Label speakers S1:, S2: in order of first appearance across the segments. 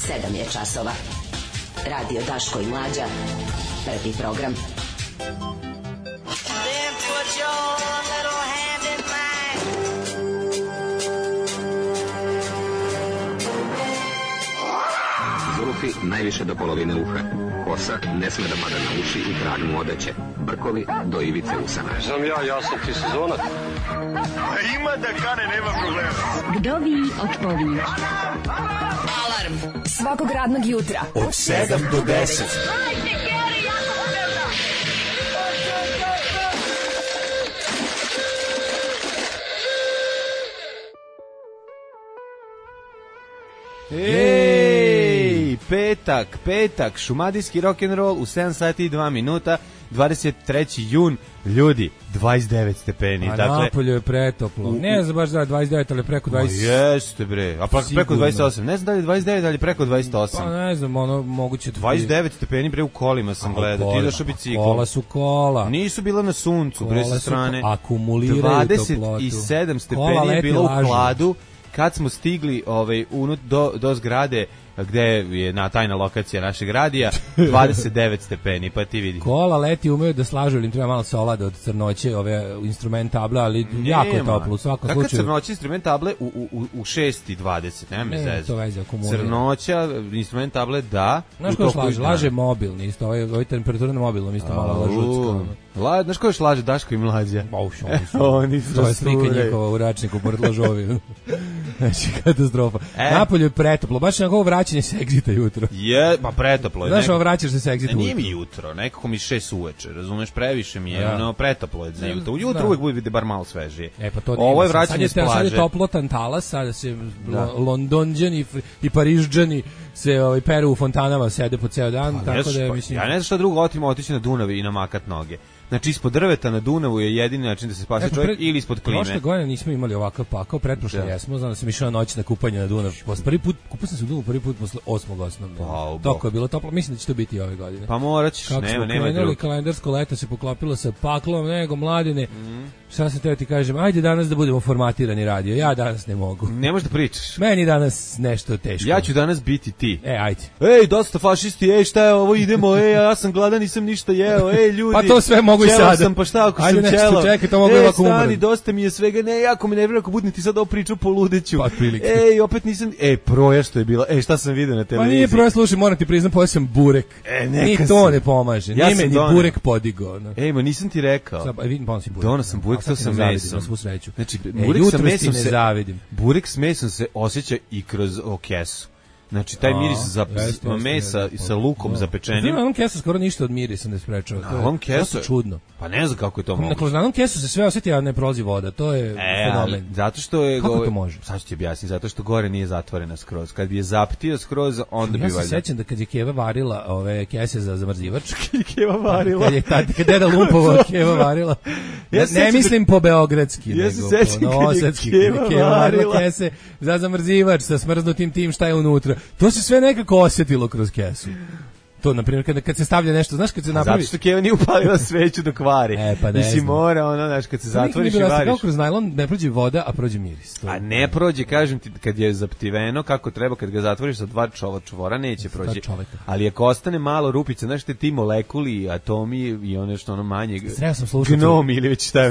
S1: 7 je časova. Radio Daško i Mlađa. Prvi program.
S2: Then put your little hand in mine.
S3: Zulufi najviše do polovine uha. Kosa ne sme da pada na uši i krag mu odeće. Brkovi do ivice usana.
S4: Znam ja sam ti sezonac.
S5: Ima da kane, nema problema.
S6: Vdovi od pović.
S1: Alarm
S6: Svakog radnog jutra
S5: Od 7 do 10.
S7: Ej, petak, šumadijski rock'n'roll u 7 sati i 2 minuta, 23. jun, ljudi, 29 stepeni.
S8: A
S7: dakle,
S8: napolju je pretoplo. Ne znam baš da je 29, ali preko 20.
S7: Jeste bre, a preko
S8: Sigurno.
S7: 28, ne znam da li je 29, ali preko 28.
S8: Pa ne znam, ono, moguće...
S7: 29 stepeni bre u kolima sam gledao, ti daš u biciklom.
S8: Kola su kola.
S7: Nisu bila na suncu, bre sa strane.
S8: Akumuliraju toplotu.
S7: 27 stepeni je bilo u hladu kad smo stigli do zgrade gde je tajna lokacija našeg radija, 29 stepeni, pa ti vidi.
S8: Kola leti, umeju da slažu, ili im treba malo solada od crnoće, ove instrument table, ali jako je toplo u svakom slučaju.
S7: Kakva crnoća instrument table u 6:20, nema me zezati.
S8: To veze akumulira.
S7: Crnoća instrument table da.
S8: Znaš ko još laže? Laže mobilni isto, ovaj temperatura na mobilnom isto malo lažutsko.
S7: Znaš ko još laže? Daško i Mlađa.
S8: Oni su to je slika njihova u račniku pored lažovi. Znači, katastrofa. Napolje je pretoplo, baš na ovo vraćanje s Exita jutro.
S7: Pa pretoplo je.
S8: Znaš, ovo vraćaš se s Exita jutro.
S7: Nije mi jutro, nekako mi 6 uveče, razumeš, previše mi je, pretoplo je za jutro. Ujutro uvek bude bar malo svežije.
S8: Pa to
S7: ovo je vraćanje s plaže.
S8: Sad je toplotan talas, sada se Londonđani i Parižđani se peru u fontanama, sede po ceo dan, tako da mislim...
S7: Ja ne znam šta drugo otići na Dunav i namakat noge. Znači, ispod drveta na Dunavu je jedini način da se spase čovjek ili ispod klime.
S8: Prošle godine nismo imali ovakav pakao, pretprošle jesmo, znam da sam išao noć na kupanje na Dunav. Prvi put, kupao sam se u Dunavu prvi put posle 8. osnovnog. Toko je bilo toplo, mislim da će to biti i ove godine.
S7: Pa morat ćeš, nema drugo.
S8: Kalendarsko leto se poklopilo sa paklom, nego mladine. Šta sam teo ti kažem, ajde danas da budemo formatirani radio, ja danas ne mogu.
S7: Ne možeš da pričaš.
S8: Meni danas nešto teško.
S7: Ja ću danas biti ti.
S8: Ajde.
S7: Ej, dosta fašisti, šta je ovo, idemo, ja sam gladan, nisam ništa jeo, ljudi.
S8: Pa to sve mogu i sada.
S7: Sam, pa šta ako
S8: ajde
S7: sam ćelav?
S8: Čekaj, to mogu ovako umreti.
S7: Stani, dosta mi je svega, jako mi nervira ako budem ti sad ovo priču po ludeću.
S8: Pa prilike.
S7: Opet nisam, proja što je bila, šta sam vidio na televiziji.
S8: Pa nije proja, slušaj, moram ti priznam, pojeo sam burek. Ni to ne pomaže, nije me ni burek podigao.
S7: Ma nisam ti rekao. Dono sam burek, to sam mesom. Znači, burek s mesom se osjeća i kroz kesu. Znači, taj miris mesa sa lukom zapečenim.
S8: Na onom kesu skoro ništa od mirisa ne sprečava. To je čudno.
S7: Pa ne znam kako je to moguće.
S8: Na onom kesu se sve osjeti, a ne prolazi voda. To je fenomen.
S7: Zato što je...
S8: Kako to može?
S7: Sad ću ti objasniti. Zato što gore nije zatvorena skroz. Kad bi je zaptio skroz, onda bi valjda...
S8: Ja se sećam da kad je Keva varila ove kese za zamrzivač.
S7: Keva varila.
S8: Kad je deda Lumpova Keva varila. Ne mislim po beogradski, nego po novosadski. Keva varila kese za zamrzivač sa smrznutim tim šta je unutra. To se sve nekako osjetilo kroz kesu. To, na primjer, kad se stavlja nešto, znaš, kad se napravi...
S7: Zato što Keva nije upalila sveću dok vari.
S8: Pa ne
S7: znam. Mora, znaš, kad se zatvoriš i variš.
S8: Kako kroz najlon ne prođe voda, a prođe miris.
S7: A ne prođe, kažem ti, kad je zaptiveno, kako treba, kad ga zatvoriš sa 2 čvora, neće prođe. Ali ako ostane malo rupica, znaš, ti molekuli, atomi i ono što ono manje... Gnomi ili već šta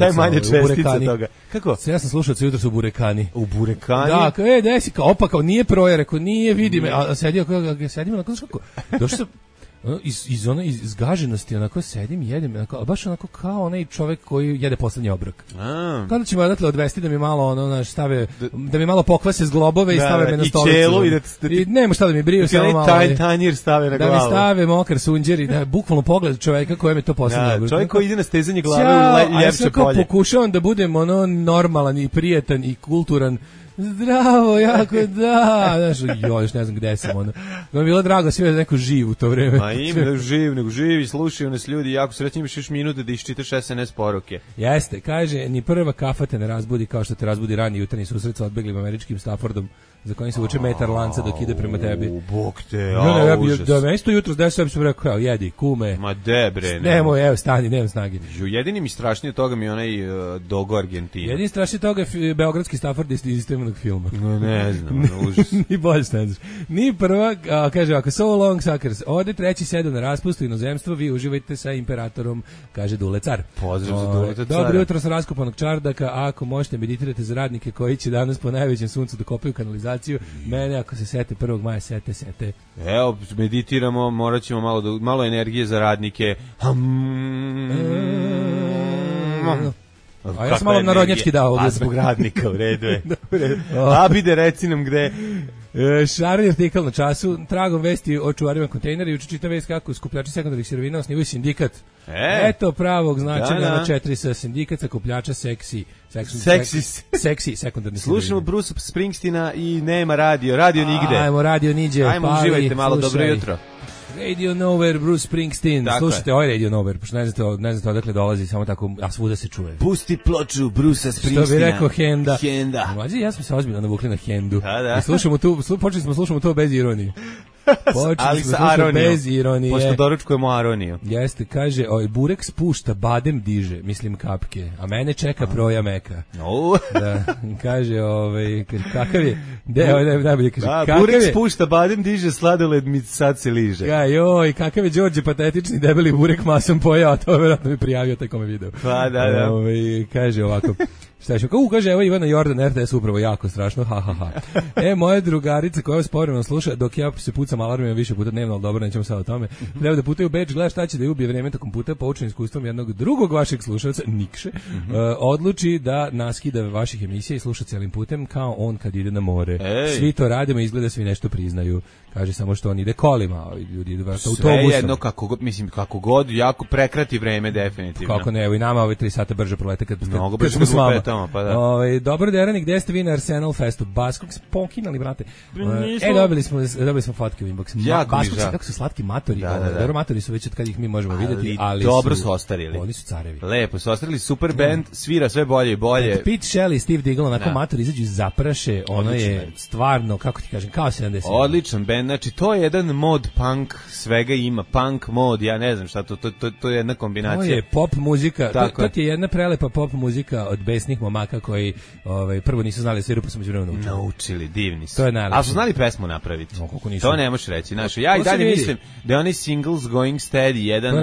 S7: je manje čestica toga. Kako?
S8: Ja sam slušao jutro su burekani.
S7: U burekani?
S8: Da, desi, kao nije proje, rekao, nije, vidi me, a sedio onako, znaš kako? Došao sam iz gaženosti, onako sedim, jedem, onako, baš onako kao onaj čovek koji jede poslednji obrok. Kada ćemo odatle odvesti da mi malo stave, da mi malo pokvase zglobove i stave me na stolicu.
S7: I čelu
S8: i nema šta da mi briju, samo malo.
S7: Tanjir stave na glavu.
S8: Da mi stave mokar sunđer i bukvalno pogled čoveka kojem je to poslednji obrok.
S7: Čovek koji ide na stezanje glave u ljepše polje.
S8: Pokušavam da budem normalan i prijetan i kulturan. Zdravo, jako da. Znaš, još ne znam gde sam ono. Mi bilo drago sve da neko živ u to vreme.
S7: Ma ima da živ, nego živi, slušaju nas ljudi, jako srećni, imaš još minute da iščitaš SNS poruke.
S8: Jeste, kaže, ni prva kafa te ne razbudi kao što te razbudi rani jutarnji susret sa odbeglim američkim Staffordom za kojim se vuče metar lanca dok ide prema tebi.
S7: Bog te, užas.
S8: Da me isto jutro desio, sam rekao, jedi, kume.
S7: Ma bre.
S8: Nemoj, evo, stani, nemam snage.
S7: Jedini mi strašnije od toga mi je onaj Dogo Argentina.
S8: Jedini strašnije od toga je beogradski Stafford iz istoimenog filma.
S7: Ne znam, užas.
S8: Ni bolje ne znaš. Ni prva, kaže ovako, so long suckers, ode treći sedam na raspustu inozemstvo, vi uživajte sa imperatorom, kaže Dule car.
S7: Pozdrav za Dule car.
S8: Dobro jutro sa raskopanog čardaka, ako možete meditirate za radnike koji će danas po najvećem suncu da kopaju kanalizaciju, mene ako se sete 1. maja, sete.
S7: Evo, meditiramo, morat ćemo malo energije za radnike.
S8: A ja sam malo narodnjački dao.
S7: A zbog radnika, u redu je. Abide, reci nam gde.
S8: Šarni artikal na času, tragom vesti o čuvarima kontejnera, juče čita vest kako skupljači sekundarnih sirovina osnivaju sindikat. Eto pravog značenja na 4 sa sindikat sakupljača seksi sekundarnih sirovina.
S7: Slušamo Bruce Springsteena i nema radio nigde.
S8: Ajmo, radio niđe.
S7: Ajmo, uživajte malo, dobro jutro.
S8: Radio Nowhere, Bruce Springsteen. Dakle. Slušajte, ovaj Radio Nowhere, pošto ne znate odakle dolazi, samo tako, a svuda se čuje.
S7: Pusti ploču Brucea Springsteena.
S8: Što bi rekao Henda.
S7: Mlađe,
S8: ja smo se ozbiljno navukli na Hendu.
S7: Da.
S8: I počeli smo slušamo to bez ironije.
S7: Ali sa aronijom.
S8: Bez ironije.
S7: Pošto doručkujemo aroniju.
S8: Jeste, kaže, burek spušta, badem diže, mislim kapke, a mene čeka proja meka. Da, kaže, kakav je, najbolje kaže,
S7: burek spušta, badem diže, sladoled mi sad se liže.
S8: Joj, kakav je Đorđe patetični debeli burek masom pojao, to je vjerojatno mi prijavio taj kome video.
S7: Pa, da.
S8: Kaže ovako, šta ću, kaže, evo Ivana Jordan, RTS upravo jako strašno, ha. Moja drugarica koja vas povremeno sluša, dok ja se pucam alarmima više puta dnevno, ali dobro, nećemo sad o tome, treba da putaju u Beč, gleda šta će da je ubije vreme tokom puta, poučen iskustvom jednog drugog vašeg slušalca, Nikše, odluči da naskida vaših emisija i sluša cijelim putem, kao on kad ide na more. Svi to radimo, izgleda svi nešto priznaju. Kaže samo što on ide kolima, ljudi idu autobusom.
S7: Sve jedno, kako god, jako prekrati vreme, definitivno.
S8: Kako ne, evo i nama ove 3 sata brže prolete kad
S7: smo s vama. Pa da.
S8: Dobro Derani, gde ste vi na Arsenal Festu? Baskog smo pokinali, brate. Dobili smo fotke u inbox. Baskog su kako su slatki matori. Dobro, matori su već od kad ih mi možemo vidjeti, ali
S7: dobro su ostarili.
S8: Oni su carevi.
S7: Lepo su ostarili, super band, svira sve bolje i bolje.
S8: Pete Shelley, Steve Diggle, onako matori izađu iz zapraše, ono je stvarno, kako ti kažem, kao 70.
S7: Odličan band, znači to je jedan mod punk, svega ima, punk mod, ja ne znam šta to je jedna kombinacija.
S8: To je pop muzika, to je jedna prelepa pop muzika od besnih momaka koji prvo nisu znali sviru, pa su među vremenom
S7: naučili, divni su.
S8: To je najlepše.
S7: A su znali pesmu napraviti? To ne možeš reći. Ja i dalje mislim da je onaj Singles Going Steady jedan,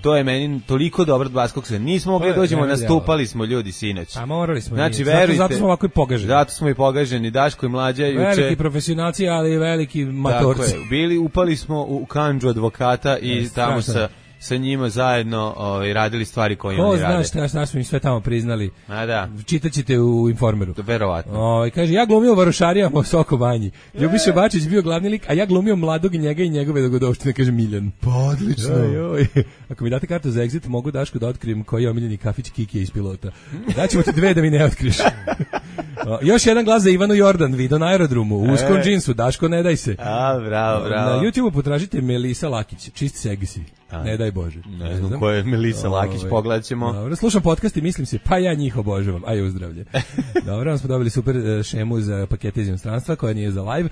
S7: to je meni toliko dobro od Baskog se. Nismo mogli dođemo, nastupali smo ljudi sinoć.
S8: A morali smo.
S7: Znači, verujte.
S8: Zato smo ovako i pogaženi.
S7: Zato smo i pogaženi, Daško i Mlađa juče.
S8: Veliki profesionalci, ali veliki matorci.
S7: Upali smo u kandžu advokata i tamo sa njima zajedno radili stvari koje oni rade.
S8: Ko zna šta smo im sve tamo priznali.
S7: A da.
S8: Čitaćete u Informeru.
S7: Verovatno.
S8: Kaže, ja glumio varošarijama u Soko Banji. Ljubiša Bačić bio glavni lik, a ja glumio mladog njega i njegove dogodovštine, kaže Miljan.
S7: Pa odlično.
S8: Ako mi date kartu za exit, mogu Daško da otkrijem koji je omiljeni kafić Kikije iz Pilota. Daćemo ti 2 da mi ne otkriš. Još jedan glas za Ivanu Jordan, video na aerodromu, u uskom džinsu, Daško ne daj se.
S7: Bravo.
S8: Na YouTubeu potražite Melisa Lakić, čist seksi. Ne daj Bože.
S7: Ne znam ko je Melisa Lakić, pogledat ćemo.
S8: Dobro, slušam podcast i mislim se, pa ja njih obožavam, a je uzdravlje. Dobro, vam smo dobili super šemu za pakete iz inostranstva, koja nije za live.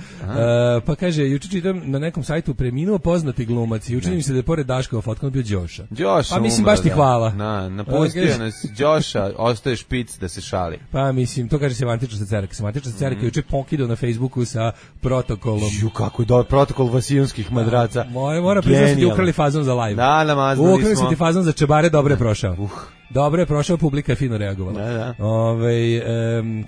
S8: Pa kaže, juče čitam na nekom sajtu preminuo poznati glumac i učini mi se da je pored Daškova fotka bio Đoša. Pa mislim, baš ti hvala.
S7: Napustio nas Đoša, ostaje špic da se šali.
S8: Pa mislim, to kaže Semantična Cecerka. Semantična Cecerka juče pokidao na Facebooku sa protokolom.
S7: Kako je dobar protokol vasijonskih madraca.
S8: Mora priznati da ukrali fazon za live.
S7: Da, namaznali smo.
S8: Ukrali su ti fazon za čebare, dobro je prošao. Dobro je prošao, publika je fino reagovala.
S7: Da.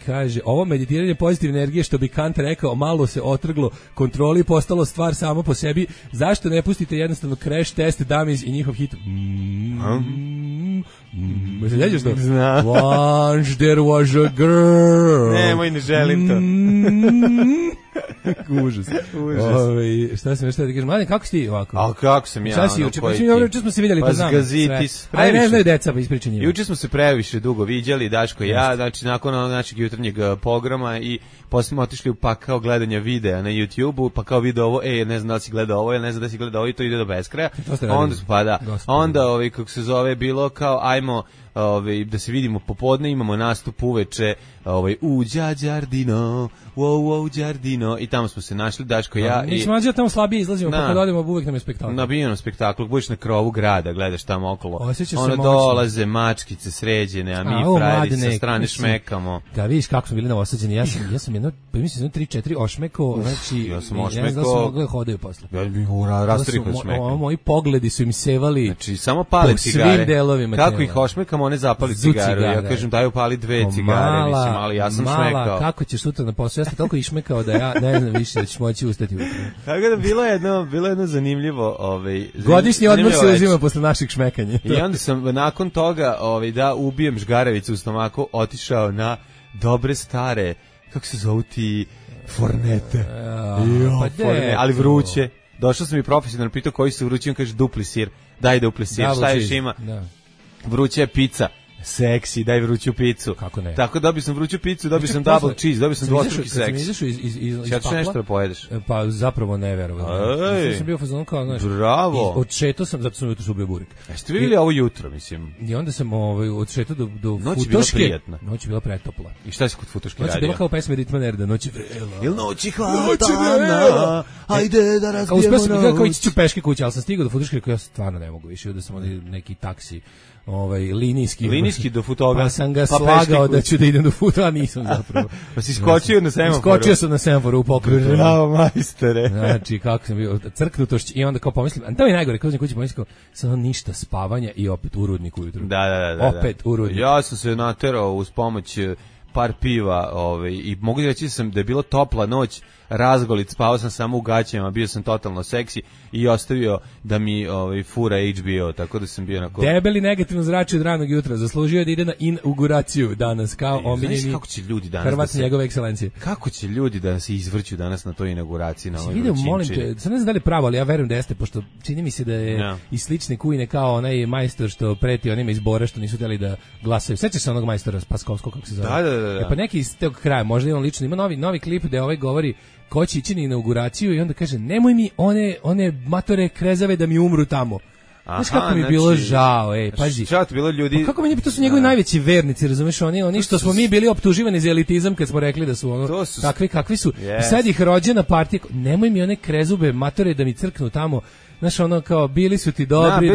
S8: Kaže, ovo meditiranje pozitivne energije, što bi Kant rekao, malo se otrglo kontroli, postalo stvar samo po sebi. Zašto ne pustite jednostavno Crash Test Dummies i njihov hit? Se sjećaš to? Once there was a girl.
S7: Nemoj, ne želim to.
S8: Užas. Šta sam još da kažem? Mladen, kako si ti ovako?
S7: A kako sam ja?
S8: Šta si juče? Juče smo se vidjeli, pa znam. Aj, ne znaju deca, pa ispričaj njima.
S7: Juče smo se previše dugo viđali, Daško i ja, znači nakon našeg jutarnjeg programa i posle smo otišli u pakao gledanja videa na YouTubeu, pa kao video ovo, ne znam da li si gledao ovo, ne znam da si gledao ovo i to ide do beskraja. Onda, kako se zove, bilo kao, ajmo da se vidimo popodne, imamo nastup uveče u Đađardino, wow, Đardino, i tamo smo se našli, Daško, ja i...
S8: Mislim, ja tamo slabije izlazimo, pa kad odemo uvek nam je spektakl.
S7: Na bijenom spektaklu, budeš na krovu grada, gledaš tamo okolo,
S8: ono
S7: dolaze mačkice sređene, a mi frajeri sa strane šmekamo.
S8: Da vidiš kako smo bili novosađeni, ja sam jedno, pa mislim, 3-4 ošmekao, znači,
S7: ja sam ošmekao,
S8: ja znam da sam mogli hodaju posle.
S7: Rastoriko šmekam.
S8: Moji pogledi su im sevali,
S7: znači, samo pali cigare.
S8: Svim delovima
S7: kako
S8: tela.
S7: Ih ošmekamo, one zapali cigaru. Ja kažem, daju pali 2 cigare, mislim, ali ja sam šmekao.
S8: Kako ćeš sutra na posao? Ja sam toliko išmekao da ja ne znam više da ćeš moći ustati ujutro.
S7: Tako da bilo jedno zanimljivo...
S8: Godišnji odmor se uzima posle naših šmekanja.
S7: I onda sam nakon toga, da ubijem žgaravicu u stomaku, otišao na dobre stare, kako se zovu ti, fornete. Ali vruće. Došao sam i profesionalno pitao koji su vrući, on kaže dupli sir. Daj dupli sir, šta još ima? Vruća je pizza. Seksi, daj vruću picu.
S8: Kako ne?
S7: Tako dobio sam vruću picu, dobio sam double cheese, dobio sam dvostruki seks.
S8: Kad sam izašao iz
S7: pakla, nešto da pojedeš?
S8: Pa zapravo ne verovatno. Ja sam bio fazon kao, znaš.
S7: Bravo.
S8: Odšetao sam, zato sam jutro subio burik.
S7: Jeste vidjeli ovo jutro, mislim?
S8: I onda sam odšetao do
S7: Futoške.
S8: Noć je bila prijatna. Noć je bila pretopla.
S7: I šta si kod Futoške radio?
S8: Noć je bila kao pesma Ritma Nerda, noć je vrela.
S7: Jel noći hladana, ajde da razbijemo noć.
S8: Uspio sam kao ići ću peške kuće, ali sam stigao do Futoške koja ja stvarno ne mogu više, da sam neki taksi. Linijski
S7: do Futoga.
S8: Pa sam ga slagao da ću da idem do Futoga, a nisam zapravo.
S7: Pa si skočio na semaforu.
S8: Skočio sam na semaforu u pokretu.
S7: Bravo, majstore.
S8: Znači, kako sam bio crknutošć i onda kao pomislim, a to je najgore, kao kući pomislim, samo ništa spavanja i opet u rudnik ujutru.
S7: Da.
S8: Opet u rudnik.
S7: Ja sam se naterao uz pomoć par piva, i mogu reći da je bila topla noć, razgolic, spavao sam samo u gaćama, bio sam totalno seksi i ostavio da mi fura HBO, tako da sam bio onako...
S8: Debeli negativno zračio od ranog jutra, zaslužio da ide na inauguraciju danas, kao omiljeni Hrvat njegove ekscelencije.
S7: Kako će ljudi da se izvrću danas na toj inauguraciji? Na
S8: vidio, molim te, sad ne znam da li pravo, ali ja verujem da jeste, pošto čini mi se da je i slične kujne kao onaj majstor što preti onima iz Bora što nisu htjeli da glasaju. Sećaš se onog majstora Paskovskog, kako se zove?
S7: Da.
S8: Pa neki iz tog kraja, možda i on lično, ima novi klip gde govori ko će ići na inauguraciju i onda kaže nemoj mi one matore krezave da mi umru tamo. Znaš kako mi je bilo žao, pazi.
S7: Šta ti bilo ljudi?
S8: Pa kako meni to su njegovi najveći vernici, razumeš, oni što smo mi bili optuživani za elitizam kad smo rekli da su takvi kakvi su. I sad ih rođena partija, nemoj mi one krezube matore da mi crknu tamo. Znaš, ono kao, bili su ti dobri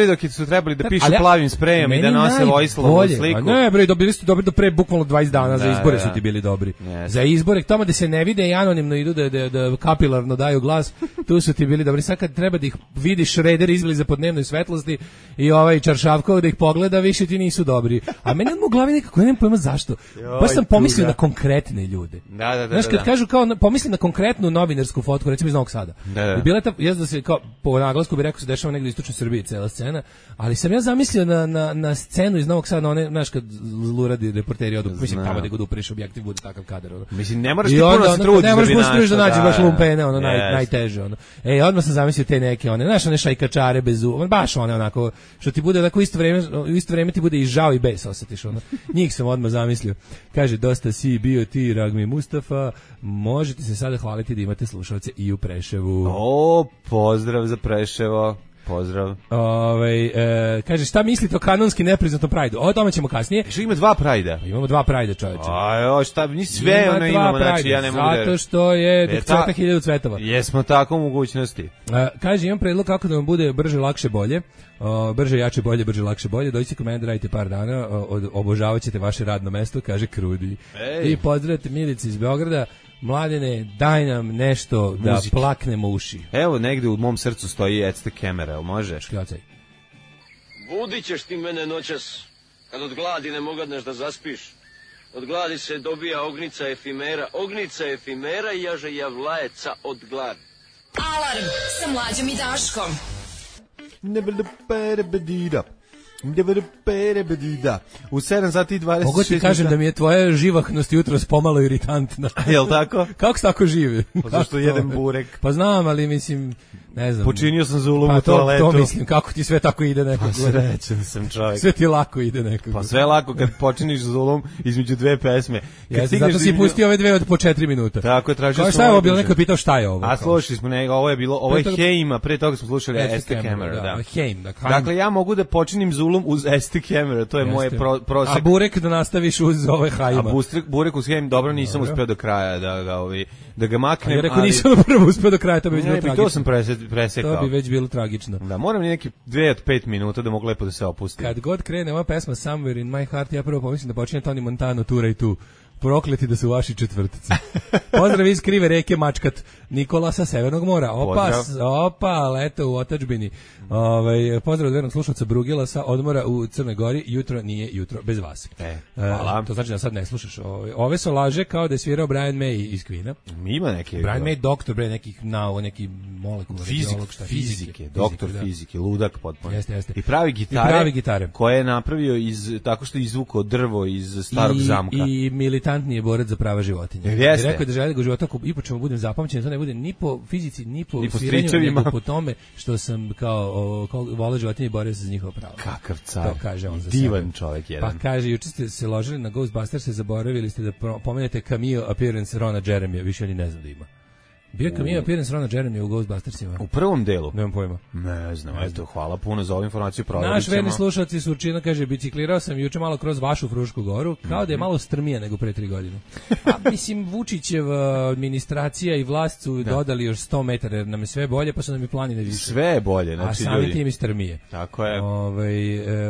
S7: dok su trebali da pišu plavim sprejom i da nose Vojislavu sliku.
S8: Ne, bre, bili su ti dobri do pre bukvalno 20 dana, za izbore su ti bili dobri. Za izbore, tamo da se ne vide i anonimno idu da kapilarno daju glas, tu su ti bili dobri. Sad kad treba da ih vidiš Šreder izbili za podnevnoj svetlosti i Čaršavkov da ih pogleda, više ti nisu dobri. A meni u glavi nekako, nemam pojma zašto. Baš sam pomislio na konkretne ljude.
S7: Znaš,
S8: kad kažu kao, pomislim na konkretnu novinarsku fotku, recimo iz Novog Sada. I bila ta, da se kao, po naglasku bi rekao se dešava negdje u istočnoj Srbiji cela scena, ali sam ja zamislio na scenu iz Novog Sada, one, znaš, kad zluradi reporteri odu, mislim, tamo da god upreš objektiv bude takav kadar.
S7: Mislim, ne moraš ti puno se truditi.
S8: Ne moraš puno se truditi da nađeš baš lumpene, najteže. Odmah sam zamislio te neke, znaš, one šajkačare bez baš one onako, što ti bude onako u isto vreme ti bude i žao i bes osjetiš. Njih sam odmah zamislio. Kaže, dosta si bio ti, Ragmi Mustafa, možete se sada hvaliti da imate slušalce i u Preševu.
S7: Pozdrav za Preševo. Pozdrav.
S8: Kaže, šta mislite o kanonski nepriznatom Prajdu? O tome ćemo kasnije.
S7: Što ima 2 Prajda?
S8: Imamo 2 Prajda, čoveče.
S7: Šta, ni sve imamo, znači ja ne mogu da...
S8: Zato što je cveta 1000 cvetova.
S7: Jesmo tako u mogućnosti.
S8: Kaže, imam predlog kako da vam bude brže, lakše, bolje. Brže, jače, bolje, brže, lakše, bolje. Dođite kod mene da radite par dana, obožavat ćete vaše radno mesto, kaže Krudi. I pozdravite Milici iz Beograda. Mladene, daj nam nešto da plaknemo uši.
S7: Evo, negde u mom srcu stoji It's the Camera, možeš?
S8: Škljacaj.
S4: Budit ćeš ti mene noćas, kad od gladi ne mogadneš da zaspiš. Od gladi se dobija ognica efimera i jaže javlajeca od gladi.
S1: Alarm sa Mlađom i Daškom.
S7: U 7 sati i 26
S8: mogu ti kažem da mi je tvoja živahnost jutros pomalo iritantna.
S7: Jel tako?
S8: Kako se tako živi?
S7: Pa zašto jedem burek?
S8: Pa znam, ali mislim, ne znam.
S7: Počinio sam zulum u
S8: toaletu. To mislim, kako ti sve tako ide nekako.
S7: Srećan sam čovjek.
S8: Sve ti lako ide nekako.
S7: Pa sve lako kad počiniš zulum između dve pesme.
S8: Zato si pustio ove dve od po 4 minuta.
S7: Tako je, tražio sam.
S8: Šta je ovo bilo, neko je pitao šta je ovo?
S7: A slušali smo, ovo je Heima, pre toga smo slušali Aztec Camera, da.
S8: Heim,
S7: dakle, ja mogu da počinim zulum uz Aztec Camera, to je moje prosek.
S8: A burek da nastaviš uz ove Heima.
S7: A burek uz Heim, dobro, nisam uspeo do kraja da ga maknem.
S8: Ja rekao nisam prvo uspeo do kraja, to bi već bilo tragično.
S7: To sam presekao.
S8: To bi već bilo tragično.
S7: Da, moram ni neki 2 od 5 minuta da mogu lepo da se opustim.
S8: Kad god krene ova pesma Somewhere in my heart, ja prvo pomislim da počinje Tony Montana, Tura i tu. Prokleti da su vaši četvrtici. Pozdrav iz krive reke Mačkat, Nikola sa Severnog mora. Opa, leto u otadžbini. Pozdrav od vernog slušalca Brugila sa odmora u Crnoj Gori. Jutro nije jutro bez vas.
S7: Hvala.
S8: To znači da sad ne slušaš. Ove su laže kao da je svirao Brian May iz Queena.
S7: Ima neki.
S8: Brian May, doktor, neki molekular.
S7: Fizike, doktor fizike, ludak potpuno.
S8: Jeste.
S7: I pravi gitare. Koje je napravio tako što je izvukao drvo iz starog zamka.
S8: I militantni borac za prava životinja.
S7: Jeste.
S8: Rekao je da želi da života i po čemu budem zapamćen, to ne bude ni po fizici, ni po sviranju, nego po tome što sam kao vole životinje i borio se za njihova prava.
S7: Kakav car.
S8: To kaže on za
S7: divan
S8: sebe.
S7: Čovjek jedan.
S8: Pa kaže, juče ste se ložili na Ghostbusters, se zaboravili ste da pomenete cameo appearance Rona Jeremija, više oni ne znam da ima. Bio cameo appearance Rona Jeremija u Ghostbustersima.
S7: U prvom delu?
S8: Nemam pojma.
S7: Ne znam, eto, hvala puno za ovu informaciju.
S8: Naš verni slušalci Surčina kaže, biciklirao sam juče malo kroz vašu Frušku goru, kao da je malo strmije nego pre 3 godine. A mislim, Vučićeva administracija i vlast su dodali još 100 metara, jer nam je sve bolje, pa su nam i planine više.
S7: Sve je bolje, znači
S8: ljudi. A sami tim i strmije.
S7: Tako je.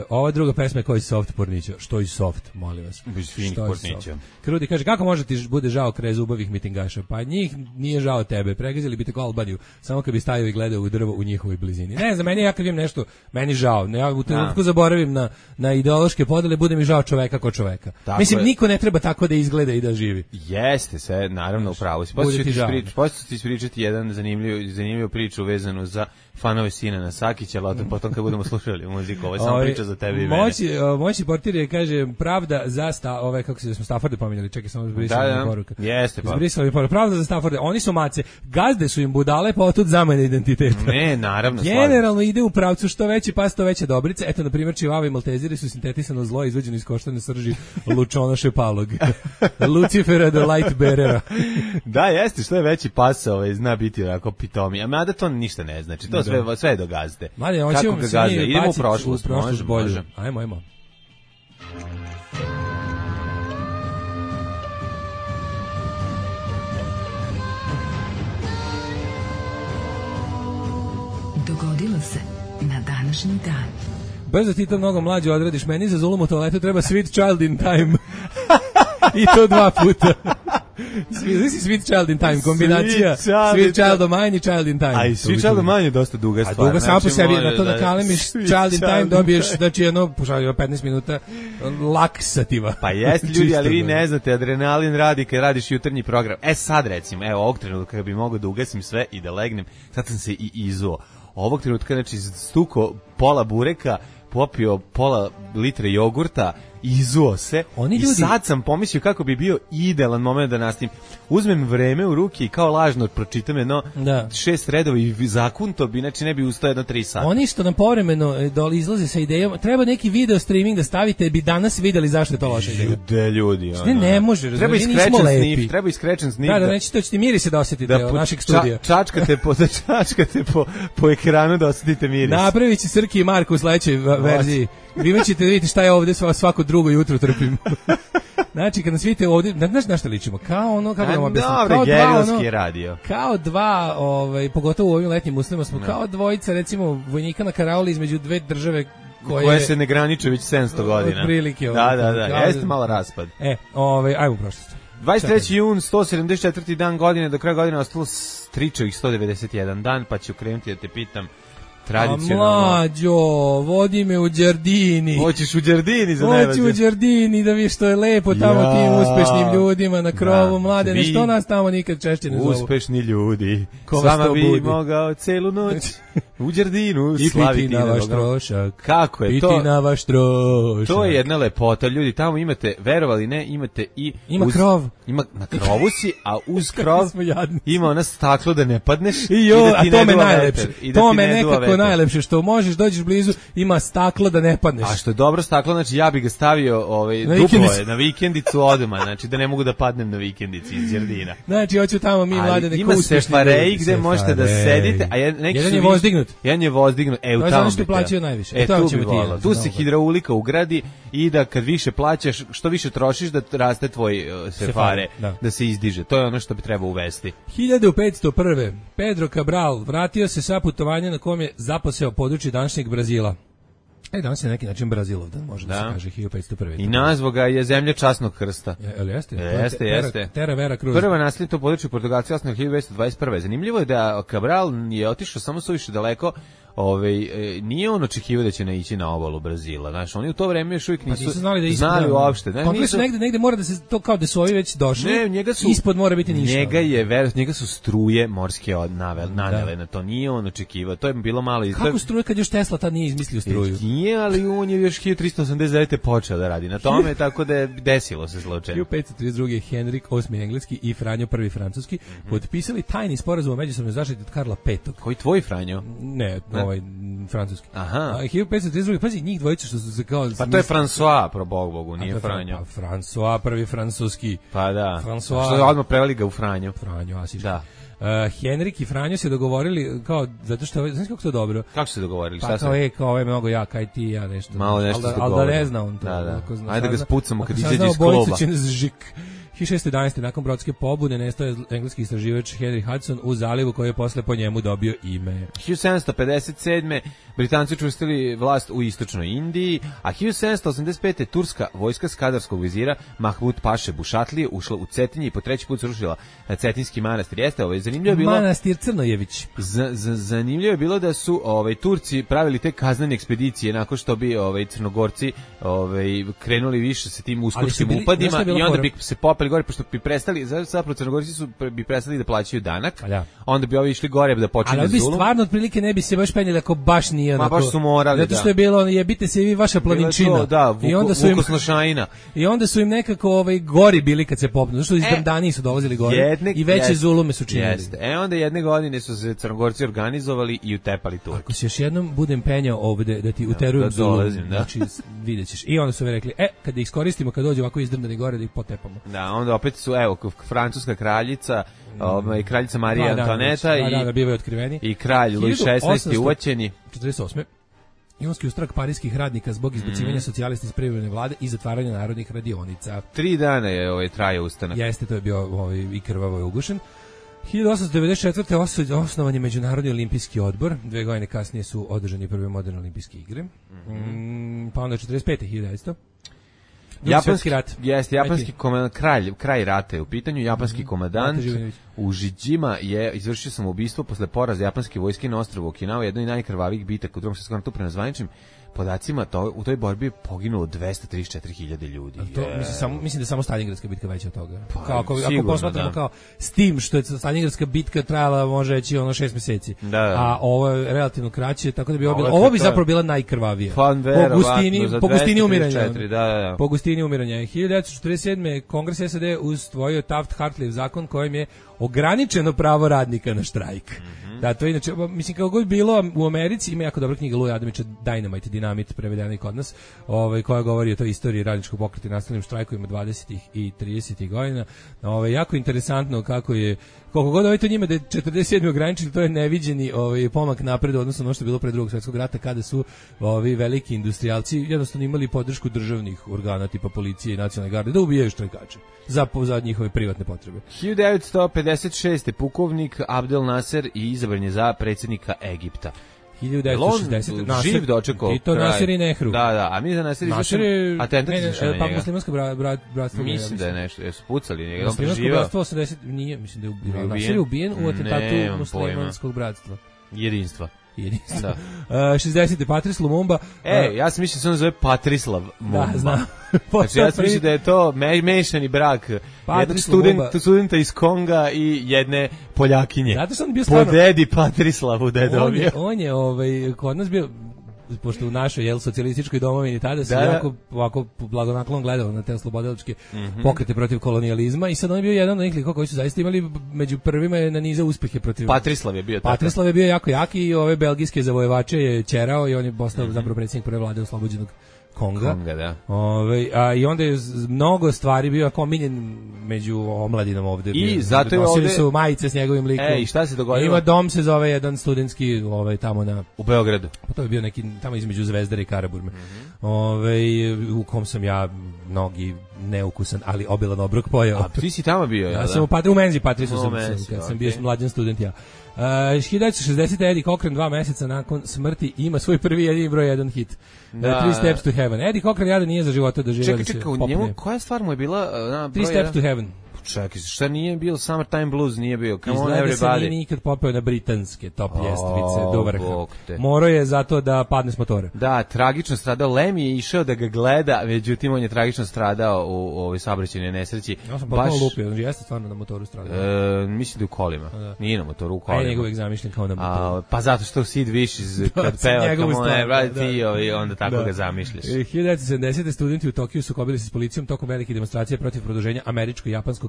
S8: Ova druga pesma je Koji soft pornića. Što i soft, molim vas.
S7: Bez finih pornića.
S8: Krudi kaže, kako može ti bude žao kraj zubavih mitingaša? Pa njih nije žao tebe, pregazili bi tako Albaniju, samo kad bi stajao i gledao u drvo u njihovoj blizini. Ne znam, meni ja kad vidim nešto, meni žao. Ja u trenutku zaboravim na ideološke podele, bude mi žao čoveka ko čoveka. Tako mislim, niko ne treba tako da izgleda i da živi.
S7: Jeste, sve, naravno, upravo si. Poslije ti ispričati jedan zanimljivu priču vezanu za fanove Sinana Sakića, ali potom kad budemo slušali muziku, ovo je samo priča za tebi i mene.
S8: Moći portir je, kaže, pravda za kako se smo Stafforde pominjali, čekaj, samo zbrisali poruka.
S7: Jeste, pa.
S8: Zbrisali poruka. Pravda za Stafforde, oni su mace, gazde su im budale, pa otud zamene identiteta.
S7: Ne, naravno.
S8: Generalno ide u pravcu što veći pas, to veće dobrice. Eto, na primjer, čivava i malteziri su sintetisano zlo izveđeno iz koštane srži Lučona Šepalog. Lucifera the Light Bearera.
S7: Da, jeste, što je veći pas, zna biti onako pitomi. A mada to ništa ne znači, to sve je do gazde.
S8: Mali, kako ga gazde?
S7: Idemo u prošlost, može.
S8: Ajmo.
S6: Dogodilo se na današnji dan.
S8: Brzo ti to mnogo mlađe odradiš, meni za zulum u toaletu treba Sweet Child in Time. I to 2 puta. Sweet Child in Time, kombinacija Sweet Child of Mine i Child in Time.
S7: A i Sweet Child of Mine je dosta duga stvar.
S8: A duga samo po sebi, na to da kalemiš Child in Time dobiješ, znači jedno, 15 minuta laksativa.
S7: Pa jeste ljudi, ali vi ne znate, adrenalin radi kad radiš jutarnji program. Sad recimo, ovog trenutka kad bi mogao da ugasim sve i da legnem, sad sam se i izuo. Ovog trenutka, znači, stuko pola bureka, popio pola litre jogurta, izuo se i sad sam pomislio kako bi bio idealan moment da nastavim. Uzmem vreme u ruke i kao lažno pročitam jedno 6 redova i zakunto bi, znači ne bi ustao jedno 3 sata.
S8: Oni što nam povremeno izlaze sa idejom, treba neki video streaming da stavite, bi danas videli zašto je to loša ideja.
S7: Ljudi.
S8: Ne može,
S7: treba i scratchen snif.
S8: Da, neće to ćete miris da osjetite od našeg studija.
S7: Čačkate po ekranu da osjetite miris.
S8: Napravit će Srki i Marko u sledećoj verziji. Vi ćete vidjeti šta je ovdje svako drugo jutro trpim. Znači, kad nas vidite ovdje, znaš na šta ličimo? Kao ono, kako da vam objasnim?
S7: Dobre, gerijalski radio.
S8: Kao dva, pogotovo u ovim letnjim uslovima smo, kao dvojica, recimo, vojnika na karaoli između dve države
S7: koje se ne graniče već 700 godina.
S8: Otprilike.
S7: Da, jeste malo raspad.
S8: Ajmo u prošlost.
S7: 23. jun, 174. dan godine, do kraja godine ostalo stričevih 191 dan, pa ću krenuti da te pitam tradicionalno.
S8: Mlađo, vodi me u Đardini.
S7: Hoćeš u Đardini za najvađe?
S8: Hoću u Đardini da vidiš što je lepo tamo tim uspešnim ljudima na krovu, Mladene, što nas tamo nikad češće ne zovu.
S7: Uspešni ljudi, s vama bi mogao celu noć u Đardinu slaviti.
S8: I piti na vaš trošak.
S7: Kako je to?
S8: Piti na vaš trošak.
S7: To je jedna lepota, ljudi, tamo imate, verovali ne, imate i...
S8: Ima krov.
S7: Ima, na krovu si, a uz krov ima ona staklo da ne padneš.
S8: A to me najlepše. To me nekako najlepše, što možeš, dođeš blizu, ima staklo da ne padneš.
S7: A što je dobro staklo, znači ja bi ga stavio duplo na vikendicu odmah, znači da ne mogu da padnem na vikendici iz Đardina.
S8: Znači, hoću tamo mi mlade neko uspešni.
S7: Ima sefareji gde možete da sedite, a
S8: jedan je vozdignut.
S7: Jedan je vozdignut.
S8: To je ono što plaćaju najviše.
S7: Tu se hidraulika ugradi i da kad više plaćaš, što više trošiš da raste tvoj sefare, da se izdiže. To je ono što bi trebao uvesti.
S8: 1501. Pedro Cabral vratio se sa putovanja na kom je zaposeo područje današnjeg Brazila. Danas je na neki način Brazilovdan, može da se kaže 1501.
S7: I nazvao ga je zemlja časnog krsta.
S8: Jeste. Terra Vera Cruz.
S7: Prva naselje to područje Portugalci osnovno 1221. Zanimljivo je da Cabral je otišao samo suviše daleko. Nije on očekivao da će naići na obalu Brazila. Znaš, oni u to vreme još uvijek nisu znali uopšte.
S8: Negde mora da se to kao da su ovi već došli. Ispod mora biti ništa.
S7: Njega su struje morske nanele na to. Nije on očekivao. To je bilo malo
S8: Kako struje kad još Tesla tad nije izmislio struju?
S7: Nije, ali on je još 1389. počeo da radi na tome, tako da je desilo se slučajno.
S8: 1532. Henrik VIII engleski i Franjo I francuski potpisali tajni sporazum o međusobnoj zaštiti od Karla V.
S7: Koji tvoj Franjo?
S8: Ne, francuski.
S7: Aha.
S8: 1532. Pazi, njih dvojica što su se kao...
S7: Pa to je François, pro Bogu, nije Franjo.
S8: François, prvi francuski.
S7: Pa da. Što je odmah preveli ga u Franjo.
S8: Franjo, asiš.
S7: Da.
S8: Henrik i Franjo se dogovorili kao, zato što, znaš kako to dobro?
S7: Kako se dogovorili?
S8: Pa kao je mnogo ja, kaj ti ja nešto.
S7: Malo nešto se
S8: dogovorili. Ali da ne zna on to.
S7: Da. Ajde da ga spucamo kad izađe iz kluba.
S8: 1611. nakon brodske pobune nestao je engleski istraživač Henry Hudson u zalivu koji je posle po njemu dobio ime.
S7: 1757. Britanci učvrstili vlast u istočnoj Indiji, a 1785. turska vojska skadarskog vizira Mahmud Paše Bušatlije ušla u Cetinje i po treći put srušila Cetinski manastir. Jeste, zanimljivo je bilo...
S8: Manastir Crnojević.
S7: Zanimljivo je bilo da su Turci pravili te kaznene ekspedicije nakon što bi Crnogorci krenuli više sa tim uskočkim upadima i onda bi se popeli gore, pošto bi prestali, zapravo Crnogorci bi prestali da plaćaju danak, onda bi ovi išli gore da počinju zulum.
S8: Ali bi stvarno otprilike ne bi se baš penjeli ako baš nije onako.
S7: Baš su morali,
S8: zato što je bilo, jebite se i vi vaša planinčina. I onda su im nekako gori bili kad se popnu, zato što iz Dani su dolazili gore i veće zulume su činili.
S7: Onda jedne godine su se Crnogorci organizovali i utepali Turke.
S8: Ako se još jednom budem penjao ovde da ti uterujem zulum, znači vidjet ćeš. I onda su mi rekli, kad ih iskoristimo, kad dođe ovako izdrmani gore da ih potepamo.
S7: Da, onda opet su, francuska kraljica, kraljica Marija Antoneta i kralj Louis XVI uvaćeni.
S8: 48. Ionski ustrak parijskih radnika zbog izbacivanja socijalista iz privremene vlade i zatvaranja narodnih radionica.
S7: 3 dana je trajao ustanak.
S8: Jeste, to je bio i krvavo je ugušen. 1894. osnovan je Međunarodni olimpijski odbor. 2 godine kasnije su održani prve moderne olimpijske igre. Pa onda 45. 1900.
S7: Japanski rat. Jeste, japanski kraj rata je u pitanju. Japanski komandant u Žiđima je izvršio samoubistvo posle poraza japanske vojske na ostrvu Okinawa, jednoj najkrvavijih bitaka u Drugom svjetskom ratu. Prema zvaničnim podacima u toj borbi je poginulo 234.000 ljudi.
S8: Mislim da je samo Stalingradska bitka veća od toga. Ako posmatramo kao s tim što je Stalingradska bitka trajala može reći 6 meseci. A ovo je relativno kraće, tako da bi ovo bi zapravo bila najkrvavija. Po gustini umiranja. Po gustini umiranja. 1947. Kongres SAD usvojio Taft-Hartley zakon kojim je ograničeno pravo radnika na štrajk. Da, to je inače, mislim, kako god bilo u Americi, ima jako dobra knjiga Luja Adamića, Dynamite, Dinamit, prevedena i kod nas, koja govori o toj istoriji radničkog pokreta i nastavnim štrajkovima 20. i 30. godina. Jako interesantno kako je, koliko god to njima da je 47. ograničili, to je neviđeni pomak napred, odnosno ono što je bilo pre Drugog svjetskog rata, kada su veliki industrijalci jednostavno imali podršku državnih organa, tipa policije i nacionalne garde, da ubijaju štrajkače za njihove privatne potrebe.
S7: 1956. pukovnik Abdel Nasser i izabran je za predsjednika Egipta.
S8: 1960.
S7: Živ dočekao.
S8: I to Nasser i Nehru.
S7: Da, a mi za Nasser izvršen atentat izvršen na njega.
S8: Pa muslimansko bratstvo.
S7: Mislim da je nešto, jesu pucali njega.
S8: Muslimansko bratstvo 80, nije, mislim da je ubijen. Nasser je ubijen u atentatu muslimanskog bratstva.
S7: Jedinstva.
S8: jedinstvo. 60. Patrice Lumumba.
S7: Ja sam mislio da se on zove Patrislav Mumba.
S8: Da, znam.
S7: Znači, ja sam mislio da je to mešani brak jednog studenta iz Konga i jedne Poljakinje.
S8: Zato što on bio stvarno...
S7: Po dedi Patrislavu da je dobio.
S8: On je kod nas bio, pošto u našoj socijalističkoj domovini tada se jako ovako blagonaklon gledao na te slobodilačke pokrete protiv kolonijalizma i sad on je bio jedan od njih likova koji su zaista imali među prvima na niza uspehe protiv...
S7: Patrislav je bio tako.
S8: Patrislav je bio jako jaki i ove belgijske zavojevače je ćerao i on je postao zapravo predsjednik prve vlade oslobođenog Konga, da. I onda je mnogo stvari bio jako omiljen među omladinom ovde.
S7: I zato je ovde...
S8: su majice s njegovim likom.
S7: I šta se dogodilo?
S8: Ima dom, se zove jedan studentski tamo na...
S7: U Beogradu.
S8: Pa to je bio neki tamo između Zvezdare i Karaburme. U kom sam ja mnogi neukusan, ali obilan obrok pojao.
S7: A ti si tamo bio,
S8: ja sam u menzi Patrisu kad sam bio mlađan student ja. 1960. Eddie Cochran 2 meseca nakon smrti ima svoj prvi jedini broj 1 hit. Three Steps to Heaven. Eddie Cochran jada nije za života doživio da se popne.
S7: Njemu koja stvar mu je bila
S8: Three Steps to Heaven.
S7: Čekaj, šta nije bio Summertime Blues, nije bio Come on
S8: Everybody. Izgleda se nije nikad popeo na britanske top ljestvice do vrha. Morao je zato da padne s motora.
S7: Da, tragično stradao. Lem je išao da ga gleda, međutim on je tragično stradao u ovoj saobraćajnoj nesreći.
S8: Ja sam potpuno lupio, on jeste stvarno na motoru stradao.
S7: Mislim da u kolima. Nije na motoru, u kolima.
S8: A je njegov zamišljen kao na motoru.
S7: Pa zato što Sid Vicious kad peva Come on Everybody, onda tako ga zamišljaš.
S8: 1970. studenti u Tokiju sukobili se s policijom tokom velike demonstracije protiv produženja američko-japanskog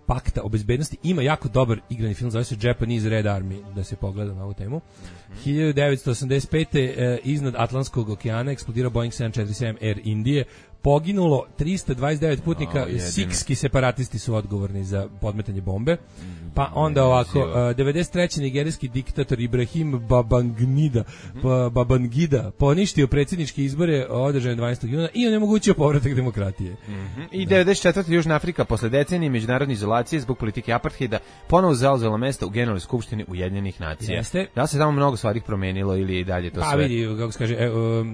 S8: pakta o bezbednosti. Ima jako dobar igrani film, zove se Japanese Red Army, da se pogleda na ovu temu. 1985. Iznad Atlantskog okeana eksplodirao Boeing 747 Air Indije. Poginulo 329 putnika, sikski separatisti su odgovorni za podmetanje bombe. Pa onda ovako, 93. nigerijski diktator Ibrahim Babangida poništio predsjedničke izbore održane 12. juna i onemogućio povratak demokratije.
S7: I 94. Južna Afrika posle decenije međunarodne izolacije zbog politike apartheida ponovo zauzela mesto u Generalnoj skupštini Ujedinjenih nacija. Da se tamo mnogo stvari promenilo ili i dalje to sve?
S8: Pa vidi, kako se kaže,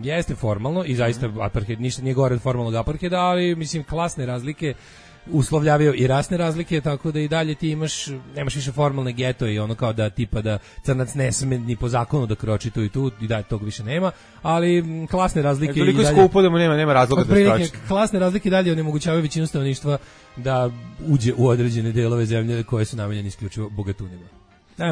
S8: jeste formalno i zaista apartheid ništa nije gore od formalnog apartheida, ali mislim klasne razlike uslovljavaju i rasne razlike, tako da i dalje ti nemaš više formalne geto i ono kao da tipa da crnac ne sme ni po zakonu da kroči tu i tu, i dalje tog više nema, ali klasne razlike i dalje...
S7: skupo da mu nema razloga da kroči.
S8: Klasne razlike dalje onemogućavaju većinu stanovništva da uđe u određene delove zemlje koje su namenjene isključivo bogatunima.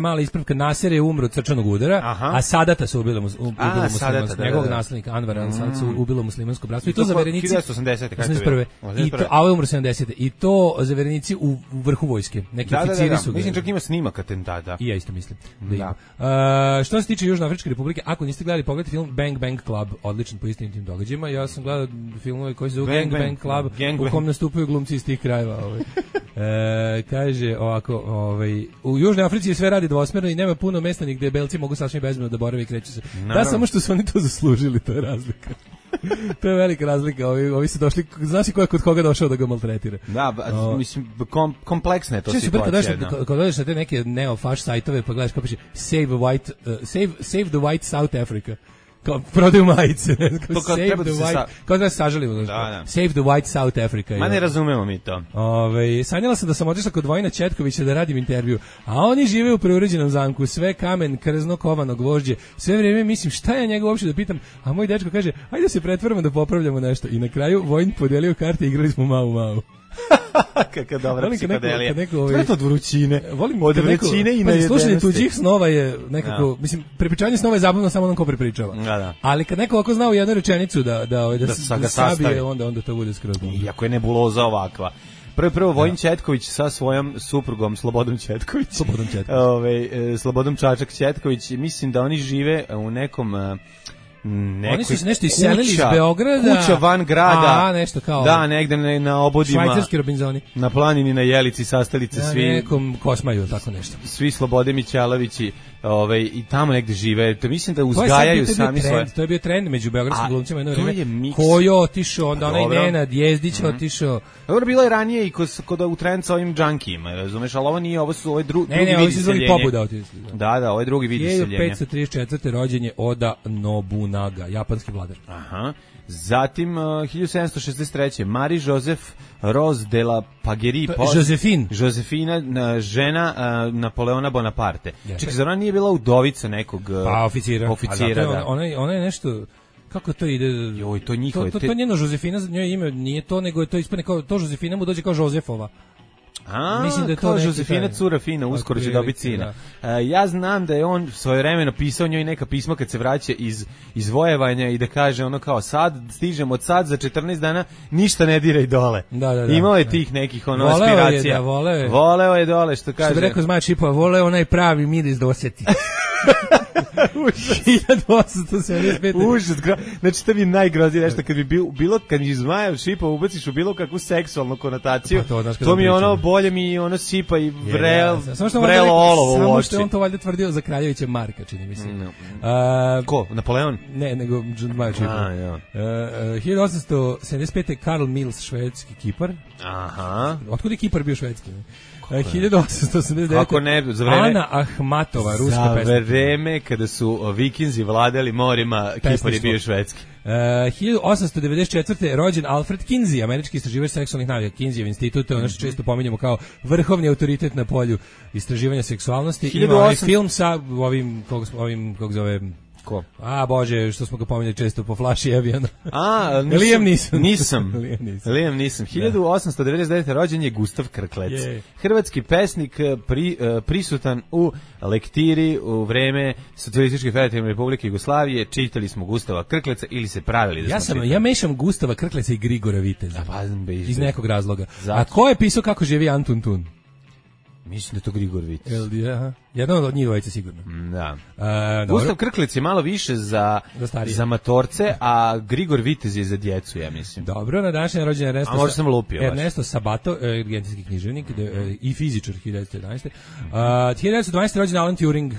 S8: Mala ispravka, Nasser je umro od srčanog udara, a Sadata su ubilo muslimansko, njegovog naslednika Anvara al-Sad su ubilo muslimansko bratstvo i to zaverenici 1981. A ovo je umro 70. I to zaverenici u vrhu vojske. Neki oficiri su.
S7: Mislim čak ima snimak atentata.
S8: I ja isto mislim da ima. Što se tiče Južnoafričke republike, ako niste gledali, pogledajte film Bang Bang Club, odličan po istinitim događajima. Ja sam gledao filmove koji se zove Gang Bang Club, u kom nastupaju glumci iz tih krajeva. Kaže ovako, u Južnoj Africi sve radi dvosmerno i nema puno mesta gdje belci mogu sasvim bezbedno da borave i kreću se. Da, samo što su oni to zaslužili, to je razlika. To je velika razlika. Ovi su došli, znaš i ko je kod koga došao da ga maltretira.
S7: Da, mislim, kompleksna je to situacija.
S8: Kad dođeš na te neke neo-faš sajtove pa gledaš kao piše Save the White South Africa. Kao prodaju majice, kao da se sažalimo. Save the White South Africa.
S7: Ma ne razumemo mi to.
S8: Sanjala sam da sam otišla kod Vojina Četkovića da radim intervju, a oni žive u preuređenom zamku, sve kamen, krzno, kovano gvožđe, sve vrijeme mislim šta ja njega uopšte da pitam, a moj dečko kaže, ajde da se pretvaramo da popravljamo nešto. I na kraju Vojin podelio karte i igrali smo Mau.
S7: Kaka dobra psihodelija. To je to od vrućine.
S8: Od vrućine i nejedenosti. Slušanje tuđih snova je nekako, mislim, prepričavanje snova je zabavno samo onom ko prepričava. Ali kad neko ovako zna u jednu rečenicu da sabije, onda to bude skroz.
S7: Iako je nebuloza ovakva. Prvo Vojin Četković sa svojom suprugom Slobodom Četković. Slobodom Čačak Četković. Mislim da oni žive u nekom...
S8: Oni su se nešto iselili iz Beograda.
S7: Kuća van grada.
S8: Nešto kao.
S7: Da, negde na obodima.
S8: Švajcarski Robinzoni.
S7: Na planini, na Jelici, sastalice svi.
S8: Na nekom Kosmaju, tako nešto.
S7: Svi Slobode Mićalovići, i tamo negde žive. To mislim da uzgajaju sami svoje.
S8: To je bio trend među beogradskim glumcima jedno vreme. Ko je otišao, onda onaj Nenad Jezdić otišao.
S7: Dobro, bilo je ranije i kod u trend sa ovim džankijima, razumeš, ali ovo nije, ovo su ovaj drugi
S8: vidi
S7: iseljenja.
S8: Ne, ovo su drugi pobuda otišli.
S7: Da, ovo je drugi vidi iseljenja.
S8: 1534. rođen je Oda Nobunaga, japanski vladar.
S7: Aha. Zatim 1763. Marie-Joseph Rose de la Pagerie. Josefina, žena Napoleona Bonaparte. Čekaj, zar ona nije bila udovica nekog oficira,
S8: da. Ona je nešto... Kako to ide?
S7: Joj, to njihove...
S8: To njeno Josefina, njoj ime nije to, nego je to ispane kao... To Josefina mu dođe kao Jozefova.
S7: Mislim da je kao Josefina cura fina, uskoro će dobiti sina. Ja znam da je on svojevremeno pisao njoj neka pisma kad se vraća iz vojevanja i da kaže ono kao sad stižem od sad za 14 dana ništa ne diraj dole.
S8: Da.
S7: Imao je tih nekih aspiracija. Voleo je dole, što kaže.
S8: Što bi rekao Zmaja Čipova, voleo onaj pravi miris da osjeti. 1875.
S7: Užas, znači to bi najgroznije nešto kad bi kad iz Zmaja Šipova ubaciš u bilo kakvu seksualnu konotaciju, to mi je ono bolje mi ono sipa i vrelo olovo u oči.
S8: Samo što je on to valjda tvrdio za Kraljevića Marka, čini mi se.
S7: Ko? Napoleon?
S8: Ne, nego Zmaja Šipova. 1875. Karl Mills, švedski kipar.
S7: Aha.
S8: Otkud je kipar bio švedski? 1889.
S7: Kako ne, za vreme
S8: Ana Ahmatova, ruska pesnica.
S7: Za vreme kada su Vikinzi vladali morima, Kipar je bio švedski.
S8: 1894. rođen Alfred Kinsey, američki istraživač seksualnih navika. Kinseyjev institut, ono što često pominjemo kao vrhovni autoritet na polju istraživanja seksualnosti. Ima ovaj film sa ovim kako zove...
S7: Ko?
S8: Bože, što smo ga pominjali često po flaši Eviana.
S7: Liam Neeson. 1899. rođen je Gustav Krklec. Hrvatski pesnik prisutan u lektiri u vreme Socijalističke federativne republike Jugoslavije. Čitali smo Gustava Krkleca ili se pravili da smo čitali.
S8: Ja mešam Gustava Krkleca i Grigora Viteza. Iz nekog razloga. A ko je pisao Kako živi Antun Tun?
S7: Mislim da je to Grigor Vitez.
S8: Jedan od njih dvojice sigurno.
S7: Da. Gustav Krklec je malo više za matorce, a Grigor Vitez je za djecu, ja mislim.
S8: Dobro, na današnji rođen Ernesto.
S7: A možda sam lupio.
S8: Ernesto Sabato, argentinski književnik i fizičar 1911. 1912. rođen Alan Turing,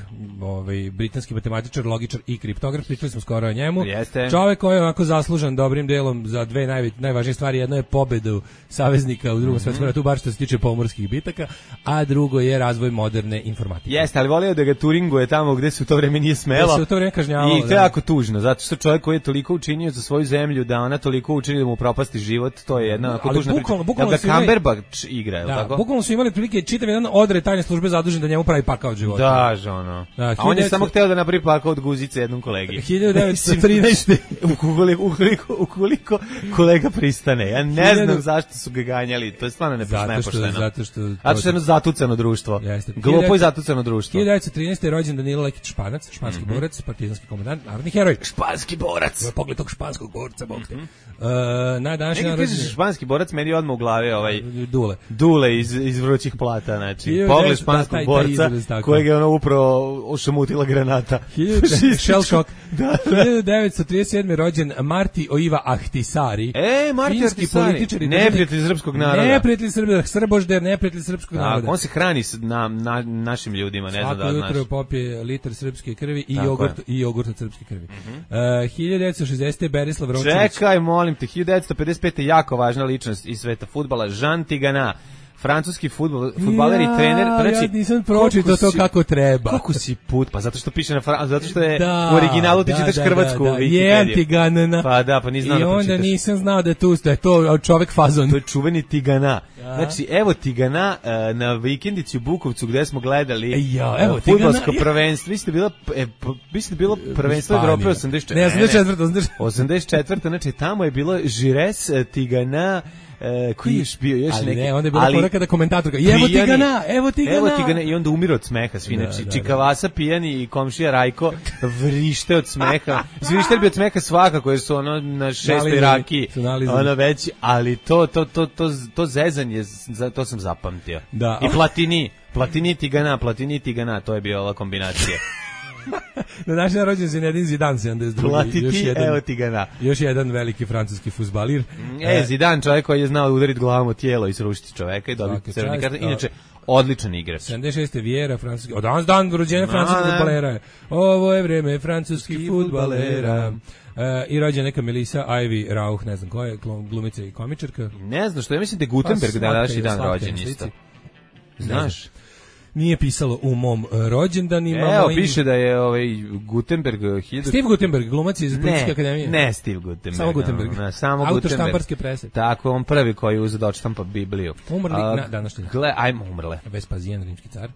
S8: britanski matematičar, logičar i kriptograf. Pričali smo skoro o njemu. Čovjek koji je onako zaslužan dobrim delom za dve najvažnije stvari. Jedno je pobedu saveznika u Drugom svjetskom ratu, bar što se tiče pomorskih bitaka, a drugo je razvoj moderne informatike.
S7: Jeste, ali volio da ga turinguje tamo gde se u to vreme nije smelo.
S8: Da se u to vreme kažnjavalo.
S7: I to je jako tužno, zato što čovjek koji je toliko učinio za svoju zemlju, da ona toliko učini da mu propasti život, to je jedna jako tužna priča. Da Cumberbatch igra, je li tako?
S8: Bukvalno su imali prilike čitav jedan odred tajne službe zadužen da njemu pravi pakao od života.
S7: Da, žono. A on je samo hteo da napravi pakao od guzice jednom kolegi.
S8: 1913.
S7: Ukoliko kolega pristane. Ja ne znam zašto su ga ganjali, to je stvarno nepošteno.
S8: Zato što
S7: je jedno zatucano društvo. Glupo i zatucano društvo.
S8: 1913. je rođen Danilo Lekić Španac, španski borac, partizanski komandant, narodni heroj.
S7: Španski borac.
S8: Pogled tog španskog borca, bog te. Na današnji
S7: dan rođen. Španski borac, meni je odmah u glavi
S8: Dule
S7: iz Vrućih plata, znači. Pogled španskog borca kojeg je ono upravo ošamutila granata.
S8: Shell shock. 1937. rođen Marti Oiva Ahtisari.
S7: Marti Ahtisari. Neprijatelj srpskog naroda.
S8: Neprijatelj srbožder, neprijatelj srpskog naroda.
S7: On se hrani našim ljudima, ne znam da znaš.
S8: Svako jutro popije litar srpske krvi i jogurt od srpske krvi. 1960. Berislav Rončević.
S7: Čekaj, molim te, 1955. jako važna ličnost iz sveta fudbala, Jean Tigana. Francuski fudbaler i trener.
S8: Ja nisam pročitao to kako treba.
S7: Kako si put? Pa zato što piše zato što je u originalu ti čitaš hrvatsku
S8: Wikipediju. Tiganana.
S7: Pa da, pa ni znao da pročitaš.
S8: I onda nisam znao da je to čovek fazon.
S7: To je čuveni Tigana. Znači, evo Tigana na vikendici u Bukovcu gde smo gledali fudbalsko prvenstvo. Mislim da je bilo prvenstvo Evrope 84.
S8: Ne,
S7: 84. Znači, tamo je bilo Žires, Tigana, koji je još bio još neki.
S8: Ne, onda je bila pora kada komentator kaže evo Tigana
S7: i onda umire od smeha svi, znači Čikavasa pijani i komšija Rajko vrište od smeha. Vrište bi od smeha svakako jer su ono na 6. raki ono već, ali to zezanje, to sam zapamtio. I Platini Tigana, to je bila ova kombinacija.
S8: Na današnji rođen Zinedine Zidane 72.
S7: Platiti, evo Tigana.
S8: Još jedan veliki francuski fudbalir.
S7: Zidane, čovjek koji je znao udariti glavom u tijelo i srušiti čoveka i dobiti crveni karton. Inače, odličan igrač.
S8: 76. Vjera, francuski. Od danas dan rođenja francuskih fudbalera. Ovo je vreme francuskih fudbalera. I rođena neka Melissa Ivy Rauch, ne znam ko je, glumica i komičarka.
S7: Ne znam što, ja mislim da je Gutenberg da današnji dan rođen isto. Znaš?
S8: nije pisalo u mom rođendanima.
S7: Evo, piše da je Gutenberg...
S8: Steve Gutenberg, glumac iz Policijske akademije.
S7: Ne, Steve Gutenberg.
S8: Samo Gutenberg.
S7: Samo
S8: autor
S7: Gutenberg.
S8: štamparske prese.
S7: Tako, on prvi koji je uzeo da odštampa Bibliju.
S8: Umrli na današnji dan.
S7: Ajmo, umrle.
S8: Vespasijan, rimski car.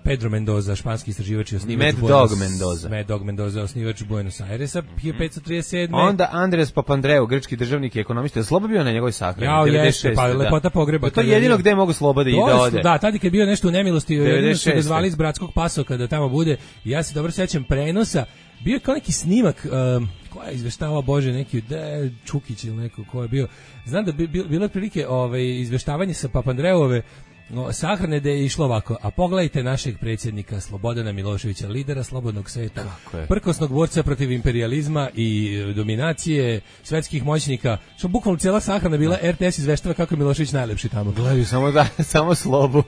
S8: Pedro Mendoza, španski istraživač i osnivač
S7: Mad
S8: Dog Mendoza, osnivač Buenos Airesa, 1537.
S7: Onda Andres Papandreou, grčki državnik i ekonomista, je Sloba bio na njegovoj sahrani?
S8: Ja, jeste, pa lepota pogreba.
S7: To je jedino gde mogu Sloba da ode.
S8: Da, tada kad je bio nešto u nemilosti, jedino su ga zvali iz bratskog pasoka da tamo bude. Ja se dobro sećam prenosa. Bio je kao neki snimak, koja je izveštavao, Bože, neki Čukić ili neko ko je bio. Znam da bilo prilike izveštavanje sa Papandreouove sahrane da je išlo ovako, a pogledajte našeg predsjednika Slobodana Miloševića, lidera slobodnog sveta, prkosnog borca protiv imperijalizma i dominacije svetskih moćnika, što bukvalno cijela sahrana bila RTS izveštava kako je Milošević najlepši tamo.
S7: Gledaju samo Slobu.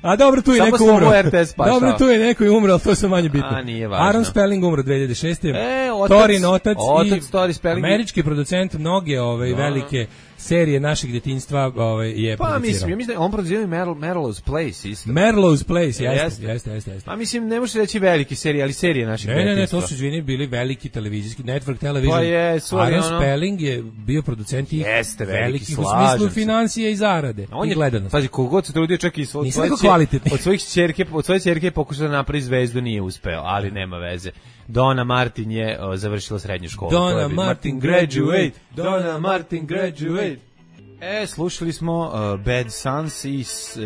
S8: A dobro, tu je neko umro. Dobro, tu je neko i umro, ali to je manje bitno.
S7: A, nije važno.
S8: Aaron Spelling umro 2006. Torin otac i američki producent mnoge velike serije našeg djetinjstva je producirao.
S7: Mislim, on producirao i Merlow's Place isto.
S8: Merlow's Place, jeste.
S7: A mislim, ne možeš reći veliki serije, ali serije našeg djetinjstva.
S8: Ne, to su izvini bili veliki televizijski, Network Television.
S7: Pa jesu, ali
S8: Aaron Spelling je bio producent i
S7: veliki
S8: u smislu financije i zarade i gledanosti.
S7: Pazi, kogod se trudio čak i od svoje ćerke pokušao da napravi zvezdu, nije uspeo, ali nema veze. Donna Martin je završila srednju školu.
S8: Donna Martin graduate.
S7: Slušali smo Bad Sons i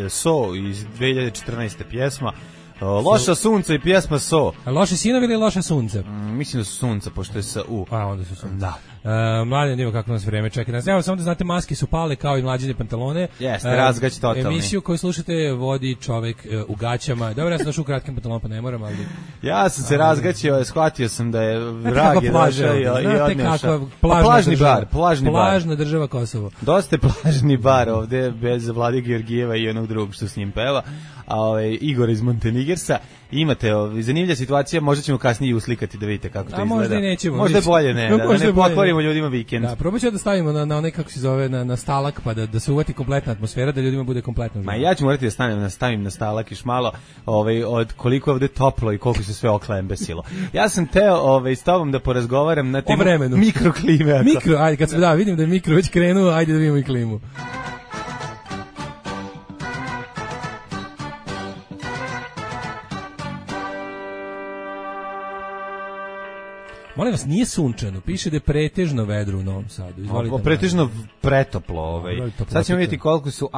S7: So iz 2014. pjesma. Loša sunca i pjesma So.
S8: A loše sinovi ili loša sunca?
S7: Mislim da su sunca, pošto je sa U.
S8: A, onda su sunca.
S7: Da.
S8: Mladen, evo kako nas vreme čeka. Evo, samo da znate, maske su pale kao i mlađine pantalone.
S7: Jeste, razgać totalni.
S8: Emisiju koju slušate vodi čovek u gaćama. Dobro, ja sam došao u kratkim pantalonama, pa ne moram, ali...
S7: Ja sam se razgaćio, shvatio sam da je vrag je došao i odnešao.
S8: Plažna država Kosovo.
S7: Dosta je plažni bar ovde, bez Vlade Georgijeva i onog drugog što s njim peva. A Igor iz Montenigersa. Imate zanimljiva situacija, možda ćemo kasnije uslikati da vidite kako to izgleda.
S8: Možda i nećemo.
S7: Možda je bolje ne, da ne pokvarimo ljudima vikend.
S8: Da, probat ću da stavimo na onaj, kako se zove, na stalak, pa da se uvati kompletna atmosfera, da ljudima bude kompletno.
S7: Ma ja ću morati da stavim na stalak još malo, od koliko je ovde toplo i koliko se sve oklembesilo. Ja sam teo s tobom da porazgovaram na temu mikroklime.
S8: Ajde, kad se vidim da je mikro već krenuo, ajde da vidimo i klimu. Molim vas, nije sunčano, piše da je pretežno vedro u Novom Sadu.
S7: Pretežno pretoplo. Sad ćemo vidjeti koliko su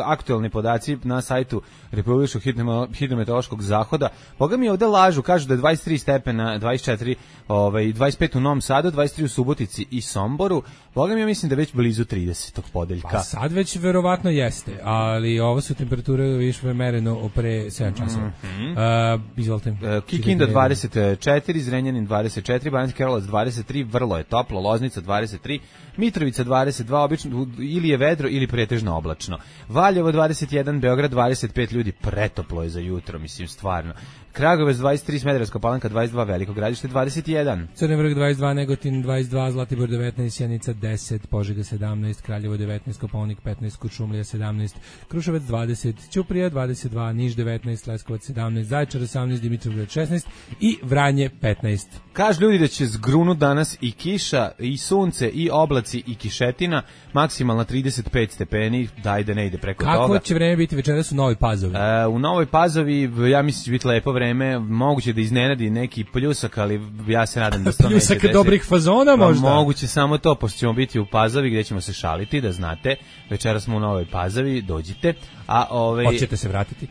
S7: aktualni podaci na sajtu Republičkog hidrometeorološkog zahoda. Boga mi ovde lažu, kažu da je 23 stepena, 24, 25 u Novom Sadu, 23 u Subotici i Somboru. Boga mi ja mislim da je već blizu 30. podeljka.
S8: Pa sad već verovatno jeste, ali ovo su temperature više mereno pre 7 časova. Izvolite.
S7: Kikinda 24, Zrenjanin 24, Banjski Karlovac 23, vrlo je toplo, Loznica 23, Mitrovica 22, obično ili je vedro ili pretežno oblačno. Valjevo 21, Beograd 25, ljudi, pretoplo je za jutro, mislim, stvarno. Kragujevac 23, Smederevska Palanka 22, Veliko Gradište 21.
S8: Crni Vrh 22, Negotin 22, Zlatibor 19, Sjenica 10, Požega 17, Kraljevo 19, Kopaonik 15, Kuršumlija 17, Kruševac 20, Ćuprija 22, Niš 19, Leskovac 17, Zaječar 18, Dimitrovgrad 16 i Vranje 15.
S7: Kažu ljudi da će zgrunut danas i kiša, i sunce, i oblaci, i kišetina, maksimalno 35 stepeni, daj da ne ide preko toga.
S8: Kako će vreme biti večeras u Novoj Pazovi?
S7: U Novoj Pazovi, ja mislim će biti lepo vreme, moguće da iznenadi neki pljusak, ali ja se nadam da se to neće desiti.
S8: Pljusak dobrih fazona možda?
S7: Moguće samo to, pošto ćemo biti u Pazovi gdje ćemo se šaliti, da znate, večeras smo u Novoj Pazovi, dođite.
S8: Hoćete se vratiti?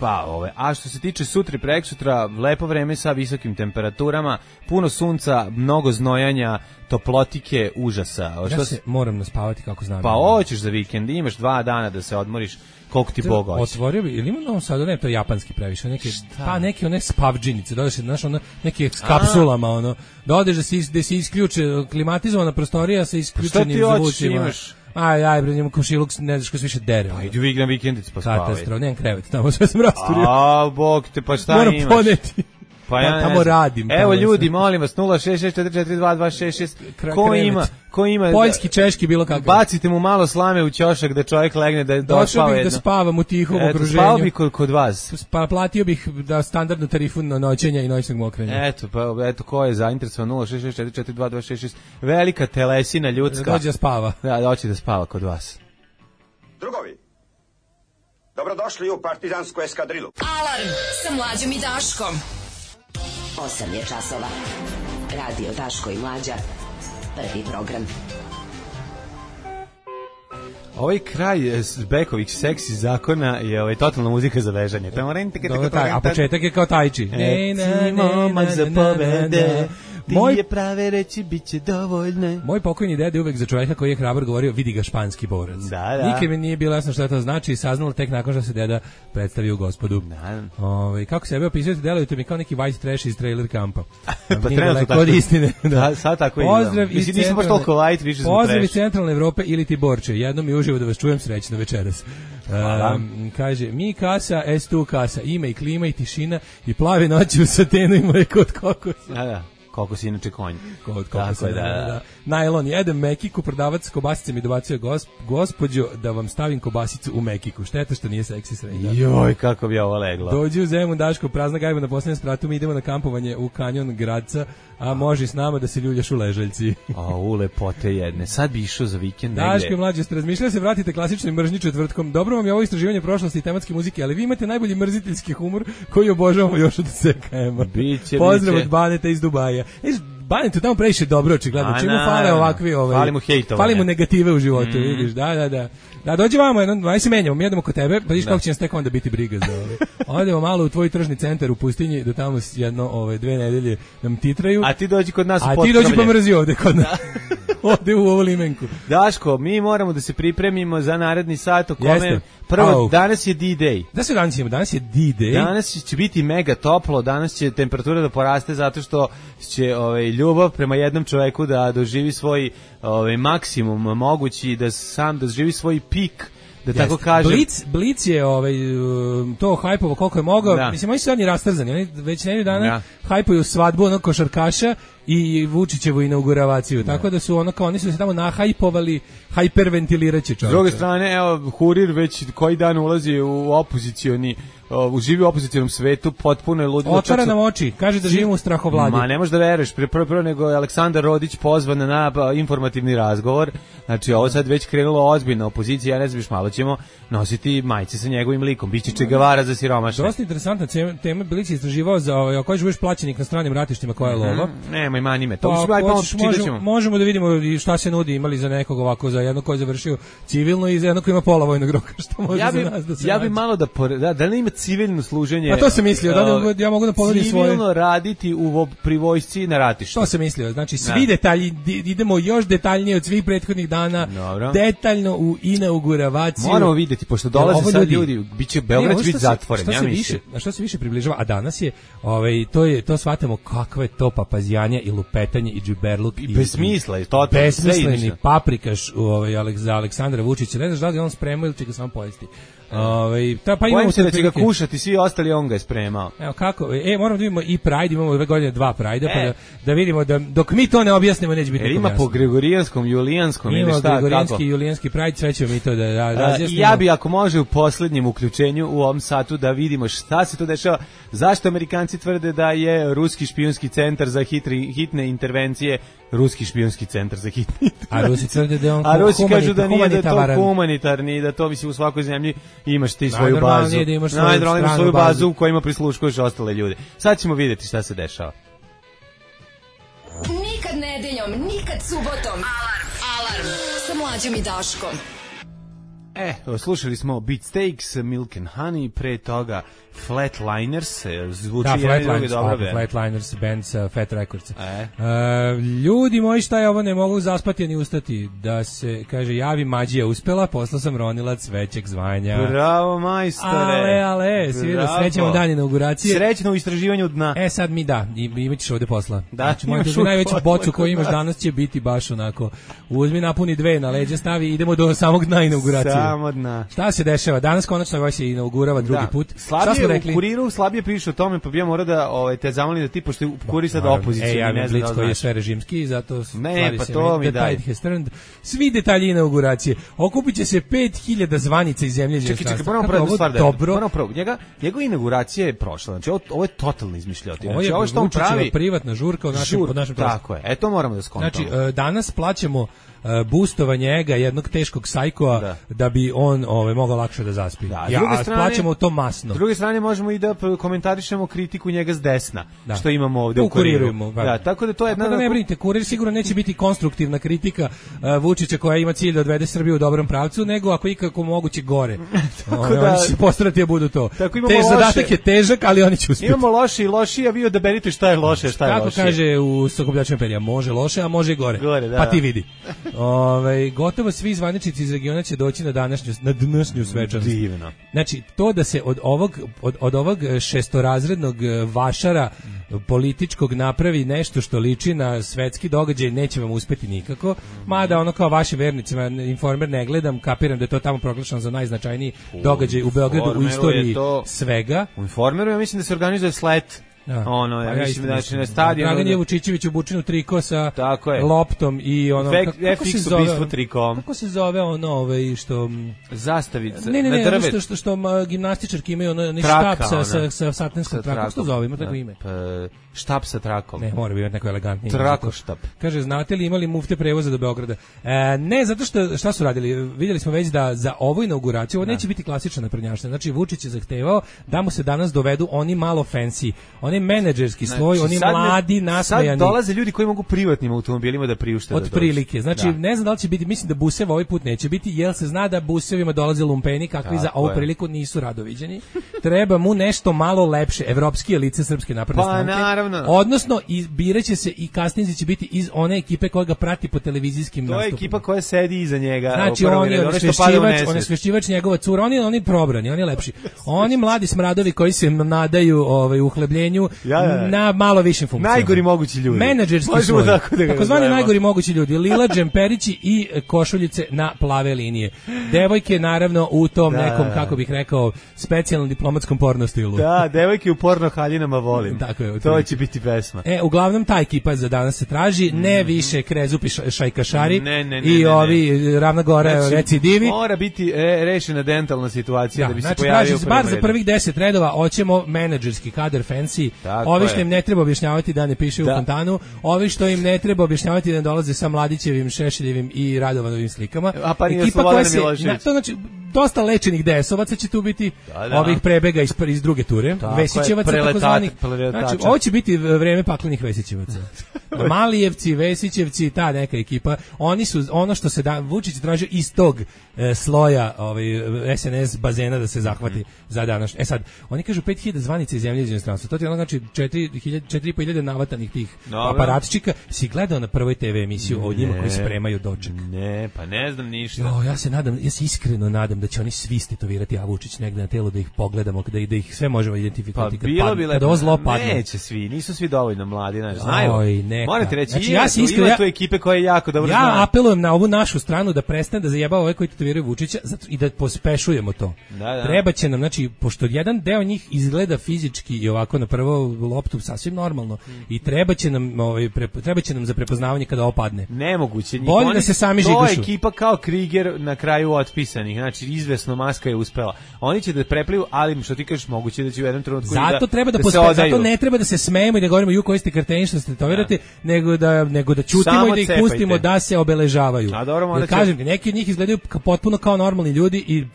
S7: A što se tiče sutra i preksutra, lepo vreme sa visokim temperaturama, puno sunca, mnogo znojanja, toplotike, užasa.
S8: Ja se moram naspavati kako znam.
S7: Pa hoćeš za vikend, imaš 2 dana da se odmoriš, koliko ti Bog hoće.
S8: Otvorio bi, ili ima Novom Sadu, ne, to je japanski previše, neke one spavdžinice, dođeš, znaš, neke s kapsulama, da odeš da se isključe, klimatizovana prostorija sa isključenim zvučima. Aj, bre, njemu komšiluk, ne znaš ko se više dere.
S7: Pa idu igram vikendic pa spavaj.
S8: Katastrof, nemam krevet, tamo sve sam rasturio.
S7: Bog te, pa šta
S8: moram
S7: imaš?
S8: Moram poneti.
S7: Pa ja
S8: tamo radim.
S7: Evo ljudi, molim vas, 066442266. Ko ima
S8: poljski, češki, bilo kakav.
S7: Bacite mu malo slame u ćošak da čovjek legne da
S8: došao bih
S7: jedno.
S8: Da spavam u tihom okruženju.
S7: Spao bih kod vas.
S8: Pa platio bih da standardnu tarifu noćenja i noćnog mokrenja.
S7: Eto ko je zainteresovan 066442266. Velika telesina ljudska.
S8: Da dođe da spava.
S7: Da hoće da spava kod vas.
S9: Drugovi, dobrodošli u partizansku eskadrilu.
S1: Alarm sa Mlađom i Daškom. 8 je časova. Radio Daško i Mlađa. Prvi program.
S7: Ovaj kraj Bekovih seksi zakona je totalna muzika za vežanje.
S8: A početak je kao tajči.
S7: Momak za pobede. Moj je prave reći biće dovoljne.
S8: Moj pokojni dede uvek za čovjeka koji je hrabar govorio vidi ga španski borac.
S7: Da.
S8: Nikad mi nije bilo jasno šta to znači i saznalo tek nakon što se deda predstavio gospodu. Kako sebe opisujete, delujete mi kao neki white trash iz trailer kampa.
S7: Pa trenutno tako.
S8: Od istine.
S7: Da, sad tako
S8: pozdrav
S7: mislim, nisam baš toliko white, više smo trash.
S8: Pozdrav iz centralne Evrope ili ti Borče. Jednom mi uživo da vas čujem, srećno večeras. Kaže, mi kasa, S2 kasa, ima i klima i tišina i plave noći u satenu i moje kod kokosa.
S7: Da. Kokos je inače konj.
S8: Kod kokosa, da. Najlon, jedem mekiku, prodavac kobasice mi dobacuje gospođo da vam stavim kobasicu u mekiku. Šteta što nije seksi srednja.
S7: Joj, kako bi ovo leglo.
S8: Dođi u Zemun, Daško, prazna gajba na posljednjem spratu, mi idemo na kampovanje u kanjon Gradca, a može s nama da se ljuljaš u Ležaljci.
S7: U lepote jedne. Sad bi išao za vikend negde.
S8: Daško i Mlađe, ste razmišljali se vratite klasičnoj mržnji četvrtkom. Dobro vam je ovo istraživanje prošlosti i tematske muzike, ali vi imate najbolji mrziteljski humor koji obožavamo još od SKM-a. Pozdrav od Baneta iz Dubaja. Banetu tamo previše dobro, očigledno. Čemu fale ovakvi
S7: fali mu hejtovanje.
S8: Fali mu negative u životu, vidiš. Da, dođi vamo, aj se menjamo, mi jedemo kod tebe, pa vidiš kako će nas tek onda biti briga za ove. Odemo malo u tvoj tržni centar u pustinji, da tamo jedno 2 nedelje nam titraju.
S7: A ti dođi kod nas u
S8: Potkrovlje. A ti dođi pa mrzi ovde kod nas. Ovde u ovu limenku.
S7: Daško, mi moramo da se pripremimo za naredni sat u kome prvo danas je D-Day.
S8: Da se danas imamo, danas je D-Day.
S7: Danas će biti mega toplo, danas će temperatura da poraste zato što će ljubav prema jednom čoveku da doživi svoj maksimum mogući, da sam da doživi svoj pik, da tako kažem.
S8: Blic je to hajpovo koliko je mogao. Mislim, oni su oni rastrzani. Oni već nedelju dana hajpuju svadbu onog košarkaša i Vučićevu inauguravaciju. Tako da su oni su se tamo nahajpovali, hajperventiliraće čovjek.
S7: S druge strane, evo, Hurir već koji dan ulazi u opozicioni živi u opozicionom svetu, potpuno je ludilo.
S8: Otvara nam oči, kaže da živimo u strahovladi.
S7: Ma ne možeš da veruješ, prvo nego je Aleksandar Rodić pozvan na informativni razgovor, znači ovo sad već krenulo ozbiljna opozicija, ja ne znam, malo ćemo nositi majice sa njegovim likom, biće Čegavara za siromašne.
S8: Dosta interesantna tema, Bilić je istraživao za ako ćeš budeš plaćenik na stranim ratištima, koja je lova.
S7: Nemoj, mani me,
S8: to možemo da vidimo šta se nudi, imali za nekog ovako, za jednog koji je završio civilno i za jednog koji ima pola vojnog roka, što može za nas da se
S7: ja bi malo da li ima civilno služenje.
S8: A to sam mislio, da ja mogu da ponudim svoje.
S7: Civilno raditi pri vojsci na ratištu.
S8: To sam mislio, znači svi detalji, idemo još detaljnije od svih prethodnih dana, detaljno u inauguravaciju.
S7: Moramo vidjeti, pošto dolaze sad ljudi, biće Beograd biti zatvoren, ja mislim.
S8: Na što se više približava, a danas je, to shvatamo kakve to papazijanje i lupetanje i džiberluk.
S7: I bez smisla je to.
S8: Besmisleni paprikaš za Aleksandra Vučića, ne znaš da li on spremao ili će ga samo pojesti.
S7: Bojim se da će ga kušati, svi ostali on ga je spremao.
S8: Evo kako, moramo da vidimo i Pride, imamo ove godine 2 Pride, pa da vidimo da dok mi to ne objasnimo neće biti
S7: ima po gregorijanskom, julijanskom ili šta, kako?
S8: Ima gregorijanski i julijanski Pride, sve ćemo mi to da razjasnimo.
S7: Ja bi, ako može, u posljednjem uključenju u ovom satu da vidimo šta se to dešava, zašto Amerikanci tvrde da je ruski špijunski centar za hitne intervencije ruski špijunski centar za hitne intervencije.
S8: A Rusi tvrde da je on
S7: Rusi kažu da nije, da je to humanitarni, da to mislim u svakoj zemlji imaš ti svoju bazu. Najnormalnije imaš svoju bazu u kojima prisluškuješ ostale ljude. Sad ćemo vidjeti šta se dešava.
S1: Nikad nedeljom, nikad subotom. Alarm sa Mlađom i Daškom.
S7: Slušali smo Beatsteaks, Milk and Honey, pre toga Flatliners, zvuči
S8: Flatliners, band sa Fat Records. Ljudi moji, šta je ovo, ne mogu zaspati ni ustati, da se, kaže, javi Mađija uspela, poslao sam ronilac većeg zvanja.
S7: Bravo, majstore.
S8: Ale, srećemo dan inauguracije.
S7: Srećno u istraživanju dna.
S8: Sad mi imat ćeš ovde posla.
S7: Znači,
S8: najveću bocu koju imaš danas će biti baš onako, uzmi napuni 2 na leđa, stavi, idemo do samog dna inauguracije.
S7: sramodna.
S8: Šta se dešava? Danas konačno ovaj se inaugurava drugi put. Šta smo rekli?
S7: U Kuriru slabije piše o tome, pa bi ja morao da te zamolim da ti, pošto je Kurir sada opozicija.
S8: Ja ne znam koji je sve režimski, zato
S7: ne, pa to mi daj.
S8: Svi detalji inauguracije. Okupit će se 5000 zvanica iz zemlje.
S7: Čekaj, moramo prvo stvar da njegova inauguracija je prošla. Znači, ovo je totalno izmišljotina.
S8: Znači, ovo što on pravi privatna žurka pod našim
S7: tako je. To moramo da skontamo.
S8: Znači, danas plaćamo boostovanje ega jednog teškog sajkoa da bi on mogao lakše da zaspi. Plaćamo to masno.
S7: S druge strane možemo i da komentarišemo kritiku njega s desna, što imamo ovde u Kuriru. Tako da to je
S8: ne brinite, Kurir sigurno neće biti konstruktivna kritika Vučića koja ima cilj da odvede Srbiju u dobrom pravcu, nego ako ikako moguće gore. Oni će postarati da budu to. Zadatak je težak, ali oni će uspjeti.
S7: Imamo loši i loši, a vi odaberite šta je loše, šta je loše.
S8: Kako kaže u Sokobljačima perija, može loše, a može i gore. Pa ti vidi. Gotovo svi zvaničnici iz regiona će doći na današnju svečanost.
S7: Divno.
S8: Znači, to da se od ovog šestorazrednog vašara političkog napravi nešto što liči na svetski događaj, neće vam uspeti nikako. Mada ono kao vašim vernicima Informer ne gledam, kapiram da je to tamo proglašeno za najznačajniji događaj u Beogradu u istoriji svega.
S7: U Informeru ja mislim da se organizuje slet. Ja mislim da je stadion.
S8: Dragan je Vučićević u bučinu triko sa loptom i ono
S7: kako se zove trikom.
S8: Kako se zove ono što
S7: zastavica
S8: na drvetu što gimnastičarke imaju ono štap sa satenskom trakom. Kako se zove, ima tako ime?
S7: Štap sa trakom.
S8: Ne, mora biti neko elegantnije.
S7: Trakoštap.
S8: Kaže, znate li imali mufte prevoza do Beograda? Ne, zato što šta su radili? Vidjeli smo već da za ovu inauguraciju ovo neće biti klasična naprednjaština. Znači Vučić je zahtevao da mu se danas dovedu oni malo fancy, oni menadžerski sloj, oni mladi, nasmejani.
S7: Sad dolaze ljudi koji mogu privatnim automobilima da priušte da dođu.
S8: Otprilike. Znači, ne znam da li će biti, mislim da buseva ovaj put neće biti, jer se zna da busevima dolaze lumpeni kakvi za ovu priliku nisu radoviđeni. Treba mu nešto malo lepše, evropski lice Srpske napredne stranke. Odnosno, biraće se i kasnije će biti iz one ekipe koja ga prati po televizijskim nastupima.
S7: To je ekipa koja sedi iza njega.
S8: Znači, on je osvešćivač njegova cura, oni probrani, oni lepši. Oni mladi smradovi koji se nadaju uhlebljenju na malo višim funkcijama.
S7: Najgori mogući ljudi.
S8: Menadžerski sloj. Takozvani najgori mogući ljudi. Lila džemperići i košuljice na plave linije. Devojke, naravno, u tom nekom, kako bih rekao, specijalnom diplomatskom porno stilu.
S7: Da, devojke u porno haljinama volim.
S8: Tako je.
S7: To će biti pesma.
S8: Uglavnom ta ekipa za danas se traži, ne više krezupi šajkašari i ovi Ravna Gora recidivi.
S7: Mora biti rešena dentalna situacija da bi se pojavio.
S8: Znači, bar za prvih 10 redova hoćemo menadžerski kadar fancy. Ovi što im ne treba objašnjavati da ne piše u fontanu, ovi što im ne treba objašnjavati da ne dolaze sa Mladićevim, Šešeljevim i Radovanovim slikama.
S7: Ekipa koja se,
S8: to znači dosta lečenih desovaca će tu biti, ovih prebega iz druge ture, Vesićevaca takozvanih. Znači, ovo će biti vreme paklenih Vesićevaca. Malijevci, Vesićevci, ta neka ekipa, oni su ono što se Vučić tražio iz tog sloja SNS bazena da se zahvati za danas. Sad, oni kažu 5000 zvanica iz zemlje iz inostranstva. To ti ono znači 4.500 navatanih tih aparatčika. Si gledao na prvoj TV emisiju o njima koji spremaju doček?
S7: Ne, pa ne znam ništa.
S8: Ja se iskreno nadam da će oni svi stetovirati Vučić negde na telo, da ih pogledamo, da ih sve možemo identifikovati.
S7: Pa bilo bi
S8: lepo.
S7: Neće svi, nisu svi dovoljno mladi, znaju. Morate reći,
S8: znači,
S7: ima tu ekipe koje jako dobro znaju.
S8: Ja apelujem na ovu našu stranu da prestane da zajebava ove koji tetoviraju Vučića i da pospešujemo to. Treba će nam, znači, pošto jedan deo njih izgleda fizički i ovako na prvo loptu sasvim normalno i treba će nam za prepoznavanje kada opadne.
S7: Nemoguće.
S8: Bolje da se sami žigošu.
S7: To je ekipa kao Kriger na kraju otpisanih, znači izvesno Maska je uspela. Oni će da prepliju, ali što ti kažeš, moguće da će u jednom trenutku
S8: zato ne treba da se smejemo i da govorimo ju koji ste karteni što ste tovirate, nego da ćutimo i da ih pustimo da se obeležavaju. Kažem, neki od njih izgledaju potpuno kao normalni ljudi i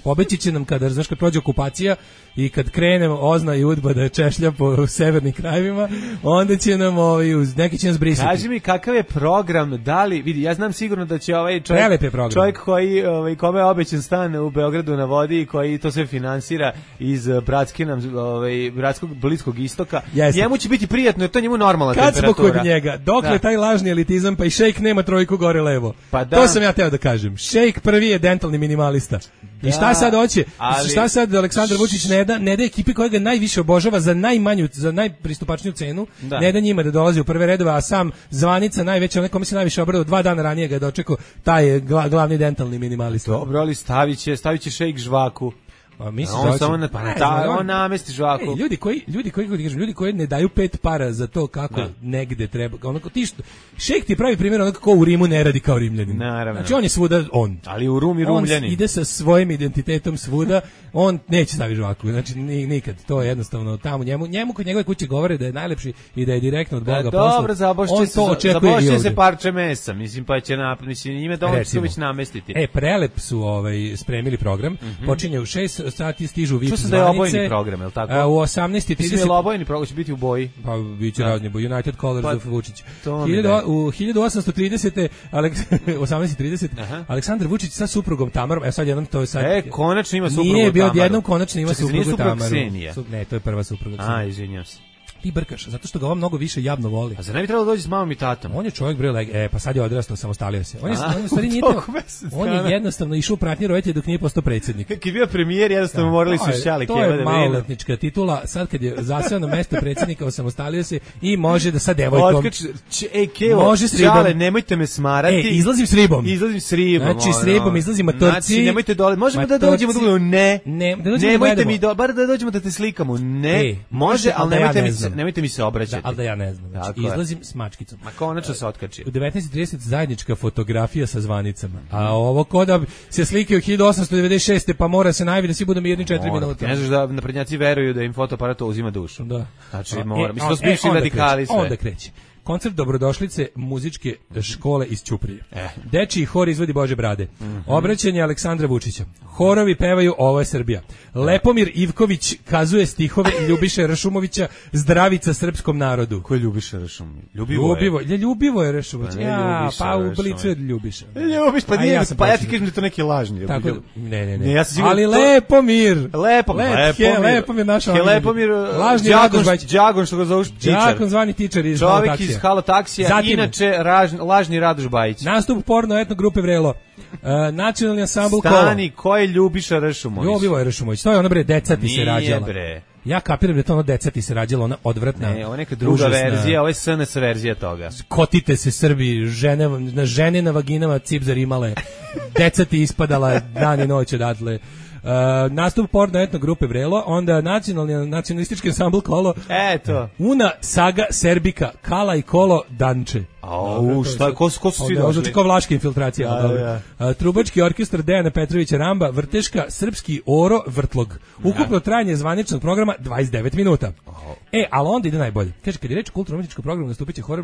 S8: pobeći će nam kada prođe okupacija i kad krene Ozna i Udba da češlja po severnim krajevima, onda će nam neki će nas brisati.
S7: Kaži mi kakav je program, da li vidi, ja znam sigurno da će ovaj čovjek koji kome je obećan stan u Beogradu na vodi i koji to sve finansira iz bratskog Bliskog istoka, njemu će biti prijatno, jer to njemu normalna temperatura.
S8: Kad smo kod njega, dokle taj lažni elitizam, pa i Šejk nema trojku gore levo. To sam ja teo da kažem. Šejk prvi je dentalni minimalista. I šta sad hoće? Šta sad Aleksandar Vučić ne da ekipi koja ga najviše obožava za najpristupačniju cenu, ne da njima da dolazi u prve redove, a sam Zvanica najveća, onaj kome se najviše obradao, 2 dana ranije ga je dočekao, taj je glavni dentalni minimalista.
S7: Dobro, ali stavit će šejk žvaku. On namesti žvaku.
S8: Ljudi koji ne daju 5 para za to kako negde treba. Onako šejk ti pravi primjer onako kako u Rimu ne radi kao Rimljanin.
S7: Naravno.
S8: Znači on je svuda on.
S7: Ali u Rumi Rumljani.
S8: On ide sa svojim identitetom svuda, on neće staviti žvaku. Znači nikad. To je jednostavno tamo njemu kod njegove kuće govore da je najlepši i da je direktno od Boga poslao.
S7: Dobro, zabošće se parče mesa. Mislim pa će ime dovoljno već namestiti.
S8: Prelep su spremili program. Počinje u 6 sati, stižu VIP zvanice.
S7: Čuo sam da je obojeni program, je li tako?
S8: U 18:30.
S7: Mislim je obojeni program, će biti u boji.
S8: Pa biće razni boji. United Colors of Vučić. U 1830. 18:30. Aleksandar Vučić sa suprugom Tamarom. Sad jednom to je sad.
S7: Konačno ima suprugu Tamaru.
S8: Nije bio odjednom konačno ima suprugu Tamaru.
S7: Ne,
S8: to je prva supruga Ksenija.
S7: Izvinjavam se.
S8: Ti brkaš, zato što ga on mnogo više javno voli.
S7: A za ne bi trebalo doći s mamom i tatom?
S8: On je čovjek pa sad je odrastao, samostalio se. On je jednostavno išao u pratnji roditelja dok nije postao predsjednik.
S7: Kad je bio premijer, jednostavno morali su šali.
S8: To je maloletnička titula, sad kad je zaseo na mesto predsjednika, osamostalio se i može da sa devojkom...
S7: Može s ribom. Nemojte me smarati.
S8: Izlazim s ribom.
S7: Znači
S8: s ribom izlazim matorci.
S7: Znači nemojte dole, možemo da dođemo do... Nemojte mi bar da dođemo da te slikamo. Ne, može, ali nemojte mi se obraćati.
S8: Ali da ja ne znam. Znači, izlazim s mačkicom.
S7: Ma konačno se otkači.
S8: U 19:30 zajednička fotografija sa zvanicama. A ovo ko da se slike u 1896. pa mora se najaviti da svi budu mirni 4 minuta.
S7: Ne znaš da naprednjaci veruju da im fotoaparat uzima dušu. Da. Znači mora. Mislim, to su bivši radikali sve.
S8: Onda kreće. Koncert dobrodošlice muzičke škole iz Ćuprije. Dečiji hor izvodi Bože brade. Obraćanje Aleksandra Vučića. Horovi pevaju Ovo je Srbija. Lepomir Ivković kazuje stihove Ljubiše Rašumovića Zdravica srpskom narodu.
S7: Ko je Ljubiša Rašumović?
S8: Ljubivo je Rašumović. Pa u blicu je Ljubiša.
S7: Ljubiš, pa ja ti kažem da je to neki lažni.
S8: Ne. Ali Lepomir. Lepomir naša. Lažni Radoš Bajić.
S7: Đagon što ga zovu tičar.
S8: Đagon zvani tičar iz
S7: Halo taksija, inače lažni Radoš Bajić.
S8: Nastup porno etno grupe Vrelo. Nacionalni ansambl
S7: Stani, ko je Ljubiša Rašumović?
S8: Ljubivo je Rašumović. To je ono deca ti se rađala.
S7: Nije bre.
S8: Ja kapiram da je to ono deca ti se rađala, ona odvratna.
S7: Ne, ovo je neka druga verzija, ovo je SNS verzija toga.
S8: Kotite se Srbi, žene na vaginama cipzar imale, deca ti ispadala dan i noć odatle. Nastup porno etno grupe Vrelo, onda nacionalistički ansambl Kolo.
S7: Eto.
S8: Una Saga Serbika, Kala i Kolo Danče.
S7: Ko su svi došli?
S8: Znači kao vlaška infiltracija. Trubački orkestar Dejana Petrovića Ramba, Vrteška, Srpski Oro, Vrtlog. Ukupno trajanje zvaničnog programa 29 minuta. Ali onda ide najbolje. Kaže, kad je reč o kulturno-umjetničkom programu, nastupit će hor,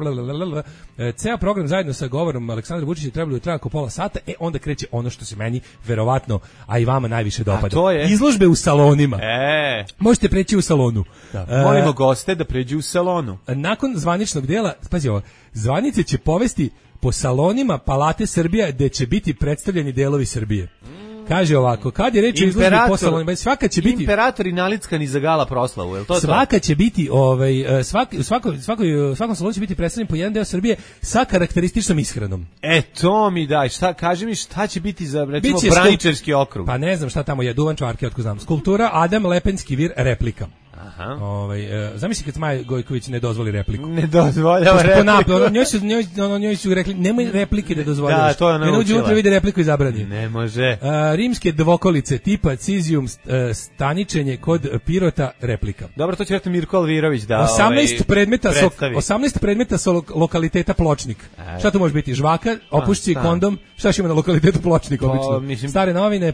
S8: ceo program zajedno sa govorom Aleksandra Vučića trebalo traja oko pola sata, onda kreće ono što se meni verovatno, a i vama najviše dopada. Izložbe u salonima. Možete preći u salonu.
S7: Molimo goste da pređu u salonu.
S8: Nakon zvaničnog dela, pazi ovo, zvanice će povesti po salonima Palate Srbija gde će biti predstavljeni delovi Srbije. Kaže ovako, kad je reč o izložbi po salonima, svaka će biti...
S7: Imperator i nalickani za gala proslavu, je li to?
S8: Svaka će biti, svakom salonu će biti predstavljen po jedan deo Srbije sa karakterističnom ishranom.
S7: To mi daj, kaži mi šta će biti za, recimo, Braničevski okrug?
S8: Pa ne znam šta tamo je, Duvan Čvarke, otko znam. Skulptura Adam Lepenski vir, replika. Zamisli kad Maja Gojković ne dozvoli repliku.
S7: Ne dozvoljava repliku.
S8: Njoj su rekli, nemoj replike da dozvoljavaš.
S7: Da, to je ona
S8: naučila. Ne uđe unutra vide repliku i zabrani.
S7: Ne može.
S8: Rimske dvokolice tipa Cizijum, staničenje kod Pirota, replika.
S7: Dobro, to će vjerojatno Mirko Alvirović da
S8: 18 predmeta sa lokaliteta Pločnik. Šta to može biti? Žvaka, opušci, kondom. Šta će ima na lokalitetu Pločnik obično? Stare novine,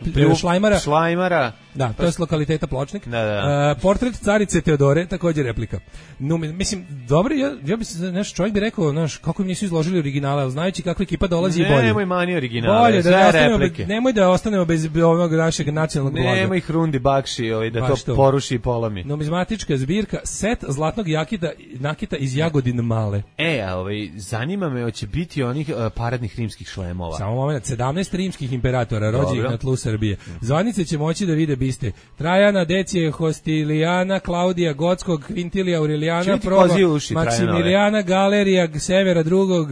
S8: Šlajmara. Da, to je s lokaliteta Pločnik. Portret carice Teodore, također replika. No, mislim, dobro, ja bi se, čovjek bi rekao, kako im nisu izložili originale, ali znajući kakva ekipa dolazi i bolje.
S7: Nemoj mani originale, sve replike.
S8: Nemoj da ostanemo bez ovog našeg nacionalnog blaga.
S7: Nemoj Hrundi Bakši, da to poruši i polomi.
S8: Numizmatička zbirka, set zlatnog nakita iz Jagodin Male.
S7: Zanima me, hoće biti onih paradnih rimskih šlemova.
S8: Samo moment, 17 rimskih imperatora rođenih na tlu Srbije. Zvanice će moći da vide biste. Trajana, Decije, Hostilijana, Klaudija, Gotskog, Kvintilija, Aurelijana, Proba, Maksimilijana, Galerija, Severa drugog,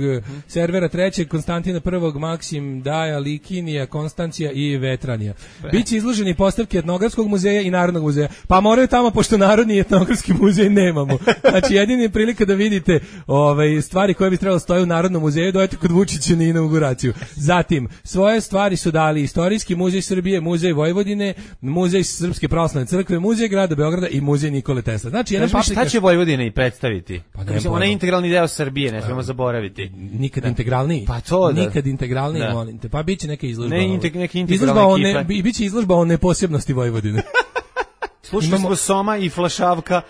S8: Servera trećeg, Konstantina prvog, Maksim, Daja, Likinija, Konstancija i Vetranija. Biće izloženi postavke Etnografskog muzeja i Narodnog muzeja. Pa moraju tamo, pošto Narodni i Etnografski muzej nemamo. Znači, jedini je prilika da vidite stvari koje bi trebalo stoje u Narodnom muzeju, dojete kod Vučića na inauguraciju. Zatim, svoje stvari su dali Istorijski muzej Srbije, Muzej Vojvodine, Muzej Srpske pravoslavne crkve, Muzej grada Beograda i Muzej Nikole Tesla. Znači, jedan
S7: šta će Vojvodina i predstaviti? Pa ona je integralni deo Srbije, ne smemo zaboraviti.
S8: Nikad integralniji.
S7: Pa to da.
S8: Nikad integralniji, molim te. Pa biće neka izložba.
S7: Neke integralne ekipe.
S8: Biće izložba o neposebnosti Vojvodine.
S7: Slušali smo Soma i Flašavka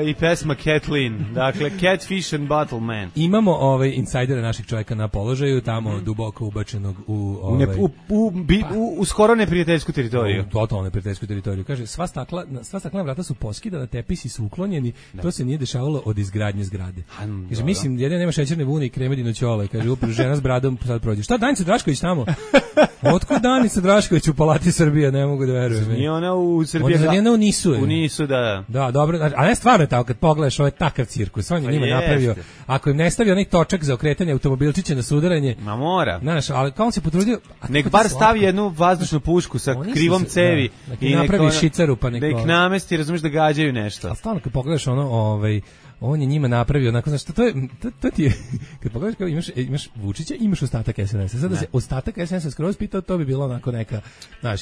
S7: i pesma Kathleen. Dakle, Catfish and Bottle Man.
S8: Imamo insajdera naših čovjeka na položaju, tamo duboko ubačenog
S7: u skoro neprijateljsku teritoriju.
S8: U totalno neprijateljsku teritoriju. Kaže, sva staklena vrata su poskidana, tepisi su uklonjeni, to se nije dešavalo od izgradnje zgrade. Kaže, mislim, jedne nema šećerne vune i kremedino ćole. Kaže, upravo žena s bradom sad prođe. Šta Danica Drašković tamo? Otkud Danica Drašković u Palati Srbije? Ne mogu da verujem.
S7: Nije ona u Srbiji. U Nisu, da.
S8: Da, dobro, a ne stvarno je tako, kad pogledaš ovaj takav cirkus, on je njima napravio, ako im ne stavi onaj točak za okretanje automobilčića na sudaranje,
S7: ma mora.
S8: Znaš, ali kao on se potrudio,
S7: nek bar stavi jednu vazdušnu pušku sa krivom cevi
S8: i napravi šicaru, pa
S7: da ih namesti, razumiješ, da gađaju nešto.
S8: A stvarno kad pogledaš ono, on je njima napravio onako, znači to ti je, kad pogledaš kao imaš Vučića, imaš ostatak SNS-a. Sada se ostatak SNS-a skroz pitao, to bi bilo onako neka, znaš,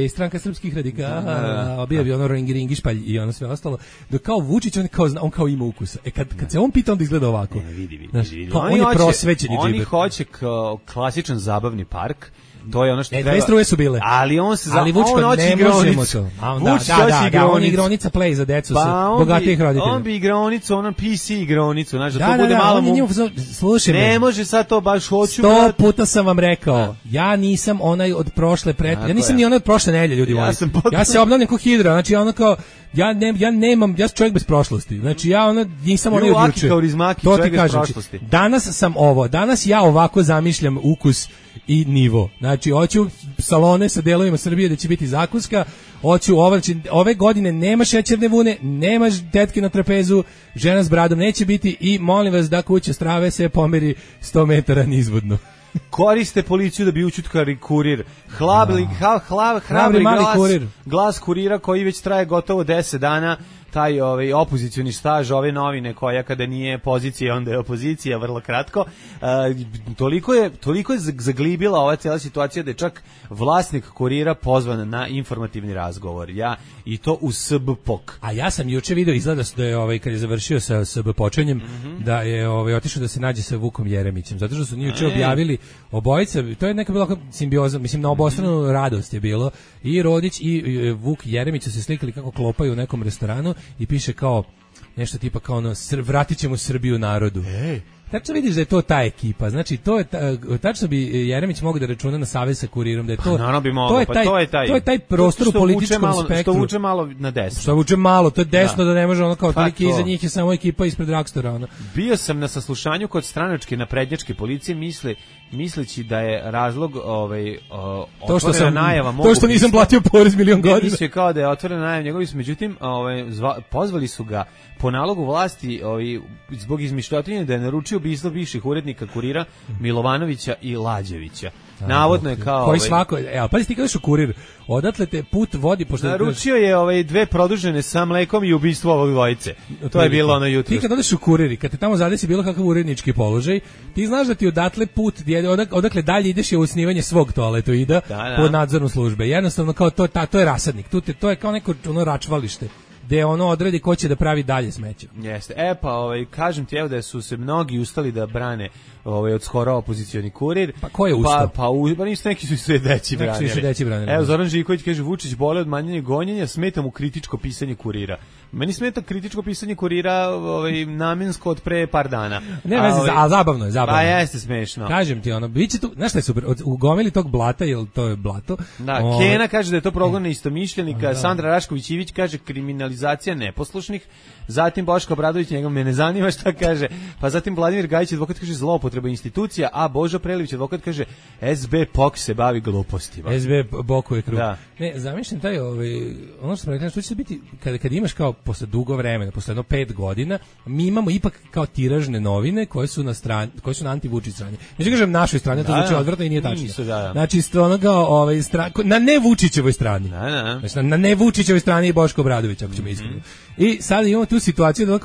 S8: stranka srpskih radikala, obija bi ono ringi špalj i ono sve ostalo. Dok kao Vučić, on kao ima ukusa. Kad se on pita, onda izgleda ovako.
S7: Vidi.
S8: On je prosvećeni džiber.
S7: Oni hoće klasičan zabavni park. To je ono što treba.
S8: Dve struje su bile.
S7: Ali on se
S8: Vučko ne možemo to. Da, on igronica play za decu sa bogatijih roditelja.
S7: On bi igronicu, ono PC igronicu, znači da to bude malo
S8: slušaj me.
S7: Ne može sad to baš hoću.
S8: 100 puta sam vam rekao. Ja nisam onaj od prošle ja nisam ni onaj od prošle nedelje, ljudi moji. Ja se obnavljam kao hidra, znači ono kao ja sam čovjek bez prošlosti. Znači ja nisam onaj od juče. To ti kažem. Danas sam ovo. Danas ja ovako zamišljam ukus i nivo. Znači, hoću salone sa delovima Srbije da će biti zakuska, hoću ove godine nema šećerne vune, nema tetke na trapezu, žena s bradom neće biti i molim vas da kuća strave se pomeri 100 metara nizvodno.
S7: Koriste policiju da bi učutkali kurir. Hrabri glas kurira koji već traje gotovo 10 dana. Taj opozicioni staž ove novine koja kada nije pozicija onda je opozicija, vrlo kratko. Toliko je zaglibila ova cijela situacija da je čak vlasnik kurira pozvan na informativni razgovor. I to u SBPOK.
S8: A ja sam juče video, izgleda da je kad je završio sa SBPOčenjem, da je otišao da se nađe sa Vukom Jeremićem, zato što su juče objavili obojica, to je neka bila simbioza, mislim na obostranu radost je bilo, i Rodić i Vuk Jeremić su se slikali kako klopaju u nekom restoranu i piše kao nešto tipa kao ono, vratit ćemo Srbiju narodu. Tačno vidiš da je to ta ekipa, znači to je tačno bi Jeremić mogao da računa na savez sa kurirom, da je to.
S7: Naravno bi mogao,
S8: to je taj prostor u političkom spektru.
S7: Što vuče malo na desno.
S8: Što vuče malo, to je desno da ne može ono kao toliki iza njih je samo ekipa ispred Rakstora ona.
S7: Bio sam na saslušanju kod stranačke naprednjačke policije, misleći da je razlog otvorena najava mogu.
S8: To što nisam platio porez milion godina.
S7: Mislio kao da je otvorena najava njegovi su, međutim pozvali su ga po nalogu vlasti zbog izmišljotinje da je naručio ubistvo bivših urednika Kurira Milovanovića i Lađevića. Navodno je kao
S8: koji svako, pazi ti kažeš u Kurir, odatle te put vodi pošto
S7: naručio je dve produžene sa mlekom i ubistvo ovog dvojice. To je bilo ono jutro.
S8: Ti kad odeš u Kurir i kad te tamo zadesi bilo kakav urednički položaj, ti znaš da ti odatle put odakle dalje ideš je usnivanje svog toaletoida pod nadzorom službe. Jednostavno kao to je rasadnik. To je kao neko ono račvalište gde ono odredi ko će da pravi dalje smeće.
S7: Jeste. Kažem ti da su se mnogi ustali da brane od skoro opozicioni Kurir.
S8: Pa ko je ustao?
S7: Pa nisu neki su sve deći branili. Evo, Zoran Živković kaže, Vučić bole od manjanja gonjenja, smeta mu kritičko pisanje Kurira. Meni smeta kritičko pisanje Kurira namensko od pre par dana.
S8: Ne veze, a zabavno je.
S7: Pa jeste smešno.
S8: Kažem ti, biće tu, znaš šta je super, u gomili tog blata, jel to je blato?
S7: Da, Kena kaže da je to progon istomišljenika, Sandra Rašković-Ivić kaže kriminalizacija kriminalizacija neposlušnih, zatim Boško Obradović, njega me ne zanima šta kaže, pa zatim Vladimir Gajić, advokat kaže zloupotreba institucija, a Božo Prelić, advokat kaže SB POK se bavi glupostima.
S8: SB bokuje krug.
S7: Da.
S8: Ne, zamišljam taj, ono što smo rekli, što će se biti, kad imaš kao posle dugo vremena, posle jedno 5 godina, mi imamo ipak kao tiražne novine koje su na strani, koje su na anti-Vučić strani. Neću kažem našoj strani, to znači odvratno i nije tačno. Znači, ono kao, na ne Vučićevoj strani. Znači, na ne Vučićevoj strani je Boško Obradović, ako ćemo iskreno. I sad imamo tu situaciju da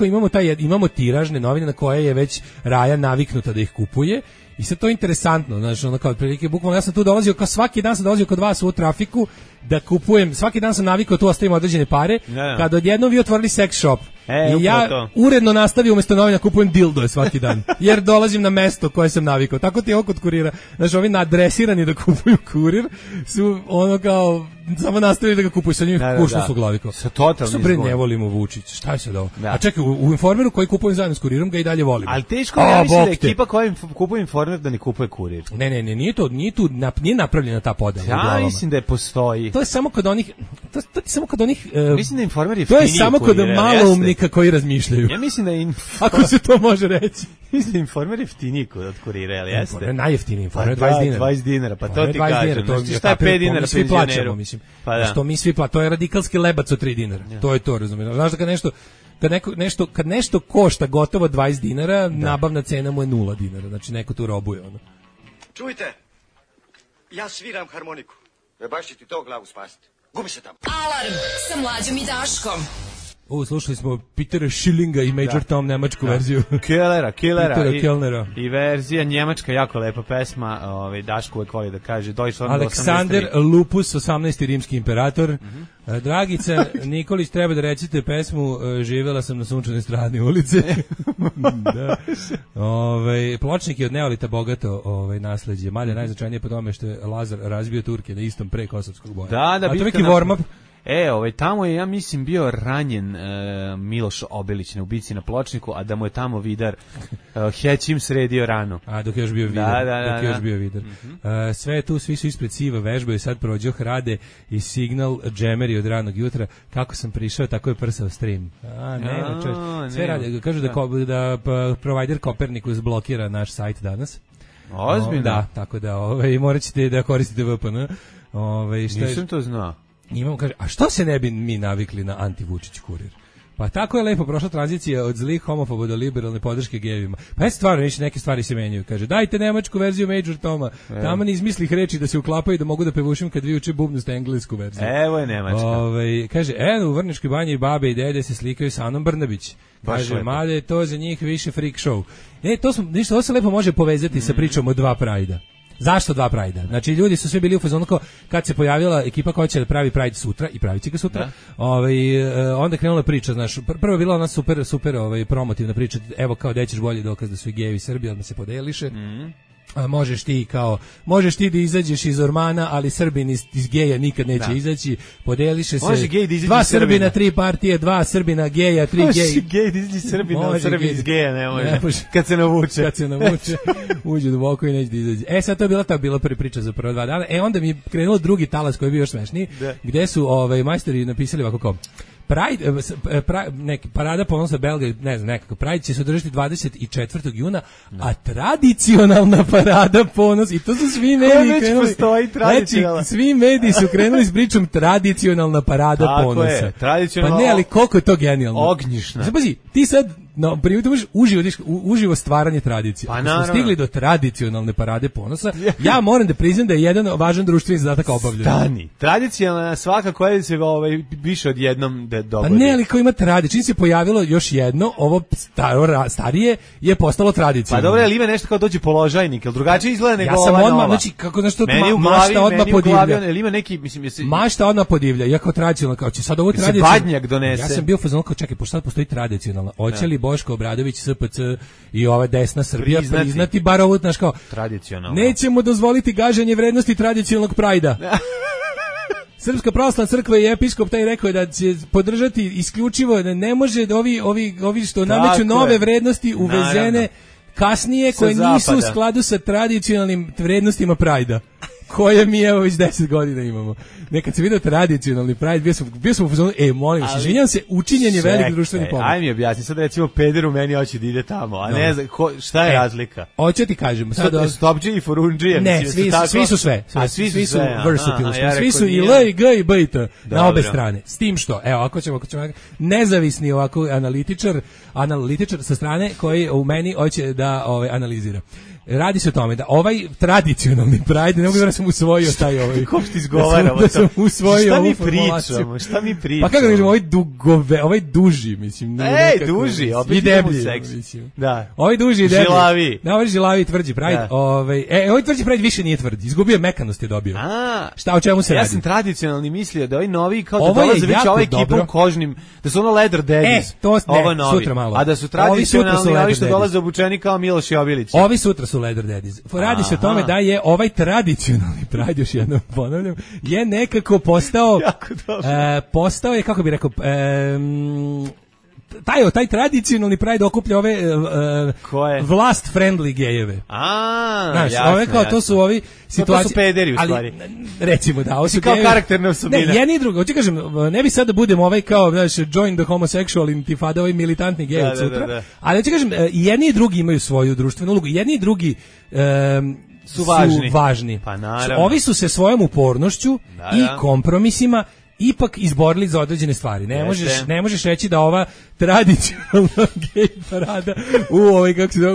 S8: imamo tiražne novine na koje je već Raja naviknuta da ih kupuje. I sad to je interesantno, znači ono kao otprilike bukvalno ja sam tu dolazio, kao svaki dan sam dolazio kod vas u trafiku da kupujem, svaki dan sam navikao tu ostavim određene pare, kad odjednom vi otvorili sex shop. I ja uredno nastavio umjesto novina kupujem dildoje svaki dan, jer dolazim na mesto koje sam navikao. Tako ti je ovo kod kurira. Znači, ovi nadresirani da kupuju kurir su ono kao samo nastavili da ga kupuju sa njim kuršno su glaviko.
S7: Sa totalnim
S8: izgonom. Što pre ne volimo Vučić? Šta je sad ovo? A čekaj, u Informeru koji kupujem zajedno s kurirom ga i dalje volimo.
S7: Ali teško ja mislim da ekipa koja kupuje Informer da ne kupuje kurir.
S8: Ne, nije napravljena ta podela.
S7: Ja mislim da je postoji.
S8: To je samo kod onih
S7: mislim da Informer je
S8: to je samo kod maloumnika koji razmišljaju.
S7: Ja mislim da
S8: ako se to može reći.
S7: Mislim da Informer jeftiniji od kurira, ali jeste.
S8: Informer najjeftiniji, Informer 20 dinara.
S7: 20 dinara, pa to ti kažem. Znači, šta je 5 dinara
S8: svi plaćamo, mislim. Pa da. Što mi svi plaćamo, to je radikalski lebac od 3 dinara. To je to, razumiješ. Znaš da kad nešto košta gotovo 20 dinara, nabavna cena mu je 0 dinara. Znači neko tu robuje ono.
S9: Čujte, ja sviram harmoniku. Baš će ti to glavu spasiti. Gubi se tamo.
S1: Alarm sa Mlađom i Daškom.
S8: Slušali smo Petera Schillinga i Major Tom, nemačku verziju.
S7: Killera.
S8: Kellnera.
S7: I verzija njemačka, jako lepa pesma, Daško uvek voli da kaže.
S8: Aleksandar Lupus, 18. rimski imperator. Dragica Nikolić, treba da recite pesmu Živela sam na sunčanoj strani ulice. Da. Pločnik je od neolita bogato nasleđe. Malje najznačajnije po tome što je Lazar razbio Turke na istom pre Kosovskog boja.
S7: Da,
S8: to neki warm-up.
S7: Tamo je, ja mislim, bio ranjen Miloš Obelić na ubici na Pločniku, a da mu je tamo Vidar Hećim sredio ranu.
S8: A dok je još bio Vidar. Sve je tu, svi su ispred Siva, vežbaju, sad prođoh, rade i signal džemeri od ranog jutra. Kako sam prišao, tako je prsao stream. Nema čovječ. Sve rade, kažu da provider Kopernikus blokira naš sajt danas.
S7: Ozbiljno?
S8: Da, tako da morat ćete da koristite VPN.
S7: Nisam to znao.
S8: Imamo, kaže, a što se ne bi mi navikli na anti-Vučić kurir? Pa tako je lepo prošla tranzicija od zlih homofoba do liberalne podrške gejevima. Pa je stvarno, neke stvari se menjaju. Kaže, dajte nemačku verziju Major Toma. Tamo ne izmislih reči da se uklapaju da mogu da pevušim kad vi uče bubnuste englesku verziju.
S7: Evo je nemačka.
S8: Kaže, u Vrničkoj banji babe i dede se slikaju sa Anom Brnabić. Kaže, mada je to za njih više freak show. Ovo se lepo može povezati sa pričom o 2 Prajda. Zašto 2 Prajda? Znači, ljudi su svi bili u fazonu kao kad se pojavila ekipa koja će da pravi Pride sutra i pravit će ga sutra. Onda je krenula priča, znaš, prvo je bila ona super promotivna priča, evo kao da ćeš bolji dokaz da su i gejevi Srbi, odmah se podeliše. Možeš ti da izađeš iz Ormana, ali Srbin iz geja nikad neće izaći, podeliše se.
S7: Može gej da izađe
S8: 2 Srbina, 3 partije, 2 Srbina, geja, 3 geji.
S7: Može gej da izađe Srbina, ali Srbin iz geja ne može. Kad se navuče.
S8: Uđe duboko i neće da izađe. Sad to je bila prva priča za prva 2 dana. Onda mi je krenulo drugi talas koji je bio još smešniji, gde su majstori napisali ovako kao Pride, neki parada ponosa Belgrade, ne znam, nekako Pride će se održati 24. juna, a tradicionalna parada ponos, i to su svi mediji krenuli. Znači, svi mediji su krenuli s pričom tradicionalna parada ponosa. Pa ne, ali koliko je to genijalno.
S7: Ognjišna.
S8: Pazi, ti sad primjer, možeš uživo stvaranje tradicije.
S7: Pa
S8: smo stigli do tradicionalne parade ponosa. Ja moram da priznam da je jedan važan društveni zadatak obavljen.
S7: Stani. Tradicionalna svaka koja se više od jednom dogodi.
S8: Pa ne, ali kao ima tradiciju. Čim se pojavilo još jedno, ovo starije je postalo tradicionalno.
S7: Pa dobro, ali ima nešto kao dođe položajnik, ili drugačije izgleda nego ova nova.
S8: Ja sam odmah, znači, kako nešto mašta odmah podivlja.
S7: Ili ima neki, mislim,
S8: mašta odmah podivlja, iako tradicionalno, kao će sad ovo tradicionalno.
S7: Se badnjak donese.
S8: Ja sam bio fazon kao, čekaj, pošto sad postoji tradicionalna. Hoće li Boško Obradović, SPC i ova desna Srbija priznati bar ovo, znaš kao,
S7: tradicionalno.
S8: Nećemo dozvoliti gaženje vrednosti tradicionalnog prajda. Srpska pravoslavna crkva i episkop taj rekao je da će podržati isključivo, da ne može ovi što nameću nove vrednosti uvezene kasnije koje nisu u skladu sa tradicionalnim vrednostima prajda. koje mi evo već 10 godina imamo. Nekad se vidio tradicionalni Pride, bio sam u fazonu, molim se, izvinjam se, učinjen je veliki društveni pomak.
S7: Aj mi objasni, sad recimo peder u meni hoće da ide tamo, a ne znam, šta je razlika?
S8: Hoću ti kažem. Sad
S7: Stopđe i Forundžije.
S8: Ne, svi su sve. Svi su versatile. Svi su i L, i G, i B, i T, na obe strane. S tim što, evo, ako ćemo nezavisni ovako analitičar sa strane koji u meni hoće da analizira. Radi se o tome da ovaj tradicionalni Pride, ne mogu da sam usvojio taj ovaj.
S7: Kako ti izgovaramo?
S8: Da sam usvojio ovu
S7: formulaciju. Šta mi pričamo?
S8: Pa kako kažemo, ovaj duži, mislim.
S7: Duži, opet
S8: i deblji,
S7: mislim. Da.
S8: Ovaj duži i deblji.
S7: Žilavi.
S8: Da, ovaj žilavi tvrđi Pride. Ovaj tvrđi Pride više nije tvrd. Izgubio mekanost je dobio. Šta, o čemu se radi?
S7: Ja sam tradicionalni mislio da ovaj novi kao da dolaze već ovaj ekipom kožnim, da su ono leather daddies. Ovo novi.
S8: Sutra malo.
S7: A da su tradicionalni ovi što dolaze obučeni kao Miloš Jobilić.
S8: Ovi sutra su leather daddies. Radi se o tome da je ovaj tradicionalni Pride, još jednom ponavljam, je nekako postao postao je, kako bih rekao, taj tradicionalni Pride okuplja ove vlast friendly gejeve. Znaš, ove kao to su ovi situacije.
S7: To su pederi u stvari.
S8: Recimo da, ovo su
S7: kao karakterne osobine.
S8: Ne, jedni i drugi. Hoću kažem, ne bi sad da budem ovaj kao, znaš, join the homosexual intifada, ovaj militantni gej od sutra. Ali hoću kažem, jedni i drugi imaju svoju društvenu ulogu. Jedni i drugi su važni.
S7: Pa naravno.
S8: Ovi su se svojom upornošću i kompromisima ipak izborili za određene stvari. Ne možeš reći da ova tradicionalna gej parada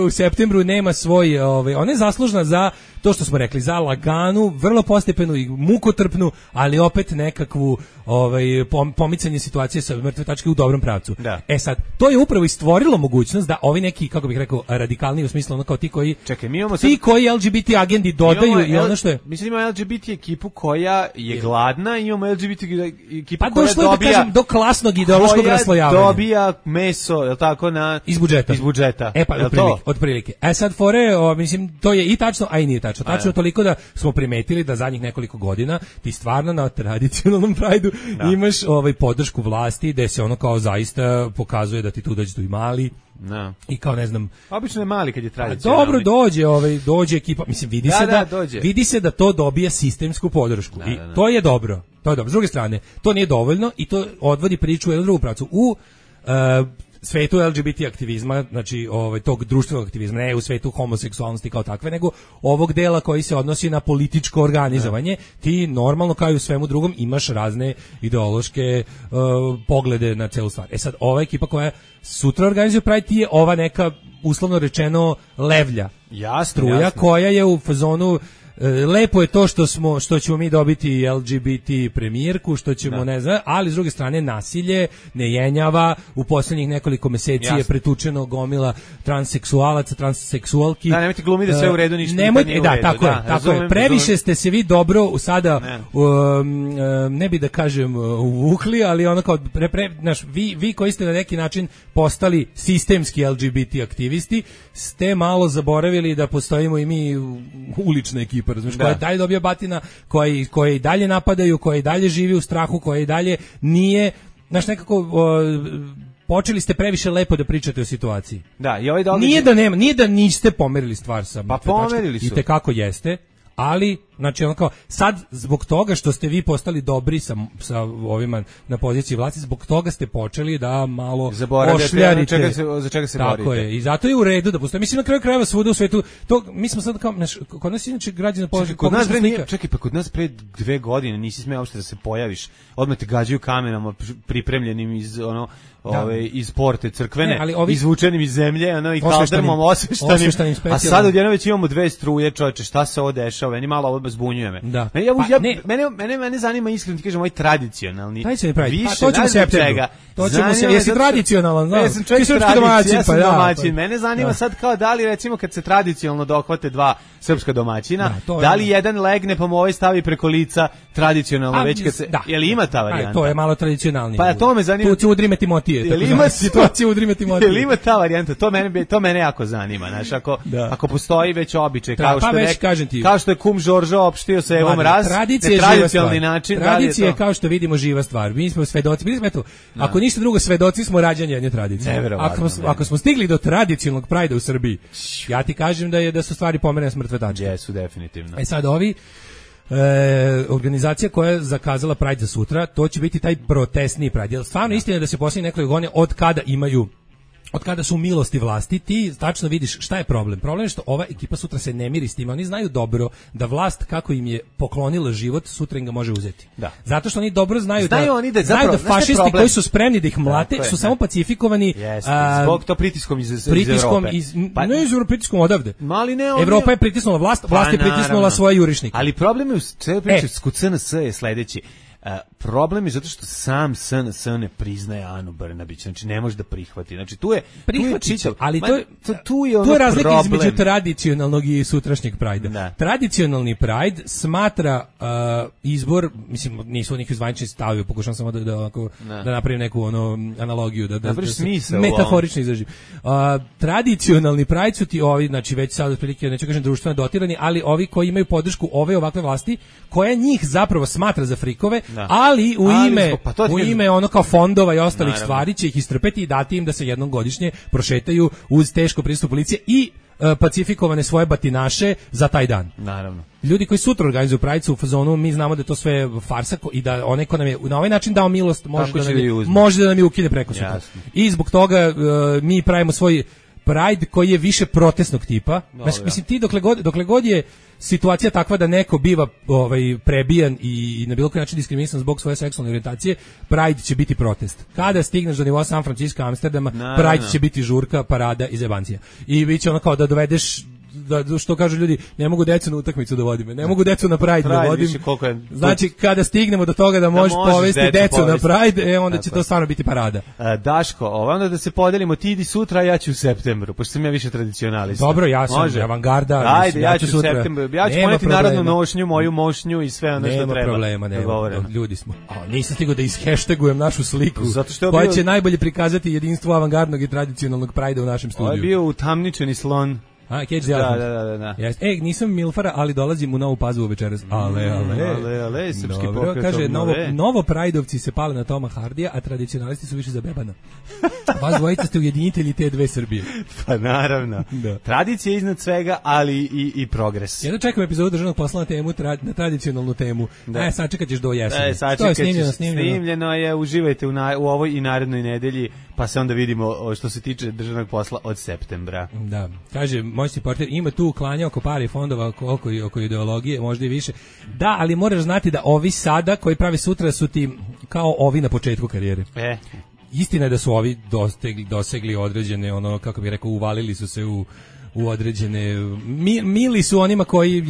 S8: u septembru nema svoj, ona je zaslužna za to što smo rekli, za laganu, vrlo postepenu i mukotrpnu, ali opet nekakvu pomicanje situacije sa mrtve tačke u dobrom pravcu.
S7: Da.
S8: Sad, to je upravo i stvorilo mogućnost da ovi neki, kako bih rekao, radikalni u smislu ono kao ti koji koji LGBT agendi dodaju i ono što je.
S7: Mislim, imamo LGBT ekipu koja je gladna, imamo LGBT ekipu koja
S8: došlo
S7: dobija,
S8: da kažem, do klasnog ideološkog raslojavanja.
S7: Dobija meso, je li tako,
S8: iz budžeta. Otprilike. Sad fore, mislim, to je i tačno, a i nije tačno. Tačno toliko da smo primetili da zadnjih nekoliko godina ti stvarno na tradicionalnom Prideu imaš podršku vlasti, gde se ono kao zaista pokazuje da ti tu dođu i mali. I kao ne znam,
S7: obično je mali kad je tradicionalni.
S8: Dobro dođe ekipa, mislim vidi se da to dobija sistemsku podršku i to je dobro. S druge strane, to nije dovoljno i to odvodi priču u jednu drugu pravcu. U svetu LGBT aktivizma, znači tog društvenog aktivizma, ne u svetu homoseksualnosti kao takve, nego ovog dela koji se odnosi na političko organizovanje, ti normalno kao i u svemu drugom imaš razne ideološke poglede na celu stvar. Sad, ova ekipa koja sutra organizuje Pride, ti je ova neka, uslovno rečeno, levlja struja koja je u fazonu. Lepo je to što ćemo mi dobiti LGBT premijerku, što ćemo ne znam, ali s druge strane nasilje ne jenjava. U posljednjih nekoliko meseci je pretučeno gomila transseksualaca, transseksualki.
S7: Da, nemojte glumiti da sve u redu, ništa
S8: nemojte, nije u redu. Tako je. Previše ste se vi dobro sada, ne bi da kažem uvukli, ali ono kao vi koji ste na neki način postali sistemski LGBT aktivisti, ste malo zaboravili da postojimo i mi ulična ekipa, razumiješ, koja dalje dobija batina, koje i dalje napadaju, koje i dalje živi u strahu, koje i dalje nije, znaš, nekako počeli ste previše lepo da pričate o situaciji.
S7: Da, i ovaj
S8: nije da niste pomerili stvar sa
S7: pa pomerili su.
S8: I tekako jeste, ali znači ono kao sad zbog toga što ste vi postali dobri sa ovima na poziciji vlasti, zbog toga ste počeli da malo ošljarite
S7: za čega se
S8: borite. Tako je, i zato je u redu da postoji. Mislim, na kraju krajeva svuda u svetu, to mi smo sad kao, kod nas inače građani položaju.
S7: Kod nas pre 2 godine nisi smeo uopšte da se pojaviš. Odmah te gađaju kamenama pripremljenim iz iz porte crkvene, izvučenim iz zemlje, i kaldrmom osveštanim. A sad odjednom već imamo 2 struje, čoveče, šta se ovo dešava? Meni malo ovo zbunjuje me.
S8: Da.
S7: Mene zanima, iskreno ti kažem, ovaj tradicionalni.
S8: To ćemo se septembru. Jesi tradicionalan, znaš?
S7: Jesam domaćin. Mene zanima sad kao da li, recimo, kad se tradicionalno dohvate 2 srpska domaćina, da li jedan legne pa mu ovaj stavi preko lica tradicionalno već kad se... Je li ima ta varijanta?
S8: To je malo tradicionalnije.
S7: Pa to me zanima.
S8: Tu udrime Timotije. Situacija udrime Timotije.
S7: Je li ima ta varijanta? To mene jako zanima. Znaš, ako postoji već običaj, kao što je kum Žoržo opštio se Evom Raz, tradicionalni način.
S8: Tradicija je, kao što vidimo, živa stvar. Mi smo svedoci. Ako ništa drugo, svedoci smo rađanja jedne tradicije. Ako smo stigli do tradicionalnog Prajda u Srbiji, ja ti kažem da su stvari pomerene s mrtve tačke.
S7: Jesu, definitivno.
S8: Sad ovi organizacija koja je zakazala Pride za sutra, to će biti taj protestni Pride. Jer stvarno istina je da se posljednje nekoliko godina od kada su u milosti vlasti, ti tačno vidiš šta je problem. Problem je što ova ekipa sutra se ne miri s tim. Oni znaju dobro da vlast, kako im je poklonila život, sutra im ga može uzeti.
S7: Da.
S8: Zato što oni dobro znaju
S7: da
S8: fašisti koji su spremni da ih mlate su samo pacifikovani.
S7: Zbog to pritiskom iz
S8: Evrope. Ne iz Evrope, pritiskom odavde. Evropa je pritisnula vlast je pritisnula svoje jurišnike.
S7: Ali problem je u celoj priči kod SNS je sledeći. Problem je zato što sam SNS ne priznaje Anu Brnabić, znači ne može da prihvati. Znači tu je čitav,
S8: ali
S7: tu je
S8: razlika između tradicionalnog i sutrašnjeg Prajda. Tradicionalni Pride smatra izbor, mislim nisu neki zvanični stavovi, pokušam samo da napravim neku analogiju, da metaforično izražim. Tradicionalni Pride su ti ovi, znači već sad otprilike neću kažem društveno dotirani, ali ovi koji imaju podršku ove ovakve vlasti, koja njih zapravo smatra za frikove, ali u ime ono kao fondova i ostalih stvari će ih istrpeti i dati im da se jednom godišnje prošetaju uz teško prisustvo policije i pacifikovane svoje batinaše za taj dan.
S7: Naravno.
S8: Ljudi koji sutra organizuju Pride u fazonu, mi znamo da je to sve farsa i da onaj ko nam je na ovaj način dao milost može da nam je ukine preko sutra. I zbog toga mi pravimo svoj Pride koji je više protestnog tipa. Mislim ti dokle god je situacija takva da neko biva prebijan i na bilo koji način diskriminisan zbog svoje seksualne orijentacije, Pride će biti protest. Kada stigneš do nivoa San Francisco, Amsterdama, Pride će biti žurka, parada i zebancija. I bit će ono kao da dovedeš, što kažu ljudi, ne mogu decu na utakmicu da vodim, ne mogu decu na Pride da vodim. Znači, kada stignemo do toga da možeš povesti decu na Pride, onda će to stvarno biti parada.
S7: Daško, onda da se podelimo, ti idi sutra, ja ću u septembru, pošto sam ja više tradicionalista.
S8: Dobro, ja sam avangarda.
S7: Ajde, ja ću sutra. Ja ću poneti narodnu nošnju, moju mošnju i sve ono što treba.
S8: Nema problema, ljudi smo. Nisam stigao da isheštagujem našu sliku, koja će najbolje prikazati jedinstvo avangardnog i tradicionalnog Pride-a u našem studiju.
S7: Ovo je bio utamničeni slon. Da.
S8: Nisam Milfara, ali dolazim u Novu Pazovu večeras. Ale,
S7: srpski pokret.
S8: Kaže, novo Prajdovci se pale na Toma Hardija, a tradicionalisti su više za Bebana. Vas dvojica ste ujedinitelji te dve Srbije.
S7: Pa naravno. Tradicija je iznad svega, ali i progres.
S8: Ja čekam epizodu državnog posla na temu, na tradicionalnu temu. Sačekat ćeš do jeseni.
S7: Snimljeno je, uživajte u ovoj i narednoj nedelji, pa se onda vidimo što se tiče državnog posla od septembra.
S8: Da, kaže moćni portir, ima tu uklanja oko pare fondova oko ideologije, možda i više. Da, ali moraš znati da ovi sada koji pravi sutra su ti kao ovi na početku karijere. Istina je da su ovi dosegli određene, kako bih rekao, uvalili su se u određene, mili su onima koji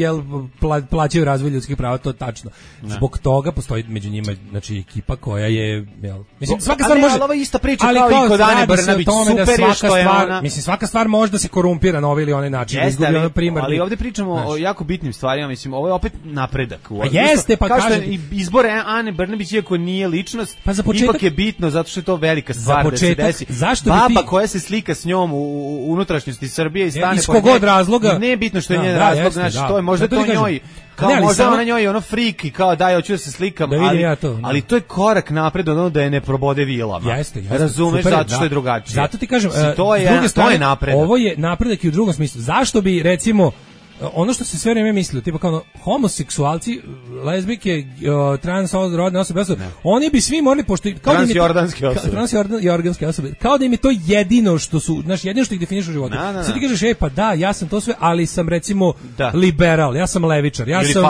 S8: plaćaju razvoj ljudskih prava, to tačno. Zbog toga postoji među njima, znači, ekipa koja je, mislim, svaka stvar može,
S7: ali ova ista priča kao i kod Ane Brnabić, super je što je ona,
S8: mislim, svaka stvar može da se korumpira na ovaj ili onaj način, izgubi ono primarni.
S7: Ali ovdje pričamo o jako bitnim stvarima, mislim, ovo je opet napredak.
S8: Jeste, pa kažem,
S7: izbor Ane Brnabić, iako nije ličnost, ipak je bitno, zato što je to velika stvar da se desi. Baba koja se slika s njom u unutrašnjosti Srbije i stane
S8: iz kog razloga.
S7: Ne je bitno što je njen razlog, znači to je možda to njoj. Kao možda ona njoj ono friki, kao daj, hoću da se slikam, ali to je korak napred od ono da je ne probode vilama.
S8: Jeste.
S7: Razumeš, zato što je drugačije.
S8: Zato ti kažem, to je napredak. Ovo je napredak i u drugom smislu. Zašto bi, recimo, ono što se sve vrijeme mislilo, tipa kao homoseksualci, lezbijke, transrodne osobe, oni bi svi morali, pošto transjordanske osobe, kao da im je to jedino što su, znači jedino što ih definiše u životu. Sad ti kažeš, pa da, ja sam to sve, ali sam recimo liberal, ja sam levičar, ja sam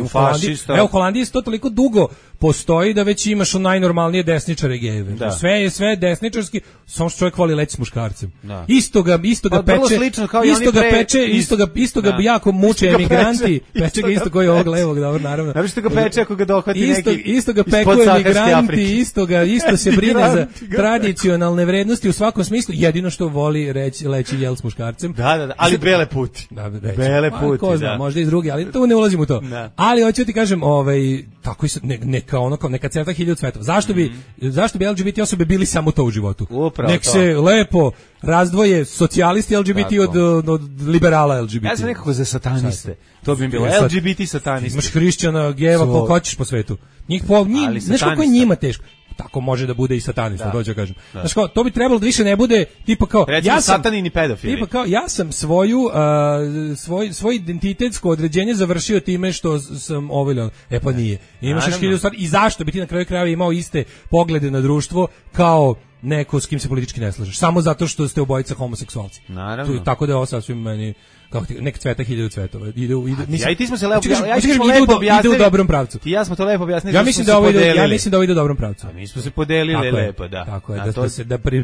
S7: fašista.
S8: U Holandiji to toliko dugo postoji da već imaš najnormalnije desničare gejeve. Sve je desničarski, samo što čovjek voli leći s muškarcem. Isto ga peče, isto ga jako muče emigranti, peče ga isto koji ovog levog, dobro, naravno.
S7: Znači što ga peče ako ga dohvati neki
S8: isto ga peku emigranti, isto se brine za tradicionalne vrednosti u svakom smislu, jedino što voli leći jel s muškarcem.
S7: Da, ali bele puti. Bele puti,
S8: ko zna, možda i drugi, ali tu ne ulazim u to. Ali hoću ti kažem, tako i neka crta 1000 cvetova. Zašto bi LGBT osobe bili samo to u životu? Nek se lepo razdvoje socijalisti LGBT od liberala LGBT.
S7: Ja sam nekako za sataniste. To bi bilo LGBT satanisti.
S8: Imaš hrišćana, gejeva, koliko hoćeš po svetu. Znaš kako je njima teško? tako može da bude i satanista, to ću kažem. Znaš kao, to bi trebalo da više ne bude tipa kao
S7: recimo, ja sam satanini pedofili.
S8: Tipa kao ja sam svoj identitetsko određenje završio time što sam oviljan. Pa nije. Imaš još 1000 stvari i zašto bi ti na kraju krajeva imao iste poglede na društvo kao neko s kim se politički ne slažeš. Samo zato što ste obojica homoseksualci.
S7: Naravno.
S8: Tako da je ovo sasvim meni kako ti nek cveta 1000 cvetova.
S7: Ja i ti smo se lepo
S8: ide u dobrom pravcu.
S7: Ti ja smo to lepo objasnili.
S8: Ja mislim da ovo ide u dobrom pravcu.
S7: A mi smo se podelili lepo, da.
S8: Tako je,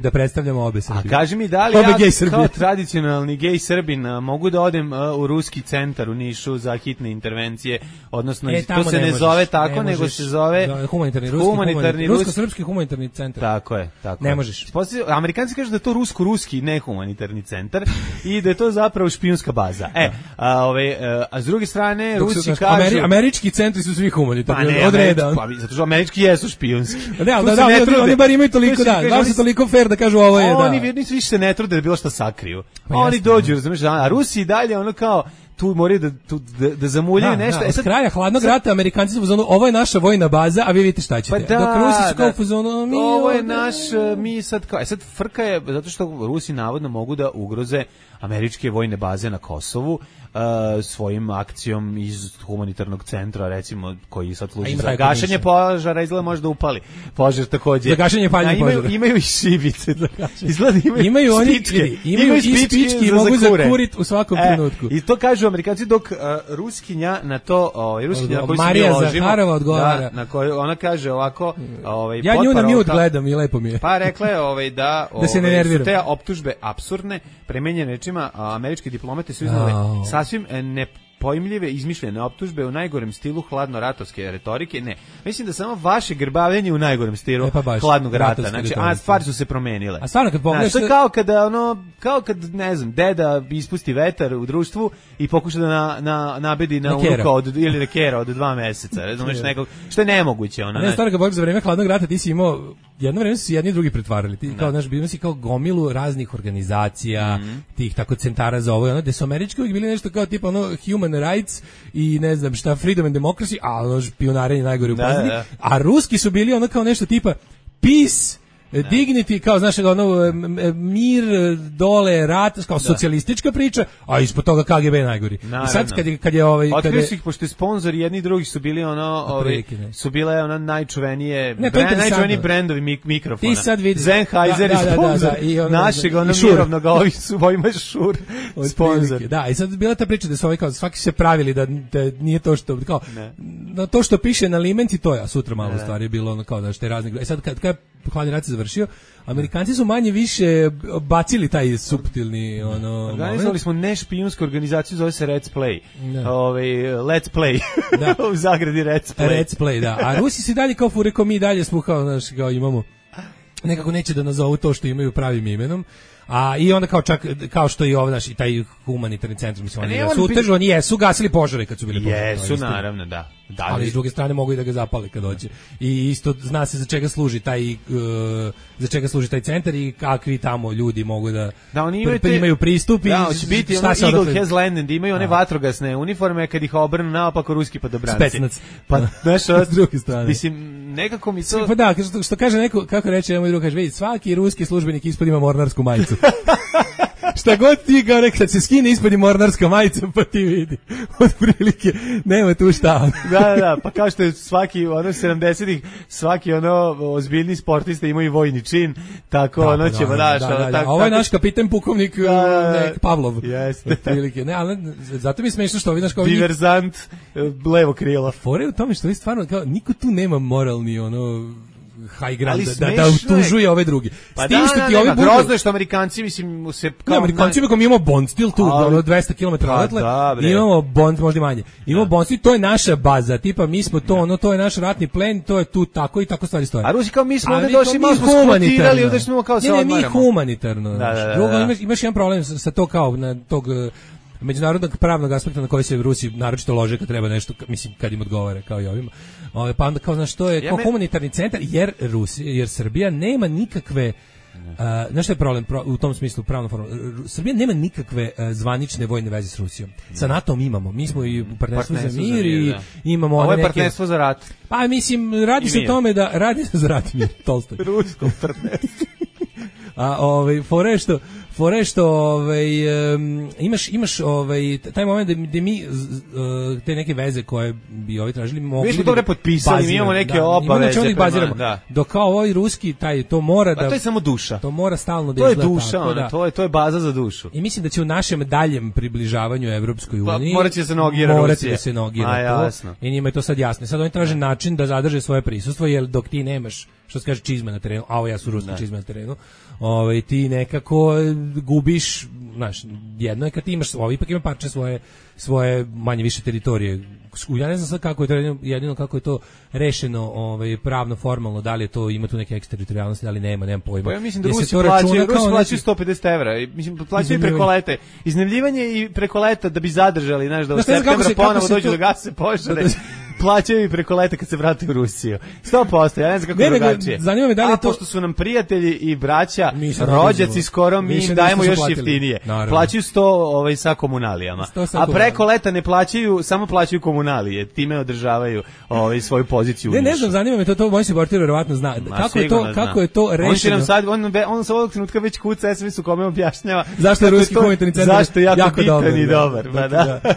S8: da predstavljamo obe Srbije.
S7: A kaži mi da li ja kao tradicionalni gej Srbin mogu da odem u ruski centar u Nišu za hitne intervencije, odnosno to se ne zove tako, nego se zove
S8: humanitarni rusko-srpski humanitarni centar.
S7: Tako je.
S8: Ne možeš.
S7: Amerikanci kažu da je to rusko-ruski, ne humanitarni centar i da je to zapravo špijunska baza. A s druge strane Rusi kažu
S8: američki centri su svi humanitarni od reda.
S7: Zato što američki jesu špijunski.
S8: Oni bar imaju toliko baš su toliko fair da kažu ovo je da.
S7: Oni nisu više ne trude da bilo šta sakriju. Oni dođu, razumeš, a Rusi i dalje ono kao tu moraju da zamuljaju nešto.
S8: Od kraja hladnog rata Amerikanci su u fazonu, ovo je naša vojna baza, a vi vidite šta ćete. Dok Rusi su kao u fazonu,
S7: ovo je naš, mi sad kao, sad frka je, zato što Rusi navodno mogu da ugroze američke vojne baze na Kosovu svojim akcijom iz humanitarnog centra, recimo, koji sad služi za gašenje požara, izgleda može da upali požar takođe.
S8: Za gašenje paljenja požara.
S7: Imaju i šibice.
S8: Imaju oni imaju i spički i mogu zakurit u svakom trenutku.
S7: I to kažu Amerikanci, dok ruskinja na to, ruskinja na koju se
S8: Marija Zaharova odgovara.
S7: Na koju ona kaže ovako,
S8: ja nju na mute gledam i lepo mi je.
S7: Pa rekla je da
S8: se ne nerviram.
S7: Te optužbe apsurdne, premenjene rečima, američki diplomate su iznale sasvim nepojmljive, izmišljene optužbe u najgorem stilu hladno-ratovske retorike. Ne, mislim da samo vaše grbavljenje u najgorem stilu hladnog rata. Znači, stvari su se promenile.
S8: A stvarno kad pogledaš,
S7: to je kao kad ne znam, deda ispusti vetar u društvu i pokuša da nabedi na unuka ili na kera od 2 meseca. Razumeš, nekog što je nemoguće ona.
S8: Ne, stvarno kad pogledaš za vreme hladnog rata ti si imao jedno vreme su jedni i drugi pretvarali. Ti kao naš bio si kao gomilu raznih organizacija, tih tako centara za ovo, gde su američki uvijek bili nešto kao tipa human rights i ne znam šta, freedom and democracy, a špijunarenje najgore u pozadini. A ruski su bili ono kao nešto tipa peace, dignity, kao znaš, mir, dole, rat, kao socijalistička priča, a ispod toga KGB najgori. I sad kad je
S7: otkrio si ih, pošto sponzori jedni i drugi su bili su bile najčuvenije brendovi mikrofona.
S8: Ti sad vidi.
S7: Sennheiser je sponzor našeg mirovnog, a ovi su ovima Šur sponzor.
S8: Da, i sad bila ta priča da su ovi kao svaki se pravili da nije to što, kao, to što piše na limenci to je, a sutra malo stvari je bilo kao da što je raznih. I sad kad hladni rat se završio, Amerikanci su manje više bacili taj suptilni
S7: organizovali smo nešpijunsku organizaciju, zove se Let's Play. Let's Play. U zagradi Let's Play.
S8: Let's Play, da. A Rusi se dalje kao fure, mi dalje smo kao imamo nekako neće da nazovu to što imaju pravim imenom. A i onda kao što i ovaj i taj humanitarni centar, mislim, oni jesu gasili požare kad su bili požari.
S7: Jesu, naravno, da.
S8: Ali s druge strane mogu i da ga zapale kad dođe. I isto zna se za čega služi taj centar i kakvi tamo ljudi mogu da oni imaju pristup i
S7: hoće biti Eagle has landed, imaju one vatrogasne uniforme kad ih obrnu naopako ruski padobranci.
S8: Specnac.
S7: Pa
S8: s druge strane.
S7: Mislim, nekako mi to...
S8: Pa da, što kaže neko, kako reče moj drug, kaže, vidi, svaki ruski službenik ispod ima mornarsku majicu. Šta god ti kao kad se skine ispod i mornarska majica, pa ti vidi. Od prilike, nema tu šta.
S7: Da, pa kao što je svaki 70-ih, svaki ozbiljni sportista ima i vojni čin, tako ćemo
S8: da. Ovo je naš kapitan pukovnik Pavlov.
S7: Jeste.
S8: Prilike. Ne, ali zato mi je smešno što vidiš kao
S7: diverzant levo krilo.
S8: Fore u tome što vi stvarno kao niko tu nema moralni high ground da utužuje ove drugi.
S7: Pa da, grozno je što Amerikanci, mislim, se kao...
S8: Amerikanci mi imamo Bond stil tu, 200 km odatle, imamo Bond, možda manje. Imamo Bond stil, to je naša baza, tipa mi smo to, to je naš ratni plen, to je tu tako i tako stvari stoje.
S7: A Rusi kao mi smo ovdje došli, mi smo skvotirali, ovdje smo kao se odmaramo.
S8: Ne, mi humanitarno. Drugo, imaš jedan problem sa to kao na tog međunarodnog pravnog aspekta na koji se Rusi naročito lože kad treba nešto, mislim, kad im odgovara, kao i ovima. Pa onda kao, znaš, to je kao humanitarni centar, jer Srbija nema nikakve Znaš što je problem u tom smislu pravno formalno? Srbija nema nikakve zvanične vojne veze s Rusijom. Sa NATO-om imamo. Mi smo i u partnerstvu za mir i imamo
S7: ovo je
S8: neke...
S7: partnerstvo za rat.
S8: Pa mislim, radi se o tome da... Radi se za rat mir, Tolstoj.
S7: Rusko partnerstvo.
S8: A fore što imaš taj moment da mi te neke veze koje bi ovi tražili mogli.
S7: Mi smo dobro potpisali, mi imamo neke obaveze
S8: prema, dok kao ovaj ruski to mora da.
S7: A to je samo duša.
S8: To mora stalno da
S7: izgleda. To je duša, to je baza za dušu.
S8: I mislim da će u našem daljem približavanju Evropskoj uniji
S7: morati da se nogira
S8: Rusija. I njima je to sad jasno. Sad oni traže način da zadrže svoje prisustvo, jer dok ti nemaš, što se kaže, čizme na terenu, a ovo ja su ruski čizme na terenu, ti nekako gubiš, znaš, jedno je kad ti imaš, ipak ima parče svoje manje više teritorije. Ja ne znam sad kako je to, jedino kako je to rešeno pravno, formalno, da li je to, ima tu neke eksteritorijalnosti, da li nemam pojma.
S7: Pa ja mislim da Rusi plaćaju 150 evra, mislim, plaćaju preko lete. Iznajmljivanje i preko leta da bi zadržali, znaš, da u septembra ponovo dođu da gase požare. Plaćaju i preko leta kad se vrate u Rusiju. 100%, ja ne znam kako je drugačije.
S8: Zanima me da li je to...
S7: pošto su nam prijatelji i braća, rođaci skoro, mi im dajemo još jeftinije. Plaćaju 100 sa komunalijama. A preko leta ne plaćaju, samo plaćaju komunalije. Time održavaju svoju poziciju.
S8: Ne znam, zanima me to moj se portir verovatno zna. Kako je to rešeno?
S7: On će nam sad, on sa ovog trenutka već kuca SMS u kome objašnjava
S8: zašto je ruski humanitarni centar
S7: zašto je jako bitan i dobar.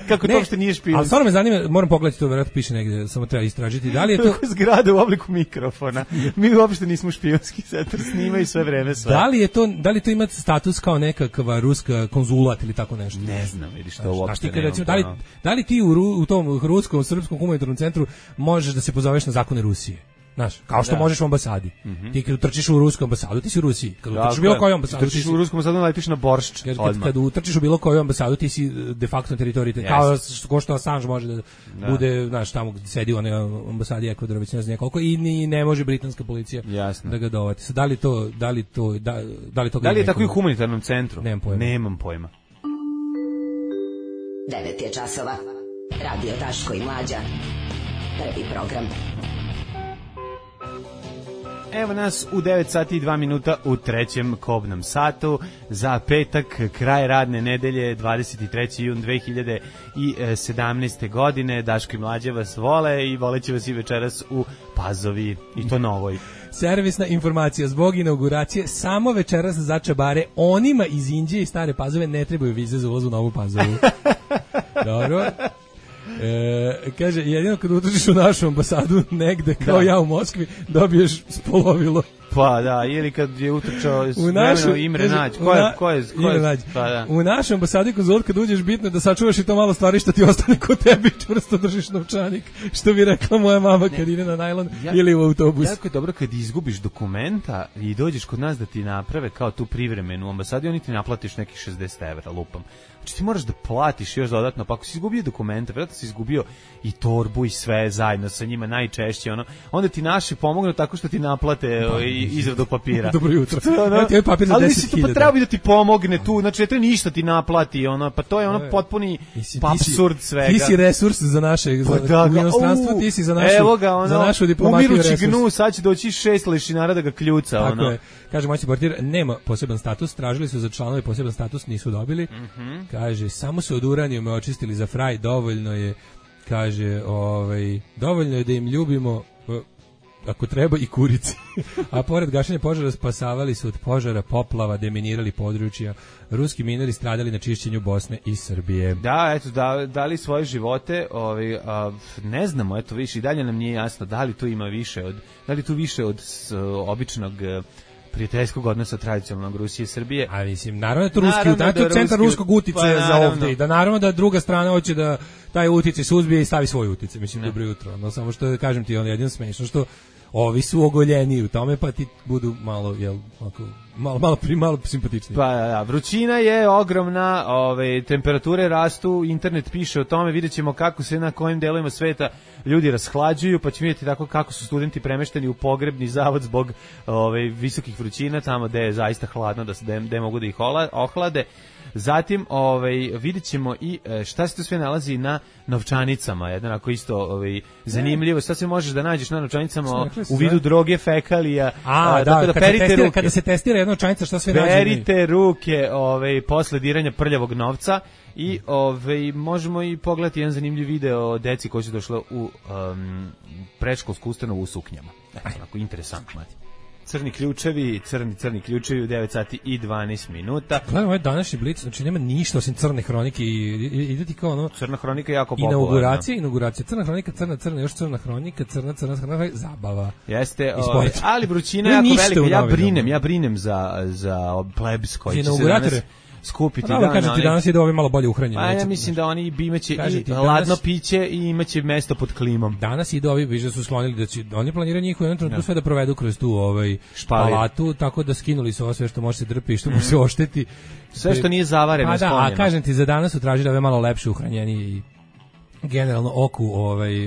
S7: Kako to uopšte nije špijunski.
S8: Ali stvarno me zanima, moram pogledati to, verovatno piše negde, samo treba istražiti. Da li je to
S7: zgrada u obliku mikrofona? Mi uopšte nismo špijunski centar, snimaju sve vreme sve.
S8: Da li to ima status kao nekakva ruska konzulat ili tako nešto?
S7: Ne znam, vidiš to uopšte.
S8: Da li ti u tom ruskom srpskom humanitarnom centru možeš da se pozoveš na zakone Rusije? Znaš, kao što možeš u ambasadi. Ti kad utrčiš u rusku ambasadu, ti si u Rusiji. Kad utrčiš u bilo koju ambasadu,
S7: ti si u rusku ambasadu, letiš na Boršč.
S8: Kad utrčiš u bilo koju ambasadu, ti si de facto na teritoriji. Kao što Assange može da bude, znaš, tamo gdje sedi u onoj ambasadi Ekvadora, već ne znam koliko, i ne može britanska policija da ga dovati. Da li
S7: je tako i u humanitarnom centru? Nemam pojma.
S1: 9 je časova. Radio Daško i Mlađa. Prvi program.
S7: Evo nas u 9 sati i 2 minuta u trećem kobnom satu za petak, kraj radne nedelje, 23. jun 2017. godine. Daško i Mlađa vas vole i voleće vas i večeras u Pazovi, i to novoj.
S8: Servisna informacija, zbog inauguracije samo večeras za čabare onima iz Inđije i Stare Pazove ne trebaju vize za ulaz u Novu Pazovu. Dobro. Kaže, jedino kad utrčiš u našu ambasadu negde, kao ja u Moskvi, dobiješ spolovilo.
S7: Pa da, ili kad je utrčao Imre Nađ. Ko je? Pa da.
S8: U našu ambasadi konzulat kad uđeš, bitno je da sačuvaš i to malo stvari što ti ostane kod tebi, čvrsto držiš novčanik, što bi rekla moja mama kad ide na najlon ili u autobus.
S7: Jako je dobro kad izgubiš dokumenta i dođeš kod nas da ti naprave kao tu privremenu ambasadu, oni ti naplatiš nekih 60 evra, lupam. Znači ti moraš da platiš još dodatno, pa ako si izgubio dokumente, vjerojatno si izgubio i torbu i sve zajedno sa njima najčešće, onda ti naši pomognu tako što ti naplate izradu papira.
S8: Dobro jutro.
S7: Papir za 10.000. Ali si to treba bi da ti pomogne tu, znači ne treba ništa ti naplati, pa to je potpuni apsurd svega.
S8: Ti si resurs za naše u inostranstvu, ti si za našu diplomatu resurs.
S7: Umirući gnu, sad će doći 6 lešinara da ga kljuca.
S8: Tako je. Kaže, moj portir, nema poseban status, tražili su za članove poseban status, nisu dobili. Kaže, samo su od uranijuma očistili za fraj, dovoljno je, kaže, dovoljno je da im ljubimo, ako treba, i kurice. A pored gašenja požara spasavali su od požara, poplava, deminirali područja, ruski mineri stradali na čišćenju Bosne i Srbije.
S7: Da, eto, dali svoje živote, ne znamo, eto, više, i dalje nam nije jasno da li tu ima više od običnog prijateljskog odnosa tradicionalnog Rusije i Srbije.
S8: A mislim, naravno da je to centar ruskog uticaja za ovdje. Da naravno da druga strana hoće da taj uticaj suzbije i stavi svoj uticaj. Mislim, dobro jutro. No, samo što kažem ti, jedino smešno što ovi su ogoljeni u tome, pa ti budu malo, malo simpatični.
S7: Pa da, vrućina je ogromna, temperature rastu, internet piše o tome, vidjet ćemo kako se na kojim delovima sveta ljudi rashlađuju, pa ćemo vidjeti tako kako su studenti premešteni u pogrebni zavod zbog visokih vrućina, tamo gde je zaista hladno, da mogu da ih ohlade. Zatim, vidjet ćemo i šta se tu sve nalazi na novčanicama, jedan ako isto zanimljivo, šta se možeš da nađeš na novčanicama u vidu droge, fekalija,
S8: kada se testira jedna novčanica, šta sve nađe?
S7: Perite ruke posle diranja prljavog novca i možemo i pogledati jedan zanimljiv video o deci koji su došla u predškolsku ustanovu u suknjama. Onako interesantno. Crni ključevi u 9 sati i 12 minuta.
S8: Gledam ovaj današnji blic, znači nema ništa osim crne hronike i ide ti kao ono...
S7: Crna hronika je jako popularna.
S8: Inauguracija, crna hronika, crna, još crna hronika, crna, zabava.
S7: Jeste, ali vrućina je jako velika. Ja brinem za plebs koji će se danas skupiti.
S8: Da, kažem ti, danas je da ovi malo bolje uhranjeni.
S7: A ja mislim da oni imaće i ladno piće i imaće mesto pod klimom.
S8: Danas i da ovi biže su sklonili da će, oni planiraju njih u jednom trenutku sve da provedu kroz tu palatu, tako da skinuli su ovo sve što može se drpi i što može se ošteti.
S7: Sve što nije zavareno je sklonjeno.
S8: A kažem ti, za danas su tražili ove malo lepše uhranjenije i generalno oku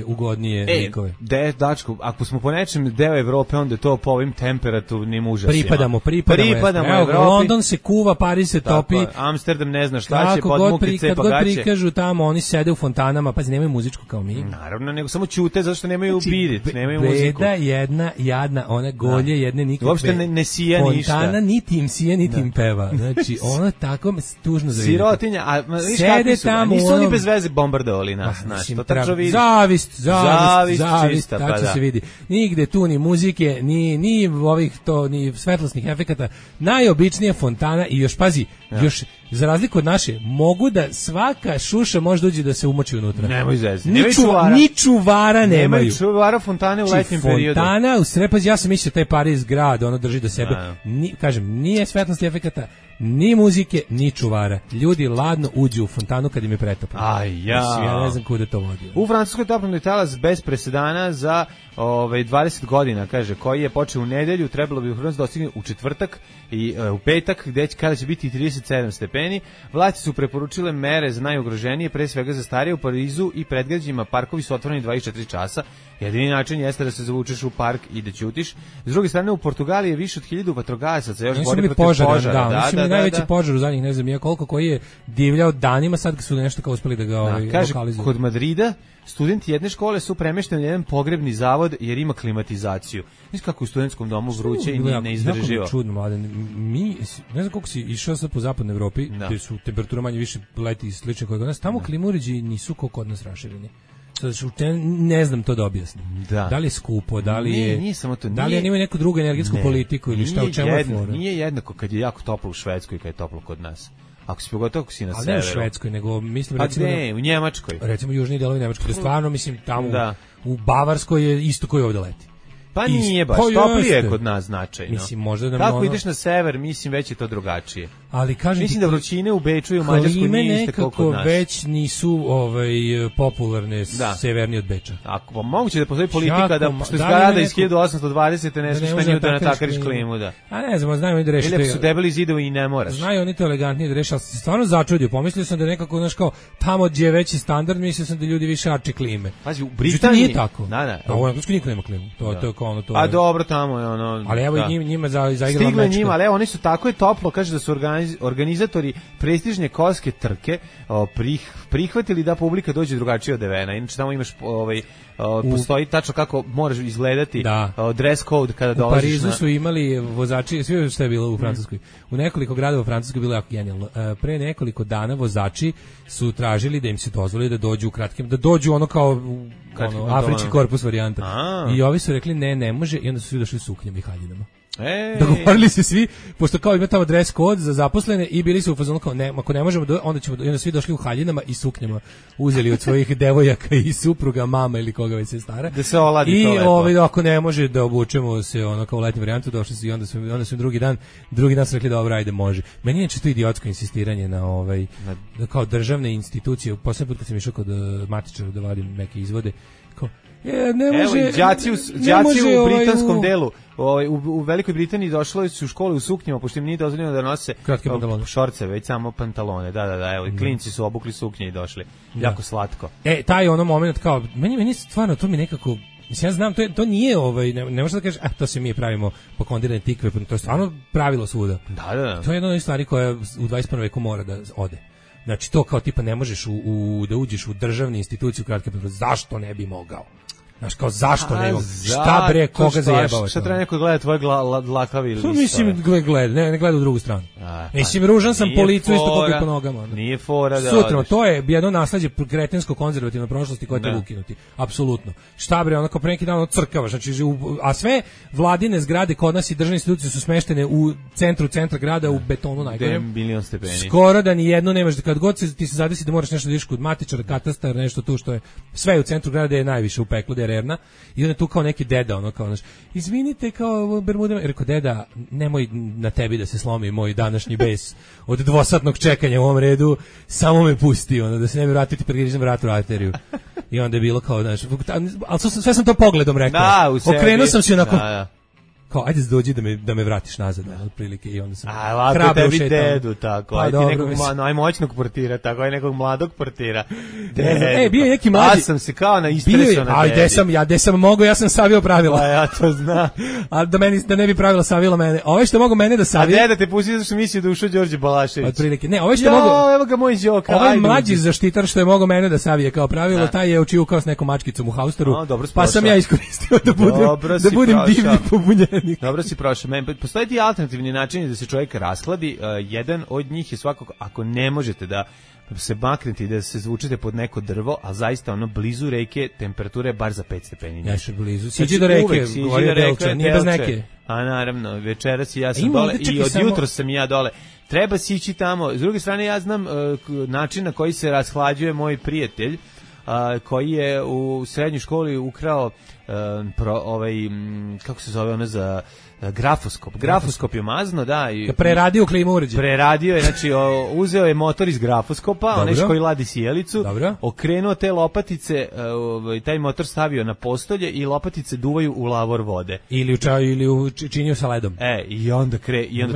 S8: ugodnije likove.
S7: Dačko, ako smo po nečem deo Evrope, onda je to po ovim temperaturnim užasima.
S8: Pripadamo Evropi. London se kuva, Pariz se topi.
S7: Amsterdam ne zna šta će, podmuke, cepa gaće.
S8: Kako god prikažu tamo, oni sede u fontanama, pa nemaju muzičku kao mi.
S7: Naravno, nego samo ćute, zato što nemaju birit, nemaju muziku.
S8: Beda jedna, jadna, one golje jedne nikakve.
S7: Uopšte ne sija ništa.
S8: Fontana niti im sija, niti im peva. Znači, ono tako me tužno zavidite.
S7: Sirotinja, a viš kakvi su, nisu oni bez veze bombardovali nas.
S8: Zavist,
S7: čista,
S8: tako se vidi. Nigde tu ni muzike, ni ovih ni svetlosnih efekata. Najobičnija fontana i još pazi, još za razliku od naše, mogu da svaka šuša može doći da se umoči unutra.
S7: Nemoj zezati.
S8: Ni čuvara nemaju.
S7: Nemaju čuvara fontane u letnjem periodu.
S8: Fontana u Srepazi, ja sam mislio taj Pariz grad, ono drži do sebe. Kažem, nije svetlosti efekata, ni muzike, ni čuvara. Ljudi ladno uđu u fontanu kad im je pretoplo. Ja ne znam kuda to vodi.
S7: U Francuskoj toplotni talas bez presedana za 20 godina, kaže, koji je počeo u nedelju, trebalo bi u Hrvatskoj dostigne u četvrtak i u petak, kada će biti 37 stepeni. Vlasti su preporučile mere za najugroženije, pre svega za starije. U Parizu i predgrađima parkovi su otvoreni 24 časa. Jedini način jeste da se zavučeš u park i da ćutiš. S druge strane, u Portugaliji je više od 1000 vatrogasaca još bori protiv požara.
S8: Mislim, najveći požar u zadnjih, ne znam ja koliko, koji je divljao danima, sad su nešto kao uspeli da ga lokalizuju.
S7: Kod Madrida studenti jedne škole su premešteni u jedan pogrebni zavod jer ima klimatizaciju. Mislim kako u studentskom domu vruće i ne izdrživo.
S8: Čudno, mladen. Mi, ne znam koliko si išao sad po zapadnoj Evropi, gde su temperatura manje više leti i slične koje kod nas, tamo klima uređaji nisu kao kod nas rašireni. Ne znam to da objasnim. Da li je skupo, da li je...
S7: Nije samo to.
S8: Da li imaju neku drugu energetsku politiku ili šta, u čemu je fora?
S7: Nije jednako kad je jako toplo u Švedskoj i kad je toplo kod nas. Ako si pogotovo ako si na severu.
S8: Ali ne u Švedskoj, nego mislim recimo...
S7: u Njemačkoj.
S8: Recimo južni delovi Njemačke. Da stvarno, mislim, tamo u Bavarskoj je isto koji ovdje leti.
S7: Pa nije baš, toplije je kod nas značajno.
S8: Mislim, možda da
S7: kako ideš na sever, mislim, već je to drugačije.
S8: Ali kažem,
S7: mislim da vrućine u Beču i u Mađarskoj nije iste kao kod nas.
S8: Već nisu popularne severni od Beča.
S7: Ako moguće da postoji politika da što izgrada iz 1820 ne smiješ da natakariš klimu, da.
S8: A ne znam, znaju oni da reše.
S7: Ili su debeli zidovi i ne moraš.
S8: Znaju oni to elegantnije da reše, ali se stvarno začudio. Pomislio sam da nekako, znaš kao, tamo gdje je veći standard, mislio sam da ljudi više arči klime.
S7: Pazi, u Britaniji
S8: nije tako. A u Engleskoj niko nema klimu.
S7: A dobro, tamo je ono...
S8: Ali evo i njima zaigrala
S7: Stigle njima, ali evo, oni su tako je toplo, kaže da su organizatori prestižne kolske trke prihvatili da publika dođe drugačije odevena. Inače, tamo imaš, postoji tačno kako moraš izgledati dress code kada dolaziš.
S8: U Parizu su imali vozači, sve što je bilo u Francuskoj. U nekoliko gradova u Francuskoj bilo jako genijalno. Pre nekoliko dana vozači su tražili da im se dozvoli da dođu u kratkim, da dođu ono kao afrički korpus varijanta. I ovi su rekli ne može i onda su svi došli u suknjama i haljinama. Dogovorili se svi, pošto kao ima tamo dress code za zaposlene i bili su u fazonu kao ako ne možemo, onda svi došli u haljinama i suknjama, uzeli od svojih devojaka i supruga, mama ili koga već se stara.
S7: Da se oladi to lepo.
S8: I ako ne može da obučemo se ono kao u letnju varijantu, došli su i onda su drugi dan su rekli dobro, ajde može. Meni je to idiotsko insistiranje na kao državne institucije. Poslednji put kad sam išao kod matičara da vadim neke izvode, ne može,
S7: evo, đaci u britanskom delu, u Velikoj Britaniji došli su u škole u suknjama, pošto im nije dozvoljeno da nose šorce, već samo pantalone. Da, evo, i klinci su obukli suknje i došli. Jako slatko.
S8: Taj ono moment kao, meni stvarno to mi nekako Mislim, ja znam, to nije, ne možeš da kažeš, to se mi pravimo po kondirane tikve, to je stvarno pravilo svuda.
S7: Da.
S8: To je jedna od stvari koja u 21. veku mora da ode. Znači, to kao tipa ne možeš da uđeš u državnu instituciju kratke, zašto ne bi mogao? Znaš, kao zašto ne mogu? Šta bre, koga zajebao?
S7: Šta treba neko gleda tvoje dlakavi ili
S8: mislim, ne gleda u drugu stranu. Mislim, ružan sam policiju isto popio po nogama.
S7: Nije fora da
S8: sutra, to je jedno nasleđe kretensko-konzervativne prošlosti koje treba ukinuti. Apsolutno. Šta bre, onako pre neki dan crkavaš. Znači, a sve vladine zgrade kod nas i državne institucije su smeštene u centra grada u betonu najgorem.
S7: Milion stepeni.
S8: Skoro da ni jedno nemaš, kad god ti se zadesi da moraš nešto da ideš kod matičara, katastar, nešto tu što je sve u centru grada je najviše u peklu, Erna, i onda tu kao neki deda, ono kao, znaš, izvinite, kao Bermuda, rekao, deda, nemoj na tebi da se slomi moj današnji bes od dvosatnog čekanja u ovom redu, samo me pusti, ono, da se ne bi vratiti pregrizam vratnu arteriju. I onda je bilo kao, znaš, ali sve sam to pogledom rekao.
S7: Da, u sebi.
S8: Okrenuo sam se onako, kao, ajde dođi da me vratiš nazad, otprilike, i onda sam hrabro ušetao.
S7: Dedu, tako, ajde nekog najmoćnog portira, tako, aj nekog mladog portira.
S8: Bio je neki mlađi.
S7: Ja sam se kao istresao na
S8: tebi. Gde sam mogao, ja sam savio pravila.
S7: Pa ja to znam.
S8: A da ne bi pravila savila mene. Ove što mogu mene da savije.
S7: A deda te pusti zašto mislio da ušao Đorđe Balašević.
S8: Otprilike, ne, ove što mogu.
S7: Evo ga moj Đoka.
S8: Ovaj mlađi zaštitar što je mogao mene da savije kao pravilo, taj je očivukao s nekom mačkicom u hausteru. Pa sam ja iskoristio da budem divlji pobunjen.
S7: Dobro si prošao. Postoje ti alternativni načini da se čovjek rashladi. Jedan od njih je svakako, ako ne možete da se maknete i da se zvučete pod neko drvo, a zaista ono blizu reke temperatura je bar za 5 stepeni.
S8: Ja što blizu. Siđi do reke, govorio Delče, nije bez neke.
S7: A naravno, večeras i ja sam dole i od jutros sam ja dole. Treba si ići tamo. S druge strane, ja znam način na koji se rashlađuje moj prijatelj, koji je u srednjoj školi ukrao kako se zove ono za grafoskop. Grafoskop je mazno, da. I
S8: preradio klimu uređaj.
S7: Preradio je, znači uzeo je motor iz grafoskopa, onaj koji ladi sjelicu, okrenuo te lopatice, taj motor stavio na postolje i lopatice duvaju u lavor vode.
S8: Ili činio sa ledom.
S7: I onda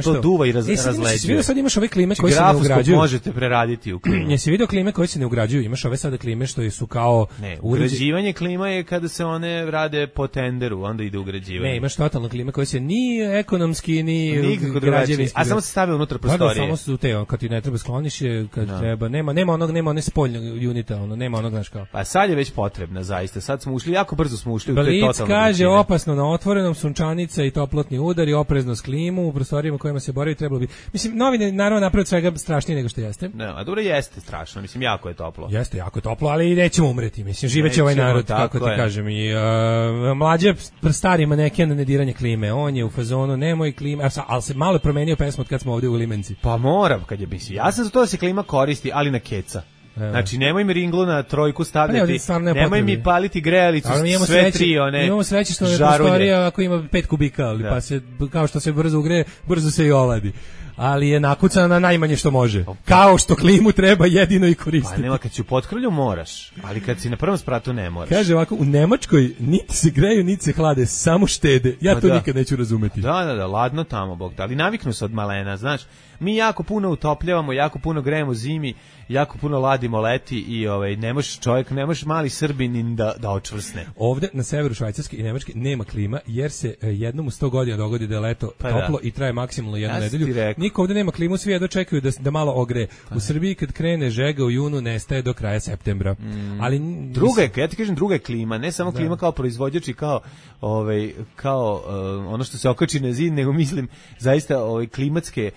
S7: to duva i razleđuje.
S8: Sad imaš ove klime koje se ne ugrađuju.
S7: Grafoskop možete preraditi u klimu.
S8: Jesi vidio klime koje se ne ugrađuju? Imaš ove sada klime što su kao...
S7: Ne, ugrađivanje klima je kada se one rade po tenderu, onda ide ugrađivanje.
S8: Ne, imaš totalno klime koje se ni ekonomski, ni građevinski.
S7: A samo se stavio unutra prostorije.
S8: Samo su te, kad ti ne treba skloniš je, kad treba, nema one spoljnog unita, nema onog, znaš kao.
S7: Pa sad je već potrebna, zaista. Sad smo ušli, jako brzo smo ušli u te
S8: totalno.
S7: Blic
S8: kaže, opasno na otvorenom, sunčanica i toplotni udar i oprezno s klimu, u prostorijama kojima se boravi trebalo bi. Mislim, novine naravno napraviti svega strašnije nego što jeste.
S7: Ne, a dobro jeste strašno, mislim, jako je toplo.
S8: Jeste jako toplo, ali nećemo umreti, mislim, živeće ovaj narod, kako ti kažem. I mlađe stari maneken na nediranje klime, on je u fazonu, nemoj klima, ali se malo promenio pesmu od kad smo ovdje u Limenci.
S7: Pa moram, kad je mislim, ja sam za to da se klima koristi, ali na keca. Znači, nemoj mi ringlu na trojku stavljati, nemoj mi paliti grejalicu, sve tri one.
S8: Imamo sreće što je prostorija ako ima 5 kubika, ali pa se, kao što se brzo ugreje, brzo se i oladi. Ali je nakucana na najmanje što može. Kao što klimu treba jedino i koristiti.
S7: Pa nema, kad si u potkrlju moraš, ali kad si na prvom spratu ne moraš.
S8: Kaže ovako, u Nemačkoj niti se greju, niti se hlade, samo štede. Ja to nikad neću razumeti.
S7: Da, ladno tamo, Bog. Ali naviknu se od malena, znaš. Mi jako puno utopljavamo, jako puno grejemo zimi, jako puno ladimo leti i ne može mali Srbin da očvrsne.
S8: Ovde na severu Švajcarske i Nemačke nema klima jer se jednom u 100 godina dogodi da je leto toplo i traje maksimalno jednu nedelju. Niko ovde nema klimu, svi jedno čekaju da malo ogreje. U Srbiji kad krene žega u junu nestaje do kraja septembra. Ali
S7: ja ti kažem, druga je klima, ne samo klima kao proizvođač i kao ono što se okači na zid, nego mislim zaista klimatske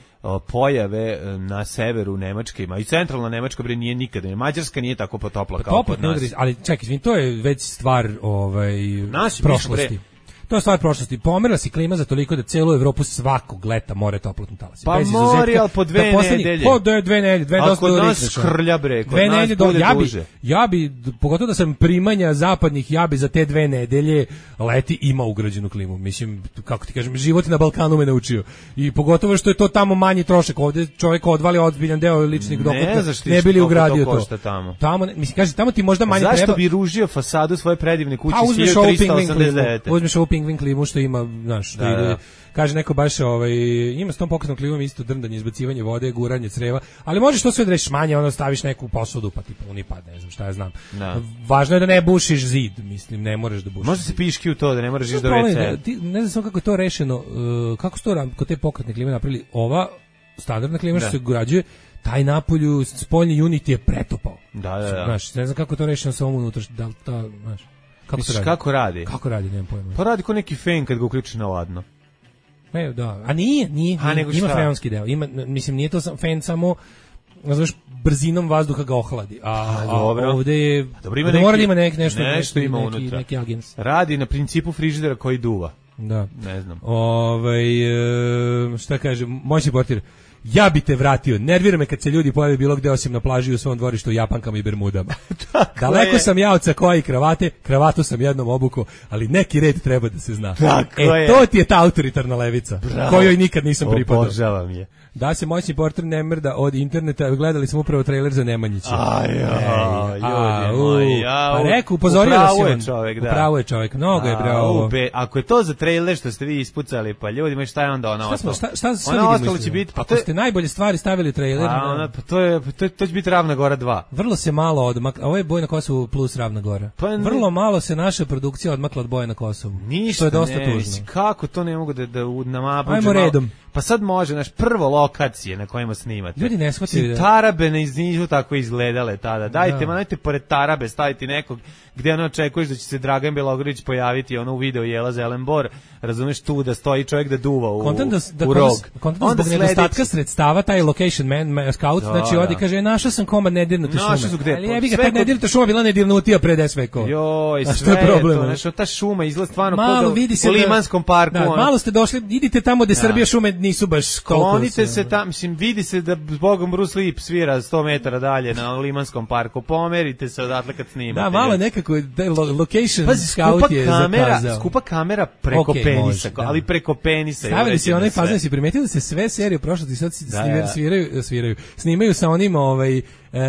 S7: pojave na severu Nemačke, i centralna Nemačka nije nikada, Mađarska nije tako potopla kao kod nas.
S8: Ali čekaj, to je već stvar prošlosti. To je stvar prošlosti. Pomerila si klima za toliko da celu Evropu svakog leta more toplotni talasi.
S7: Pa mori, ali po 2 nedelje.
S8: Po 2 nedelje, 2 dosta.
S7: A kod nas škrlja, bre, kod nas bude duže.
S8: Ja bi, pogotovo da sam primanja zapadnih, ja bi za te 2 nedelje leti imao ugrađenu klimu. Mislim, kako ti kažem, život na Balkanu me naučio. I pogotovo što je to tamo manji trošak. Ovdje čovjek odvali ozbiljan deo ličnih dohotka, ne bili ugradio to. Tamo, mislim, kaže, tamo ti možda manje treba.
S7: Zašto bi ružio fasadu svoje predivne kuće 1389?
S8: Uzmeš ovu pingvin klimu što ima, znaš, što ide, kaže neko baš ima s tom pokretnom klimom isto drndanje, izbacivanje vode, guranje creva, ali možeš to sve da rešiš manje, ono staviš neku posudu pa tipa unipad, ne znam šta ja znam. Važno je da ne bušiš zid, mislim, ne moraš da bušiš.
S7: Može se piški u to, da ne moraš ići do WC.
S8: Ne znam samo kako je to rešeno, kako se to kod te pokretne klime napravili. Ova standardna klima što se ugrađuje, taj napolju spoljni unit je pretopao.
S7: Da.
S8: Znaš, ne znam kako je to rešeno sa ovom unutra, da znaš.
S7: Kako radi?
S8: Kako radi, nemam pojma.
S7: Pa radi ko neki fen kad ga uključiš na ladno.
S8: Da. A nije. Ima freonski deo. Mislim, nije to fen samo, znaš, brzinom vazduha ga ohladi. A ovde je... Mora da ima nešto ima unutra. Neki agens.
S7: Radi na principu frižidera koji duva.
S8: Da.
S7: Ne znam.
S8: Šta kaže, moćni portir, ja bi te vratio, nervira me kad se ljudi pojave bilo gde osim na plaži u svom dvorištu u japankama i bermudama. Daleko sam ja od sakoa i kravate, kravatu sam jednom obuko, ali neki red treba da se zna. To ti je ta autoritarna levica, kojoj nikad nisam pripadao.
S7: Obožavam je.
S8: Da se moćni portir ne mrda od interneta, gledali smo upravo trailer za Nemanjića. Pa reku, upozorio vas je on. Upravo je čovjek, mnogo je bravo.
S7: Ako je to za trailer što ste vi ispucali, pa ljudima šta je onda ona ostalo?
S8: Ona ostalo će biti, ako ste najbolje stvari stavili trailer.
S7: To će biti Ravna Gora 2.
S8: Vrlo se malo odmakla, ovo je Boj na Kosovu plus Ravna Gora. Vrlo malo se naša produkcija odmakla od Boja na Kosovu.
S7: Ništa,
S8: je dosta tužno.
S7: Kako to ne mogu da namabuđu?
S8: Ajmo redom.
S7: Pa sad može, naš prvo lokacije na kojima snimate.
S8: Ljudi ne shvataju.
S7: Tarabe nisu tako izgledale tada. Dajte pored Tarabe staviti nekog gde ono očekuješ da će se Dragan Bjelogrlić pojaviti u video Jela Zelenbor, razumeš, tu da stoji čovjek da duva u rog.
S8: Onda zbog nedostatka sredstava, taj location man, scout, znači odi kaže, našao sam komad nedirnute šume. Ali jebi ga, ta nedirnuta šuma bila nedirnutija pre 10 vekova.
S7: Joj, sve je to, znači, ta šuma izgleda stvarno kao u Limanskom parku.
S8: Malo ste došli, idite tamo gde Srbija šume nisu baš koliko.
S7: Klonite se tamo, mislim, vidi se da zbogom Bruce Lee svira 100 metara dalje na Limanskom parku, pomerite se odatle kad snimate.
S8: Da, malo nekako, location scout je zakazao.
S7: Skupa kamera preko penisa, ali preko penisa.
S8: Stavili se onaj fazon, si primetili da se sve serije u prošlosti sad snimaju sa onim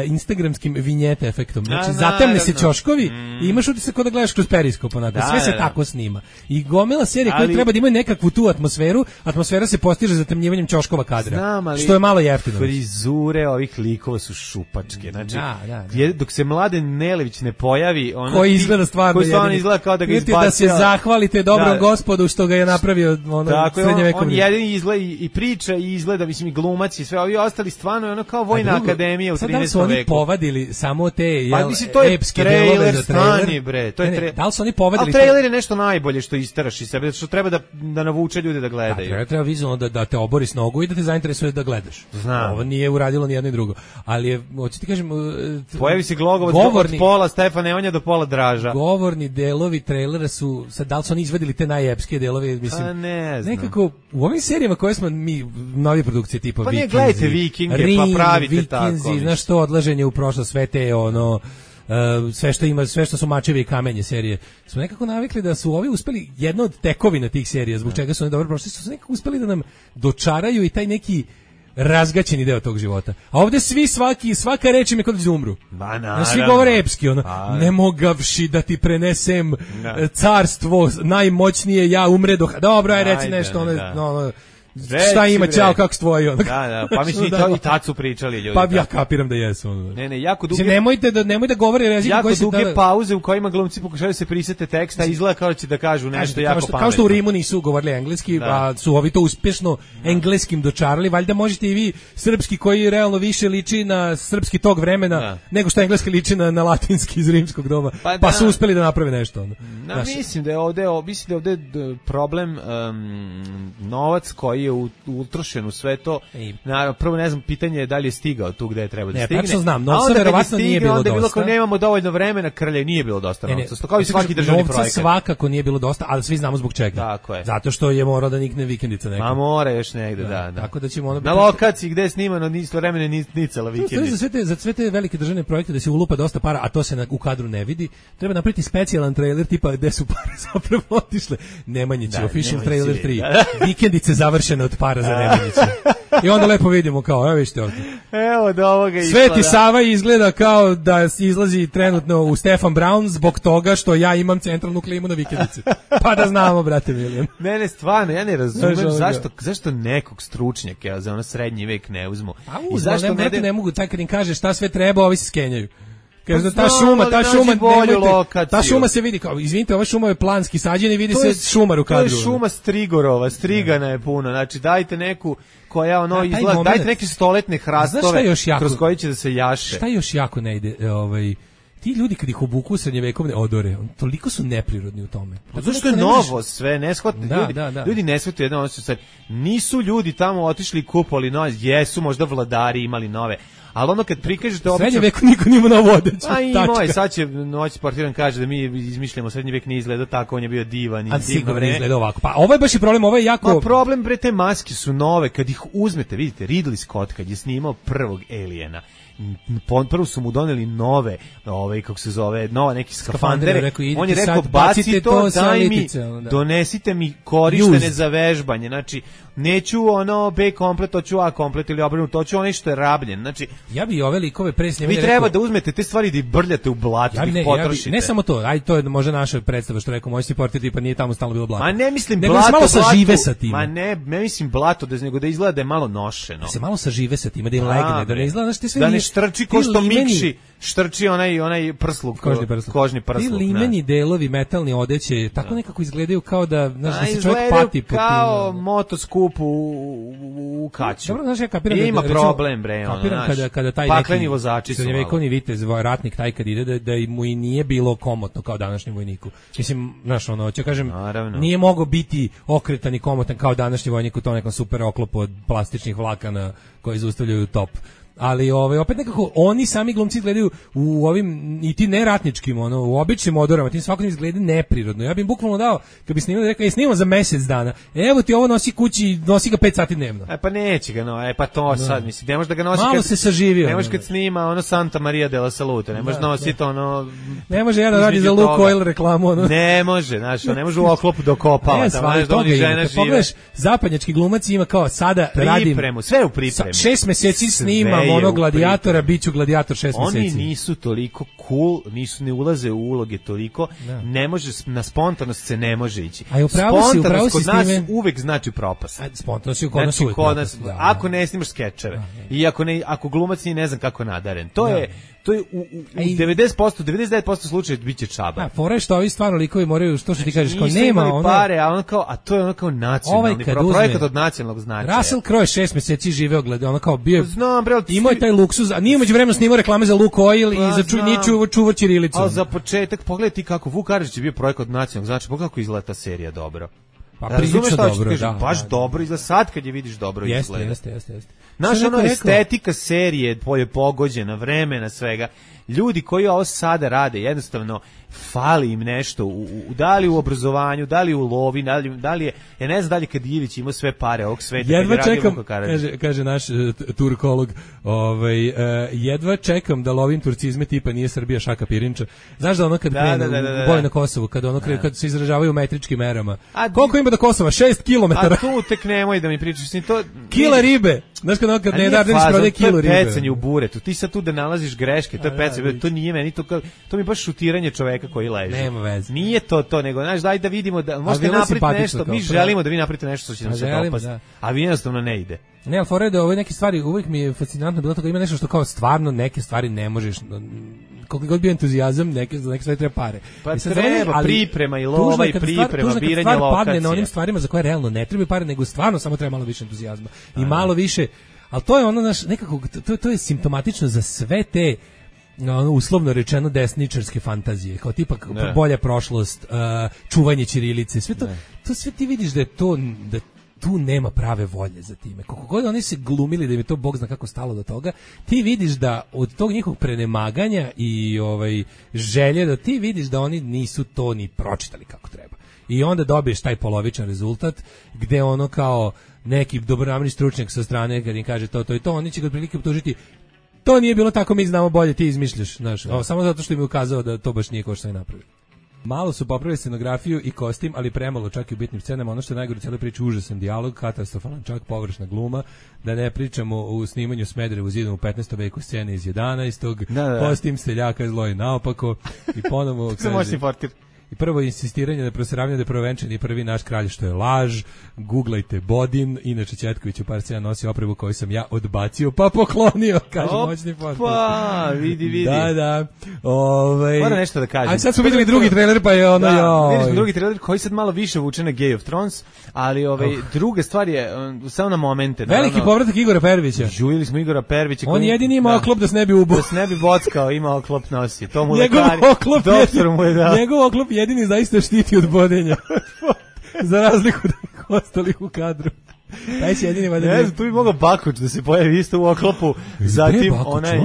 S8: instagramskim vinjete efektom. Znači, zatemne se ćoškovi i imaš utisak kao da gledaš kroz periskop, onako. Sve se tako snima. I gomila serije koje treba da imaju nekakvu tu atmosferu, atmosfera se postiže zatemnjivanjem ćoškova kadra, što je malo jeftino.
S7: Frizure ovih likova su šupačke. Znači, dok se Mladen Nelević ne pojavi,
S8: koji izgleda stvarno
S7: izgleda kao da ga izbacio.
S8: Da se zahvalite dobrom gospodu što ga je napravio srednjevekovni.
S7: On jedini izgleda i priča i izgleda, mislim, i glumac i sve, ovi ostali stvarno ono kao Vojna akademija u 13.
S8: Su oni povadili samo te epske
S7: delove za trailer, bre.
S8: Da li su oni povadili?
S7: A trailer je nešto najbolje što isteraš iz sebe, što treba da navuče ljude da gledaju.
S8: Treba vizualno da te obori s nogu i da te zainteresuje da gledaš.
S7: Znam.
S8: Ovo nije uradilo ni jedno ni drugo. Ali je, hoću ti kažem,
S7: pojavi se Glogovac od pola Stefan Nemanja do pola Draža.
S8: Govorni delovi trailera su, sad da li su oni izvadili te najepske delove, mislim.
S7: Pa ne znam.
S8: Nekako u ovim serijama koje smo mi nove produkcije tipa
S7: Vikinzi. Pa ne gledajte Vikinge, pa pravite tako.
S8: Znaš što, odlaženje u prošlost, sve te sve što su mačevi i kamenje serije, smo nekako navikli da su ovi uspeli, jedna od tekovina tih serija, zbog čega su oni dobro prošli, su nekako uspeli da nam dočaraju i taj neki razgaćeni deo tog života. A ovde svaka reč im je kod da umru. Svi govore epski, ne mogavši da ti prenesem carstvo najmoćnije, ja umredoh. Dobro, aj reci nešto, šta ima, ćao, kako stvoji ono.
S7: Da, pa mislim i tad su pričali ljudi.
S8: Pa ja kapiram da jesu.
S7: Ne, jako duge.
S8: Nemoj da govore jezik koji se
S7: duge pauze u kojima glumci pokušavaju se prisete teksta, izgleda kao će da kažu nešto jako pametno.
S8: Kao što u Rimu nisu govorili engleski, a su ovi to uspešno engleskim dočarali, valjda možete i vi srpski koji realno više liči na srpski tog vremena nego što engleski liči na latinski iz rimskog doba. Pa su uspeli da naprave nešto.
S7: Mislim da je ovde problem novac koji je utrošen u sve to. Naravno, prvo ne znam, pitanje je da li je stigao tu gde je trebao da stigne.
S8: Tačno znam, novca verovatno nije bilo dosta.
S7: Onda je bilo kao nemamo dovoljno vremena, Krlje nije bilo dosta novca. Kao i svaki državni projekat.
S8: Novca svakako nije bilo dosta, ali svi znamo zbog čega.
S7: Tako je.
S8: Zato što je morao da nikne vikendica neka.
S7: Ma mora još negde, da.
S8: Tako da ćemo
S7: na lokaciji gde je snimano istovremeno nicala vikendica.
S8: Za sve te velike državne projekte da se ulupa dosta para, a to se u kadru ne vidi, treba napraviti specijalan trailer tipa gde su pare zapravo otišle. Nemanjić, official trailer 3. Vikendice završene spašena od para za Nemanjića. I onda lepo vidimo kao, evo vidite ovdje.
S7: Evo do ovoga
S8: Sveti Sava izgleda kao da izlazi trenutno u Stefan Brown zbog toga što ja imam centralnu klimu na vikendici. Pa da znamo, brate Miljan.
S7: Ne, stvarno, ja ne razumem zašto nekog stručnjaka za ono srednji vek ne uzmu.
S8: I zašto ne mogu, taj kad im kaže šta sve treba, ovi se skenjaju. Kaže ta šuma se vidi kao, izvinite, ova šuma je planski sađena i vidi se šumar u kadru.
S7: To je šuma Strigorova, strigana je puno. Znači dajte neku koja ono izgleda, dajte neke stoletne hrastove kroz koje će da se jaše.
S8: Šta još jako ne ide, ti ljudi kad ih obuku u srednjevekovne odore, toliko su neprirodni u tome.
S7: Zašto je novo sve, ne shvatite ljudi ne shvataju jedno, ono su nisu ljudi tamo otišli i kupovali nove, jesu možda vladari imali nove. Ali ono kad prikažete obično...
S8: Srednji vek niko nima novu odeću.
S7: A ima je, sad će noć sportiran kaže da mi izmišljamo, srednji vek nije izgledao tako, on je bio divan i
S8: divno vreme. Izgleda ovako. Pa ovo je baš i problem, ovo je jako...
S7: Ma problem, bre, te maske su nove, kad ih uzmete, vidite, Ridley Scott kad je snimao prvog Aliena, prvo su mu doneli nove, kako se zove, nove neki skafandere. On je rekao, baci to, daj mi, donesite mi korištene za vežbanje. Znači, neću ono B komplet, hoću A komplet ili obrnuto, hoću ono što je rabljen. Znači,
S8: ja bi ove likove pre snimali.
S7: Vi treba da uzmete te stvari da ih brljate u blato, da ih potrošite.
S8: Ne samo to, to je možda naša predstava što rekao, moj supporter tipa nije tamo stalno bilo blato.
S7: Ma ne mislim blato,
S8: malo sažive sa tim.
S7: Ma ne mislim blato, nego da izgleda da je malo nošeno.
S8: Da se malo sažive sa tim, da im legne, da ne izgleda, znači sve
S7: ne štrči ko što Mikši štrči onaj prsluk, kožni prsluk.
S8: Ti limeni delovi metalni odeće tako nekako izgledaju kao da, znaš, da se čovjek pati po tim.
S7: Kao motoskup u kaću.
S8: Dobro, znaš, ja kapiram
S7: ima problem, bre,
S8: kapiram kada taj
S7: pakleni vozači su
S8: srednjevekovni vitez, ratnik taj kad ide, da mu i nije bilo komotno kao današnjem vojniku. Mislim, znaš, ono, ću kažem, nije mogao biti okretan i komotan kao današnji vojnik u tom nekom super oklopu od plastičnih vlakana koji zaustavljaju top. Ali opet nekako oni sami glumci gledaju u ovim i ti neratničkim, u običnim odorama, tim svakodnevno izgleda neprirodno. Ja bih bukvalno dao, kad bi snimali, rekao, snimamo za mjesec dana. Evo ti ovo nosi kući, nosi ga 5 sati dnevno.
S7: Pa neće ga, pa to sad, mislim, ne može da ga nosi
S8: malo se saživio.
S7: Ne može kad snima Santa Maria de la Salute, ne može nositi
S8: ne može jedan radi za Luke Oil reklamu,
S7: Ne može, znaš, ne može u oklopu dokopava, tamo znaš da oni žena žive.
S8: Pogledaš, zapadnjački glumac ima kao sada radim
S7: sve u pripremi.
S8: 6 mjeseci snimam gladijatora, biću gladijator 6 mjeseci.
S7: Oni nisu toliko cool, ne ulaze u uloge toliko, ne može, na spontanost se ne može ići.
S8: A upravo si
S7: kod nas uvek znači propast.
S8: Spontanost je kod nas uvek propast.
S7: Ako ne snimaš skečeve i ako glumac nije ne znam kako nadaren, to je u 90%, 99% slučajeva biće čaba.
S8: Fora je što ovi stvarno likovi moraju, što ti kažeš, kao nema ono
S7: pare, a to je ono kao nacionalni projekat od nacionalnog značaja.
S8: Russell Crowe 6 mjeseci živeo gleda, ono kao bio. Imao je taj luksuz, a nije umeđuvremenu snimao reklame za Luke Oil i za čuvar ćirilicu.
S7: Al za početak pogledaj ti kako Vuk Karadžić je bio projekat od nacionalnog značaja, pogledaj kako izgleda ta serija dobro.
S8: Pa prilično dobro,
S7: baš dobro izgleda, sad kad je vidiš dobro izgleda.
S8: Jeste.
S7: Naša estetika serije je pogođena, vremena, svega. Ljudi koji ovo sada rade, jednostavno fali im nešto, da li u obrazovanju, da li u lovi, da li je, ja ne znam da li kad Ivić ima sve pare ovog sveta.
S8: Jedva čekam, kaže naš turkolog, jedva čekam da lovim turcizme tipa nije Srbija Šaka Pirinča. Znaš da ono kad krenu u boj na Kosovu, kad se izražavaju metričkim merama. Koliko ima do Kosova? 6 km.
S7: A tu tek nemoj da mi pričaš.
S8: Kila ribe. Znaš kad ne Dardenić prode kilu ribe.
S7: To je pecanje u buretu. Ti sad tu da nalaziš greške, to je pecanje. To nije meni, to mi baš šutiranje čoveka koji leži.
S8: Nema veze.
S7: Nije to, nego znaš, daj da vidimo da možete napraviti nešto. Mi želimo da vi napravite nešto što će nam se dopasti. A vi jednostavno ne ide.
S8: Ne, ali fora je da ove neke stvari uvijek mi je fascinantno bilo toga, ima nešto što kao stvarno neke stvari ne možeš, koliko god bio entuzijazam, neke stvari treba pare.
S7: Pa treba priprema i lova i priprema, biranje lokacije.
S8: Padne na onim stvarima za koje realno ne treba pare, nego stvarno samo treba malo više entuzijazma. I malo više, ali to je ono, naš, nekako, to je simptomatično za sve te uslovno rečeno desničarske fantazije, kao tipa bolja prošlost, čuvanje ćirilice, sve to sve ti vidiš da je to, da tu nema prave volje za time. Koliko god oni se glumili da im je to Bog zna kako stalo do toga, ti vidiš da od tog njihovog prenemaganja i želje, da ti vidiš da oni nisu to ni pročitali kako treba. I onda dobiješ taj polovičan rezultat gde ono kao neki dobronamerni stručnjak sa strane kad im kaže to i to, oni će ga otprilike optužiti to nije bilo tako, mi znamo bolje, ti izmišljaš, znaš, samo zato što im je ukazao da to baš nije kao što je napravio. Malo su popravili scenografiju i kostim, ali premalo čak i u bitnim scenama. Ono što je najgore u cijeloj priči, užasan dijalog, katastrofalan, čak površna gluma. Da ne pričamo u snimanju Smederevu zidom u 15. veku, scene iz 11. Kostim seljaka zlo i naopako. I ponovo kaže... I prvo insistiranje da proseravanje da je provenčan i prvi naš kralj, što je laž. Googlajte Bodin, inače Četković u par scena nosi opremu koju sam ja odbacio pa poklonio, kaže moćni podcast.
S7: Pa, vidi.
S8: Da.
S7: Moram nešto da kažem.
S8: A sad smo videli drugi trailer, pa je ono...
S7: videli smo drugi trailer koji sad malo više vuče na Game of Thrones, ali druga stvar je samo na momente.
S8: Veliki povratak Igora Pervića.
S7: Žujili smo Igora Pervića.
S8: On jedini ima oklop da se ne bi ubo.
S7: Da se ne bi bockao, ima oklop nosi. To mu lekari, doktor mu je dao.
S8: Njegov oklop jedini zaista štiti od bodenja. Za razliku od ostalih u kadru. Taj se jedini valjda.
S7: Ne znam, tu bi mogao Bakuć da se pojavi isto u oklopu. Zatim onaj,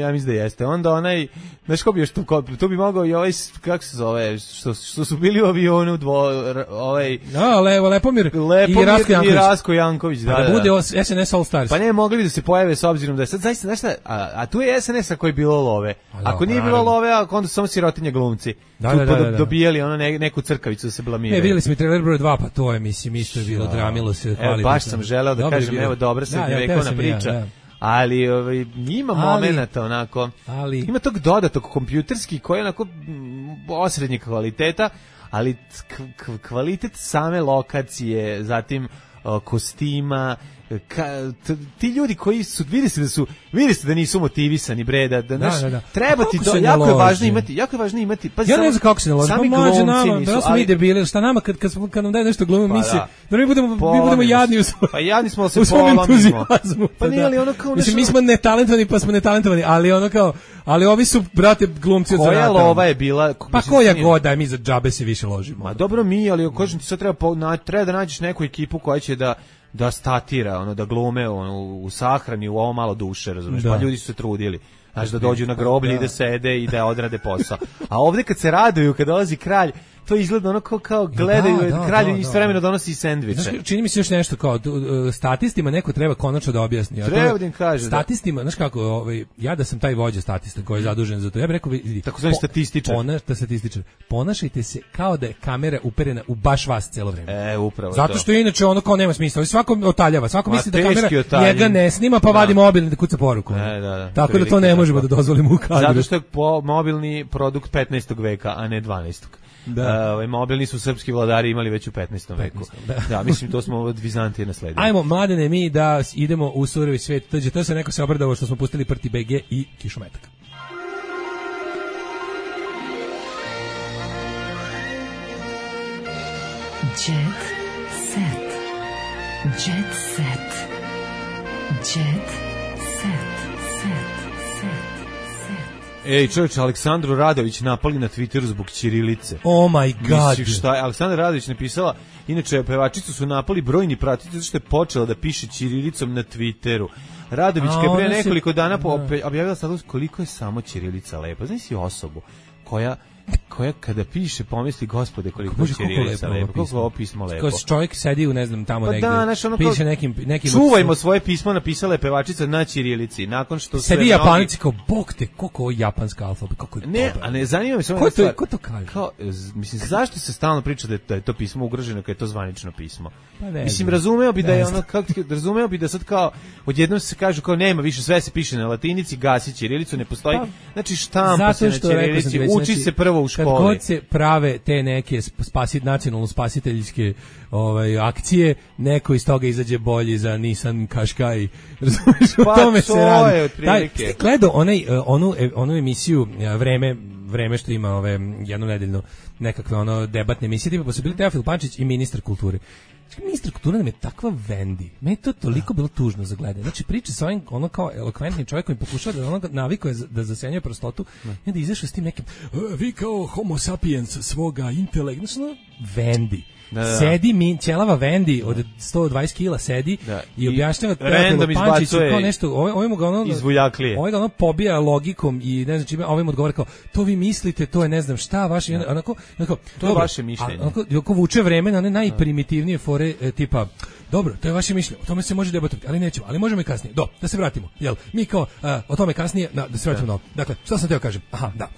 S7: ja mislim da jeste. Onda onaj, znaš ko bi još tu bi mogao i ovaj, kako se zove, što su bili u avionu
S8: Lepomir i
S7: Rasko Janković.
S8: Da bude SNS All Stars.
S7: Pa ne, mogli bi da se pojave s obzirom da je sad zaista, znaš šta, a tu je SNS ako je bilo love. Ako nije bilo love, onda su samo sirotinje glumci. Da. Dobijali ono neku crkavicu da se blamiraju.
S8: Videli smo i trailer broj 2, pa to je, mislim, isto je bilo, dramilo se.
S7: Baš sam želeo da kažem, evo, dobra srednjovekovna priča. Ali ima momenata onako, ima tog dodatog kompjuterski koji je onako osrednjeg kvaliteta, ali kvalitet same lokacije, zatim kostima, ti ljudi koji su vidi se da nisu motivisani, bre, da treba ti to, jako je važno imati, pa
S8: ja ne znam kako se naloži,
S7: sami glumci nisu,
S8: da smo mi debili, šta nama kad nam daje nešto glumimo, mi budemo jadni u svom,
S7: pa jadni smo, se polomimo, pa nije li ono kao
S8: mislim, mi smo netalentovani, pa smo netalentovani, ali ono kao, ali ovi su, brate, glumci od zanata.
S7: Koja lova je bila?
S8: Pa koja god, mi za džabe se više ložimo.
S7: Ma dobro mi, ali kažem ti sad treba da nađeš neku ekipu koja će da statira, da glume u sahrani, u ovo malo duše, razumiješ, pa ljudi su se trudili, znači da dođu na groblje i da sede i da odrade posao. A ovdje kad se raduju, kad dolazi kralj, to izgleda ono kao gledaju, kralj istovremeno donosi sendviče.
S8: Znaš, čini mi se još nešto kao, statistima neko treba konačno da objasni.
S7: Treba da im kaže.
S8: Statistima, znaš kako, ja da sam taj vođa statista koji je zadužen za to, ja bih rekao,
S7: takozvani statističar.
S8: Ponašajte se kao da je kamera uperena u baš vas celo vreme.
S7: Upravo
S8: zato što inače ono kao nema smisla. Svako otaljava, svako misli da kamera njega ne snima, pa vadi mobilni da kuca poruku. Tako da to ne možemo da dozvolimo u kadru.
S7: Zato što je mobilni produkt 15. veka, a ne 12. Mobilni su srpski vladari imali već u 15. veku. Da, mislim, to smo od Vizantije nasledili.
S8: Ajmo, mladene, mi da idemo u surovi svijet. To se neko se obradovao što smo pustili Prti BG i Kišometak.
S6: Jet set. Jet set. Jet set.
S7: Ej, čovječ, Aleksandru Radović napali na Twitteru zbog ćirilice.
S8: Oh my god.
S7: Misliš šta je? Aleksandra Radović napisala, inače, pevačicu su napali brojni pratitelji zato što je počela da piše ćirilicom na Twitteru. Radović je pre nekoliko dana objavila status koliko je samo ćirilica lepa. Znaš si osobu koja kada piše pomisli gospode koliko je ćirilica lepa, koliko ovo pismo lepo.
S8: Kao čovjek sedi u ne znam tamo negdje, piše nekim
S7: čuvajmo svoje pismo, napisala je pevačica na ćirilici, nakon što
S8: sedi Japanici kao bog te, koliko je japanska alfabet, kako je
S7: ne, a ne zanima me samo
S8: ko to kaže?
S7: Kao, mislim, zašto se stalno priča da je to pismo ugroženo kad je to zvanično pismo? Mislim, razumeo bi da je ono, razumeo bi da sad kao odjednom se kažu kao nema više, sve se piše na latinici, gasi ćirilicu, ne postoji, znači štampa se na ćirilici, uči se prvo u školi.
S8: Kad god se prave te neke nacionalno spasiteljske akcije, neko iz toga izađe bolji za Nissan Qashqai. Razumiješ, o tome se radi. Ste gledao onu emisiju Vreme što ima jednu nedeljnu nekakve debatne emisije, tipa pa su bili Teofil Pančić i ministar kulture. Ministar kulture nam je takva vendi. Meni je to toliko bilo tužno za gledanje. Znači priča sa ovim kao elokventnim čovjekom i pokušava da navikuje da zasenjuje prostotu i onda izašao s tim nekim vi kao homo sapiens svoga intelekta. Znači vendi. Sedi ćelava vendi od 120 kila sedi i objašnjava Teofilu Pančiću kao nešto, ovim ga
S7: izvujaklije.
S8: Ovaj ga pobija logikom i ne znam čime, ovim odgovara kao to vi mislite, to je ne znam šta vaše, onako
S7: to je vaše mišljenje.
S8: Onako vuče vreme na one najprimitivnije fore fore tipa, dobro, to je vaše mišljenje, o tome se može debatovati, ali nećemo, ali možemo i kasnije. Da se vratimo, jel? Mi kao, o tome kasnije, da se vratimo na ovo. Dakle, šta sam teo kažem? Aha, da.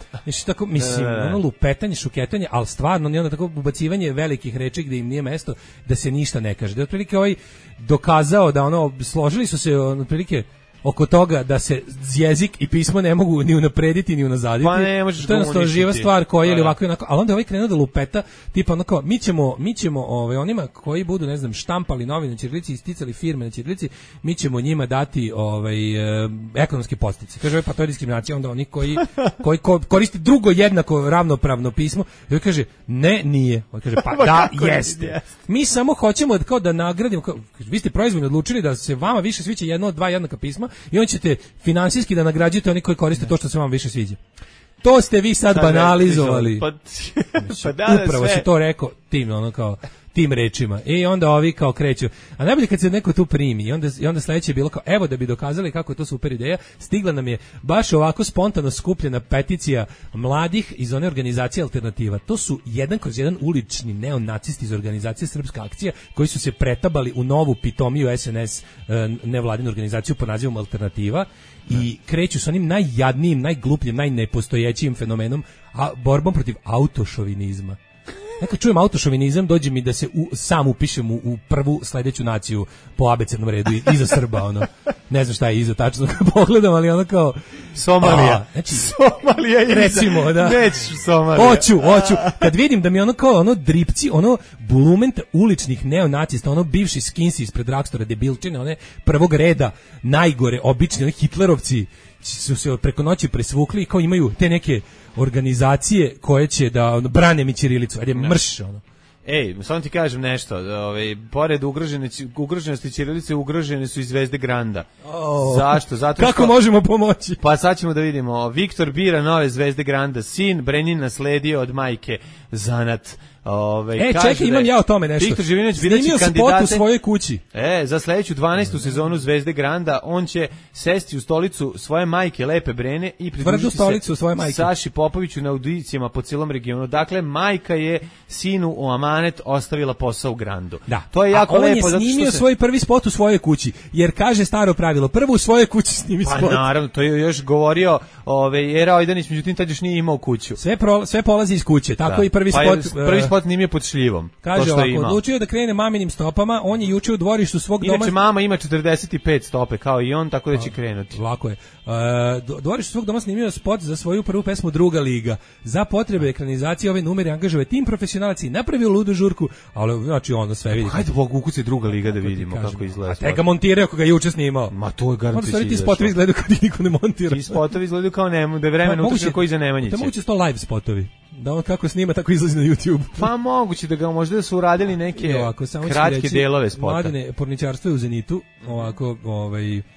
S8: Tako, mislim, ono lupetanje, šuketanje, ali stvarno, onda tako ubacivanje velikih reči gde im nije mesto, da se ništa ne kaže. Da otprilike ovaj dokazao da ono, složili su se otprilike oko toga da se jezik i pismo ne mogu ni unaprediti ni unazaditi.
S7: Pa ne možeš
S8: to je jednostavno živa stvar koja je ili ovako i onako, ali onda ovaj krenuo da lupeta, tipa ono kao, mi ćemo onima koji budu, ne znam, štampali novine na ćirilici i isticali firme na ćirilici, mi ćemo njima dati ekonomske podsticaje. Kaže, pa to je diskriminacija, onda oni koji koristi drugo jednako ravnopravno pismo, i kaže, ne, nije. On kaže, pa da, jeste. Mi samo hoćemo kao da nagradimo, vi ste proizvoljno odlučili da se vama više sviđa jedno od dva jednaka pisma i on ćete finansijski da nagrađujete oni koji koriste to što se vam više sviđa. To ste vi sad banalizovali. Upravo se to rekao tim rečima. I onda ovi kao kreću. A najbolje kad se neko tu primi i onda sledeće je bilo kao, evo da bi dokazali kako je to super ideja, stigla nam je baš ovako spontano skupljena peticija mladih iz one organizacije Alternativa. To su 1/1 ulični neonacisti iz organizacije Srpska akcija koji su se pretabali u novu pitomiju SNS nevladinu organizaciju pod nazivom Alternativa i kreću sa onim najjadnijim, najglupljim, najnepostojećim fenomenom, a borbom protiv autošovinizma. Kad čujem autošovinizam, dođe mi da se sam upišem u prvu sledeću naciju po abecednom redu iza Srba, ono. Ne znam šta je iza tačno kad pogledam, ali ono kao
S7: Somalija.
S8: Znači,
S7: Somalija je
S8: recimo, da.
S7: Neću Somalija.
S8: Hoću. Kad vidim da mi ono kao ono dripci, ono bulument uličnih neonacista, ono bivši skinsi ispred Rakstora, debilčine, one prvog reda, najgore, obični, oni hitlerovci su se preko noći presvukli i kao imaju te neke organizacije koje će da brane mi ćirilicu, ajde mrš ono.
S7: Ej, samo ti kažem nešto, pored ugroženosti ćirilice ugrožene su i zvezde Granda. Zašto? Zato
S8: kako možemo pomoći?
S7: Pa sad ćemo da vidimo. Viktor bira nove zvezde Granda, sin Brenin nasledio od majke zanat.
S8: Čekaj, imam ja o tome nešto.
S7: Viktor Živinović bidaći
S8: kandidate u svojoj kući.
S7: Za sledeću 12. sezonu Zvezde Granda on će sesti u stolicu svoje majke Lepe Brene i pridružiti se
S8: svoje majke
S7: Saši Popoviću na audicijama po celom regionu. Dakle, majka je sinu u amanet ostavila posao u Grandu.
S8: Da.
S7: To je jako lepo.
S8: On je snimio svoj prvi spot u svojoj kući, jer kaže staro pravilo, prvo u svojoj kući snimi spot.
S7: Pa naravno, to je još govorio Era Ojdanić, međutim tad još nije imao kuću.
S8: Sve polazi iz kuće, tako i prvi spot.
S7: Prvi spot nije pod šljivom.
S8: Kaže ovako, odlučio da krene maminim stopama, on je juče u dvorištu svog doma.
S7: Inače mama ima 45 stope kao i on, tako da će krenuti.
S8: Lako je. Dvorištu svog doma snimio spot za svoju prvu pesmu Druga liga. Za potrebe ekranizacije ove numere angažuje tim profesionalaca i napravio ludu žurku, ali znači onda sve vidi.
S7: Hajde Bog ukuci Druga liga da vidimo kako izgleda.
S8: A te ga montirao kako ga juče snimao.
S7: Ma to je garantujući.
S8: Ti spotovi izgledaju kao niko ne montira.
S7: Ti spotovi izgledaju kao da je vremena utrošeno koji za Nemanjiće.
S8: To moguće sto live spotovi. Da on kako snima, tako izlazi na YouTube.
S7: Pa moguće da ga možda da su uradili neke kratke delove spota.
S8: Mladene, porničarstvo je u zenitu, ovako,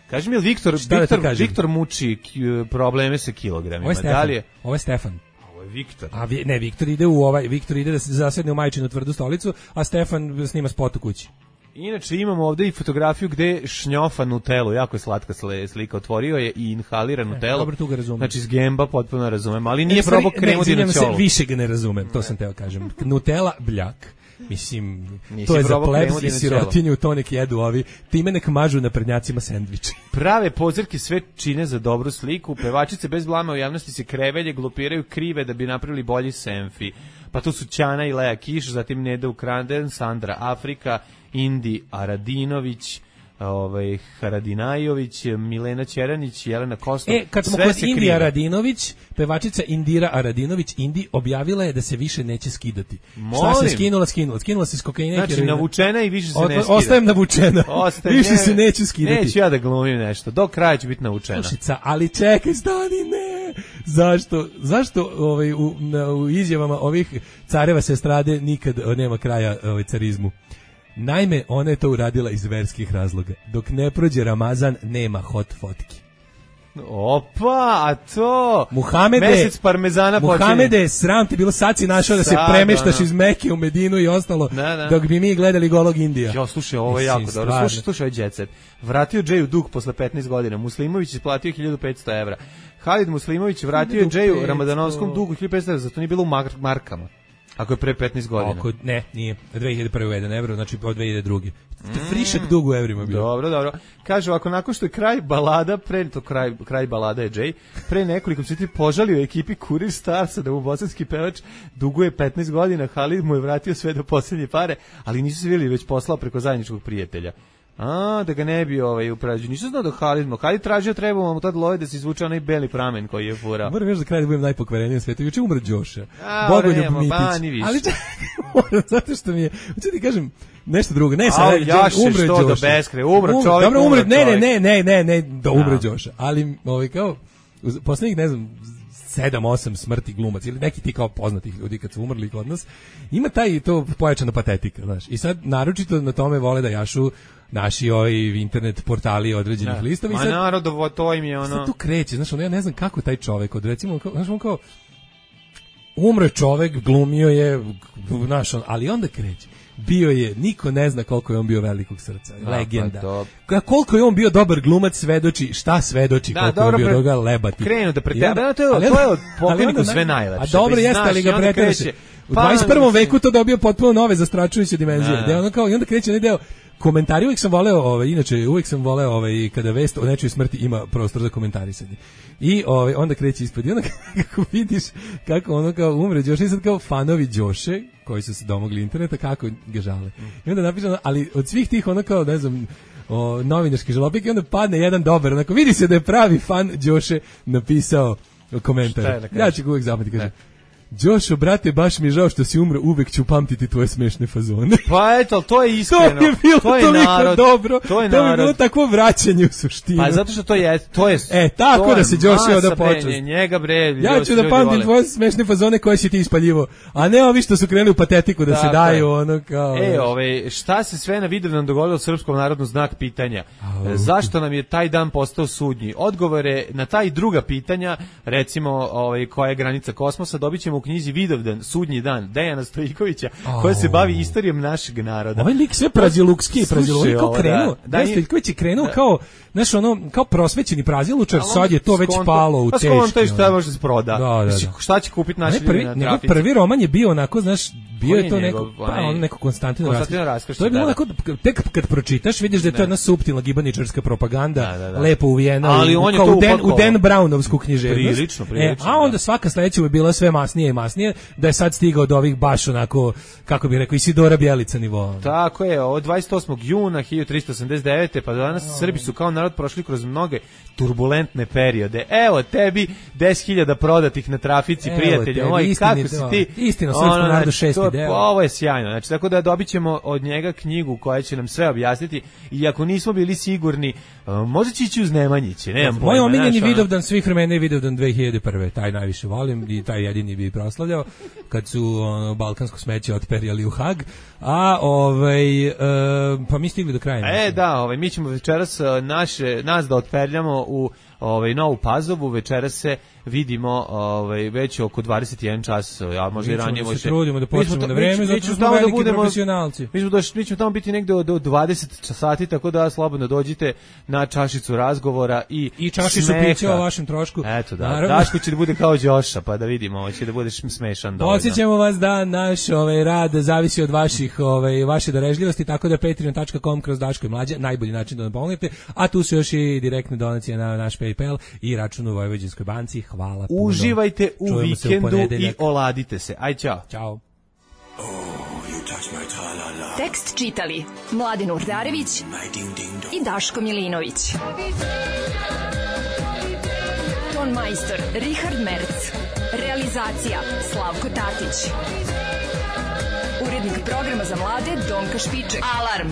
S7: Kaži mi, Viktor muči probleme sa kilogramima.
S8: Ovo je Stefan.
S7: Ovo je Viktor.
S8: Viktor ide da se zasedne u majčinu tvrdu stolicu, a Stefan snima spot u kući.
S7: Inače imamo ovde i fotografiju gde šnjofa Nutellu, jako je slatka slika, otvorio je i inhalira Nutellu.
S8: Dobro, tu ga razumem.
S7: Znači iz Gemba potpuno razumem, ali nije probao kremu dinoćolu.
S8: Više ga ne razumem, to sam teo kažem. Nutella bljak. Mislim, to je za plebs i sirotinju, to nek jedu ovi, time nek mažu na prednjacima sendviče.
S7: Prave pozirke sve čine za dobru sliku, pevačice bez blama u javnosti se krevelje, glupiraju krive da bi napravili bolji selfie. Pa to su Ćana i Lea Kiš, zatim Neda Ukranden, Sandra Afrika, Indi Aradinović, Haradinajović, Milena Ćeranić, Jelena Kostov.
S8: Kad smo kod Indi Aradinović, pevačica Indira Aradinović, Indi objavila je da se više neće skidati. Šta se skinula se s kokaina.
S7: Znači navučena i više se ne skida.
S8: Ostajem navučena. Više se neću skidati.
S7: Neću ja da glumim nešto. Do kraja ću biti navučena.
S8: Slušica, ali čekaj, stani, ne. Zašto u izjavama ovih careva se estrade nikad nema kraja carizmu? Naime, ona je to uradila iz verskih razloga. Dok ne prođe Ramazan, nema hot fotki.
S7: Opa, a to...
S8: Mesec
S7: parmezana počinje.
S8: Muhamede, sram ti bilo, sad si našao da se premeštaš iz Mekke u Medinu i ostalo, dok bi mi gledali golog Indija.
S7: Jo, slušaj, ovo je jako dobro. Slušaj, ovaj jet set. Vratio Džeju dug posle 15 godina. Muslimović je platio 1500 evra. Halid Muslimović vratio Džeju Ramadanovskom dugu 1500 evra, zato nije bilo u markama. Ako je pre 15 godina.
S8: Ne, nije. 2001. uveden evro, znači od 2002. Frišak dug u evrima bio.
S7: Dobro. Kažu, ako nakon što je kraj balada, kraj balada je Jay, pre nekoliko sati požalio ekipi Kurir Starsa da mu bosanski pevač duguje 15 godina, Halid mu je vratio sve do posljednje pare, ali nisu se vidjeli, već poslao preko zajedničkog prijatelja. Da ga ne bi uprađio. Nisam znao da Halid tražio, trebamo mu tad love da se izvuče onaj beli pramen koji je furao.
S8: Moram još za kraj da budem najpokvareniji u svijetu. Juče umro Đoša. Bogoljub Mitić. Ali moram, zato što mi je, hoću ti kažem, nešto drugo. Ne, sad
S7: umre Đoša. Do beskraja, umro čovjek.
S8: Dobro, umre, ne, da umre Đoša. Ali, kao, poslednjih, ne znam, 7-8 smrti glumac ili neki ti kao poznatih ljudi kad su umrli kod nas, ima taj to pojačana patetika, znaš. I sad naročito na tome vole da jašu naši internet portali određenih listova i sad
S7: narodovo to im je ono.
S8: Sad tu kreće, znaš, ja ne znam kako taj čovjek od recimo, znaš, on kao umre čovjek, glumio je, znaš, ali onda kreće. Bio je, niko ne zna koliko je on bio velikog srca, legenda. Koliko je on bio dobar glumac, svedoči, šta svedoči, koliko je on bio doga lebati.
S7: Krenu da pretjeruje, to je od pokojniku sve najlepše.
S8: A dobro jeste, ali ga pretjeruje. U 21. veku to dobio potpuno nove zastračujuće dimenzije. Da ono kao, i onda kreće onaj deo, komentari uvijek sam voleo, inače uvijek sam voleo kada vest o nečoj smrti ima prostor za komentarisanje. I onda kreće ispod. I onda kako vidiš kako ono kao umre Đoše, i sad kao fanovi Đoše koji su se domogli interneta, kako ga žale. I onda napišeno, ali od svih tih ono kao, ne znam, novinarski žalopik, i onda padne jedan dobar, onako vidi se da je pravi fan Đoše napisao komentar. Ja ću ga uvijek zapamtiti, kaže: Đošo, brate, baš mi je žao što si umro, uvek ću pamtiti tvoje smešne fazone.
S7: Pa eto, to je iskreno.
S8: To je bilo toliko dobro. To je bilo takvo vraćanje u suštinu.
S7: Pa zato što to je
S8: tako da se Đošo da počne.
S7: Njega bre.
S8: Ja ću da pamtim tvoje smešne fazone koje si ti ispaljivo, a ne ovi što su krenuli u patetiku da se daju ono kao.
S7: Šta se sve na Vidovdan dogodilo Srpskom narodnom znak pitanja? Zašto nam je taj dan postao sudnji? Odgovore na taj druga pitanja, recimo koja je granica kosmosa, dobićemo u knjizi Vidovdan, sudnji dan, Dejana Stojikovića, koja se bavi istorijom našeg naroda.
S8: Ovaj lik sve prazilukski, kao krenuo. Dejan Stojiković je krenuo kao, znaš, kao prosvećeni prazilučar, sad je to već palo u teški.
S7: Pa to šta može se proda. Šta će kupiti naši ljudi na trafici?
S8: Prvi roman je bio onako, znaš, bio je to neko Konstantin Raskoš. To je bilo onako, tek kad pročitaš, vidiš da je to jedna suptilna gibaničarska propaganda, lepo uvijena u Dan Brownovsku književnost. A onda svaka sledeća je bila sve masnije i masnije, da je sad stigao od ovih baš onako, kako bih rekao, Isidora Bjelica nivoa.
S7: Tako je, od 28. juna 1389. pa danas Srbi su kao narod prošli kroz mnoge turbulentne periode. Evo tebi 10.000 prodatih na trafici, prijatelji moji, kako si ti?
S8: Istina, srpskom narodu 6. deo.
S7: Ovo je sjajno, znači tako da dobit ćemo od njega knjigu koja će nam sve objasniti, i ako nismo bili sigurni, možda će ići uz Nemanjiće, nemam pojma.
S8: Moj omiljeni Vidovdan svih vremena je Vidovdan 2001. Taj najviše volim i taj jedini bi proslavljao, kad su balkansko smeće otperjali u Hag, a pa mi stigli do kraja.
S7: Mi ćemo večeras nas da otperljamo u Novu Pazovu, večeras se vidimo već oko 21 čas, a možda i ranije.
S8: Mi se trudimo da počnemo na vreme, zato što smo veliki profesionalci.
S7: Mi ćemo tamo biti negde do 20 sati, tako da slobodno dođite na čašicu razgovora i
S8: čašicu pića o vašem trošku.
S7: Eto da, Daško će da bude kao Đoša, pa da vidimo, će da budeš smešan dovoljno.
S8: Podsjećamo vas da naš rad zavisi od vaše darežljivosti, tako da patreon.com/Daško i Mlađa, najbolji način da nam pomognete, a tu su još i direktne donacije na naš PayPal i račun u Vojvođanskoj banci. Hvala puno.
S7: Uživajte u vikendu i oladite se. Aj, čao.
S8: Ćao.
S1: Tekst čitali Mladen Urdarević i Daško Milinović. Ton majstor Richard Merc. Realizacija Slavko Tatić. Urednik programa za mlade Donka Špiček. Alarm!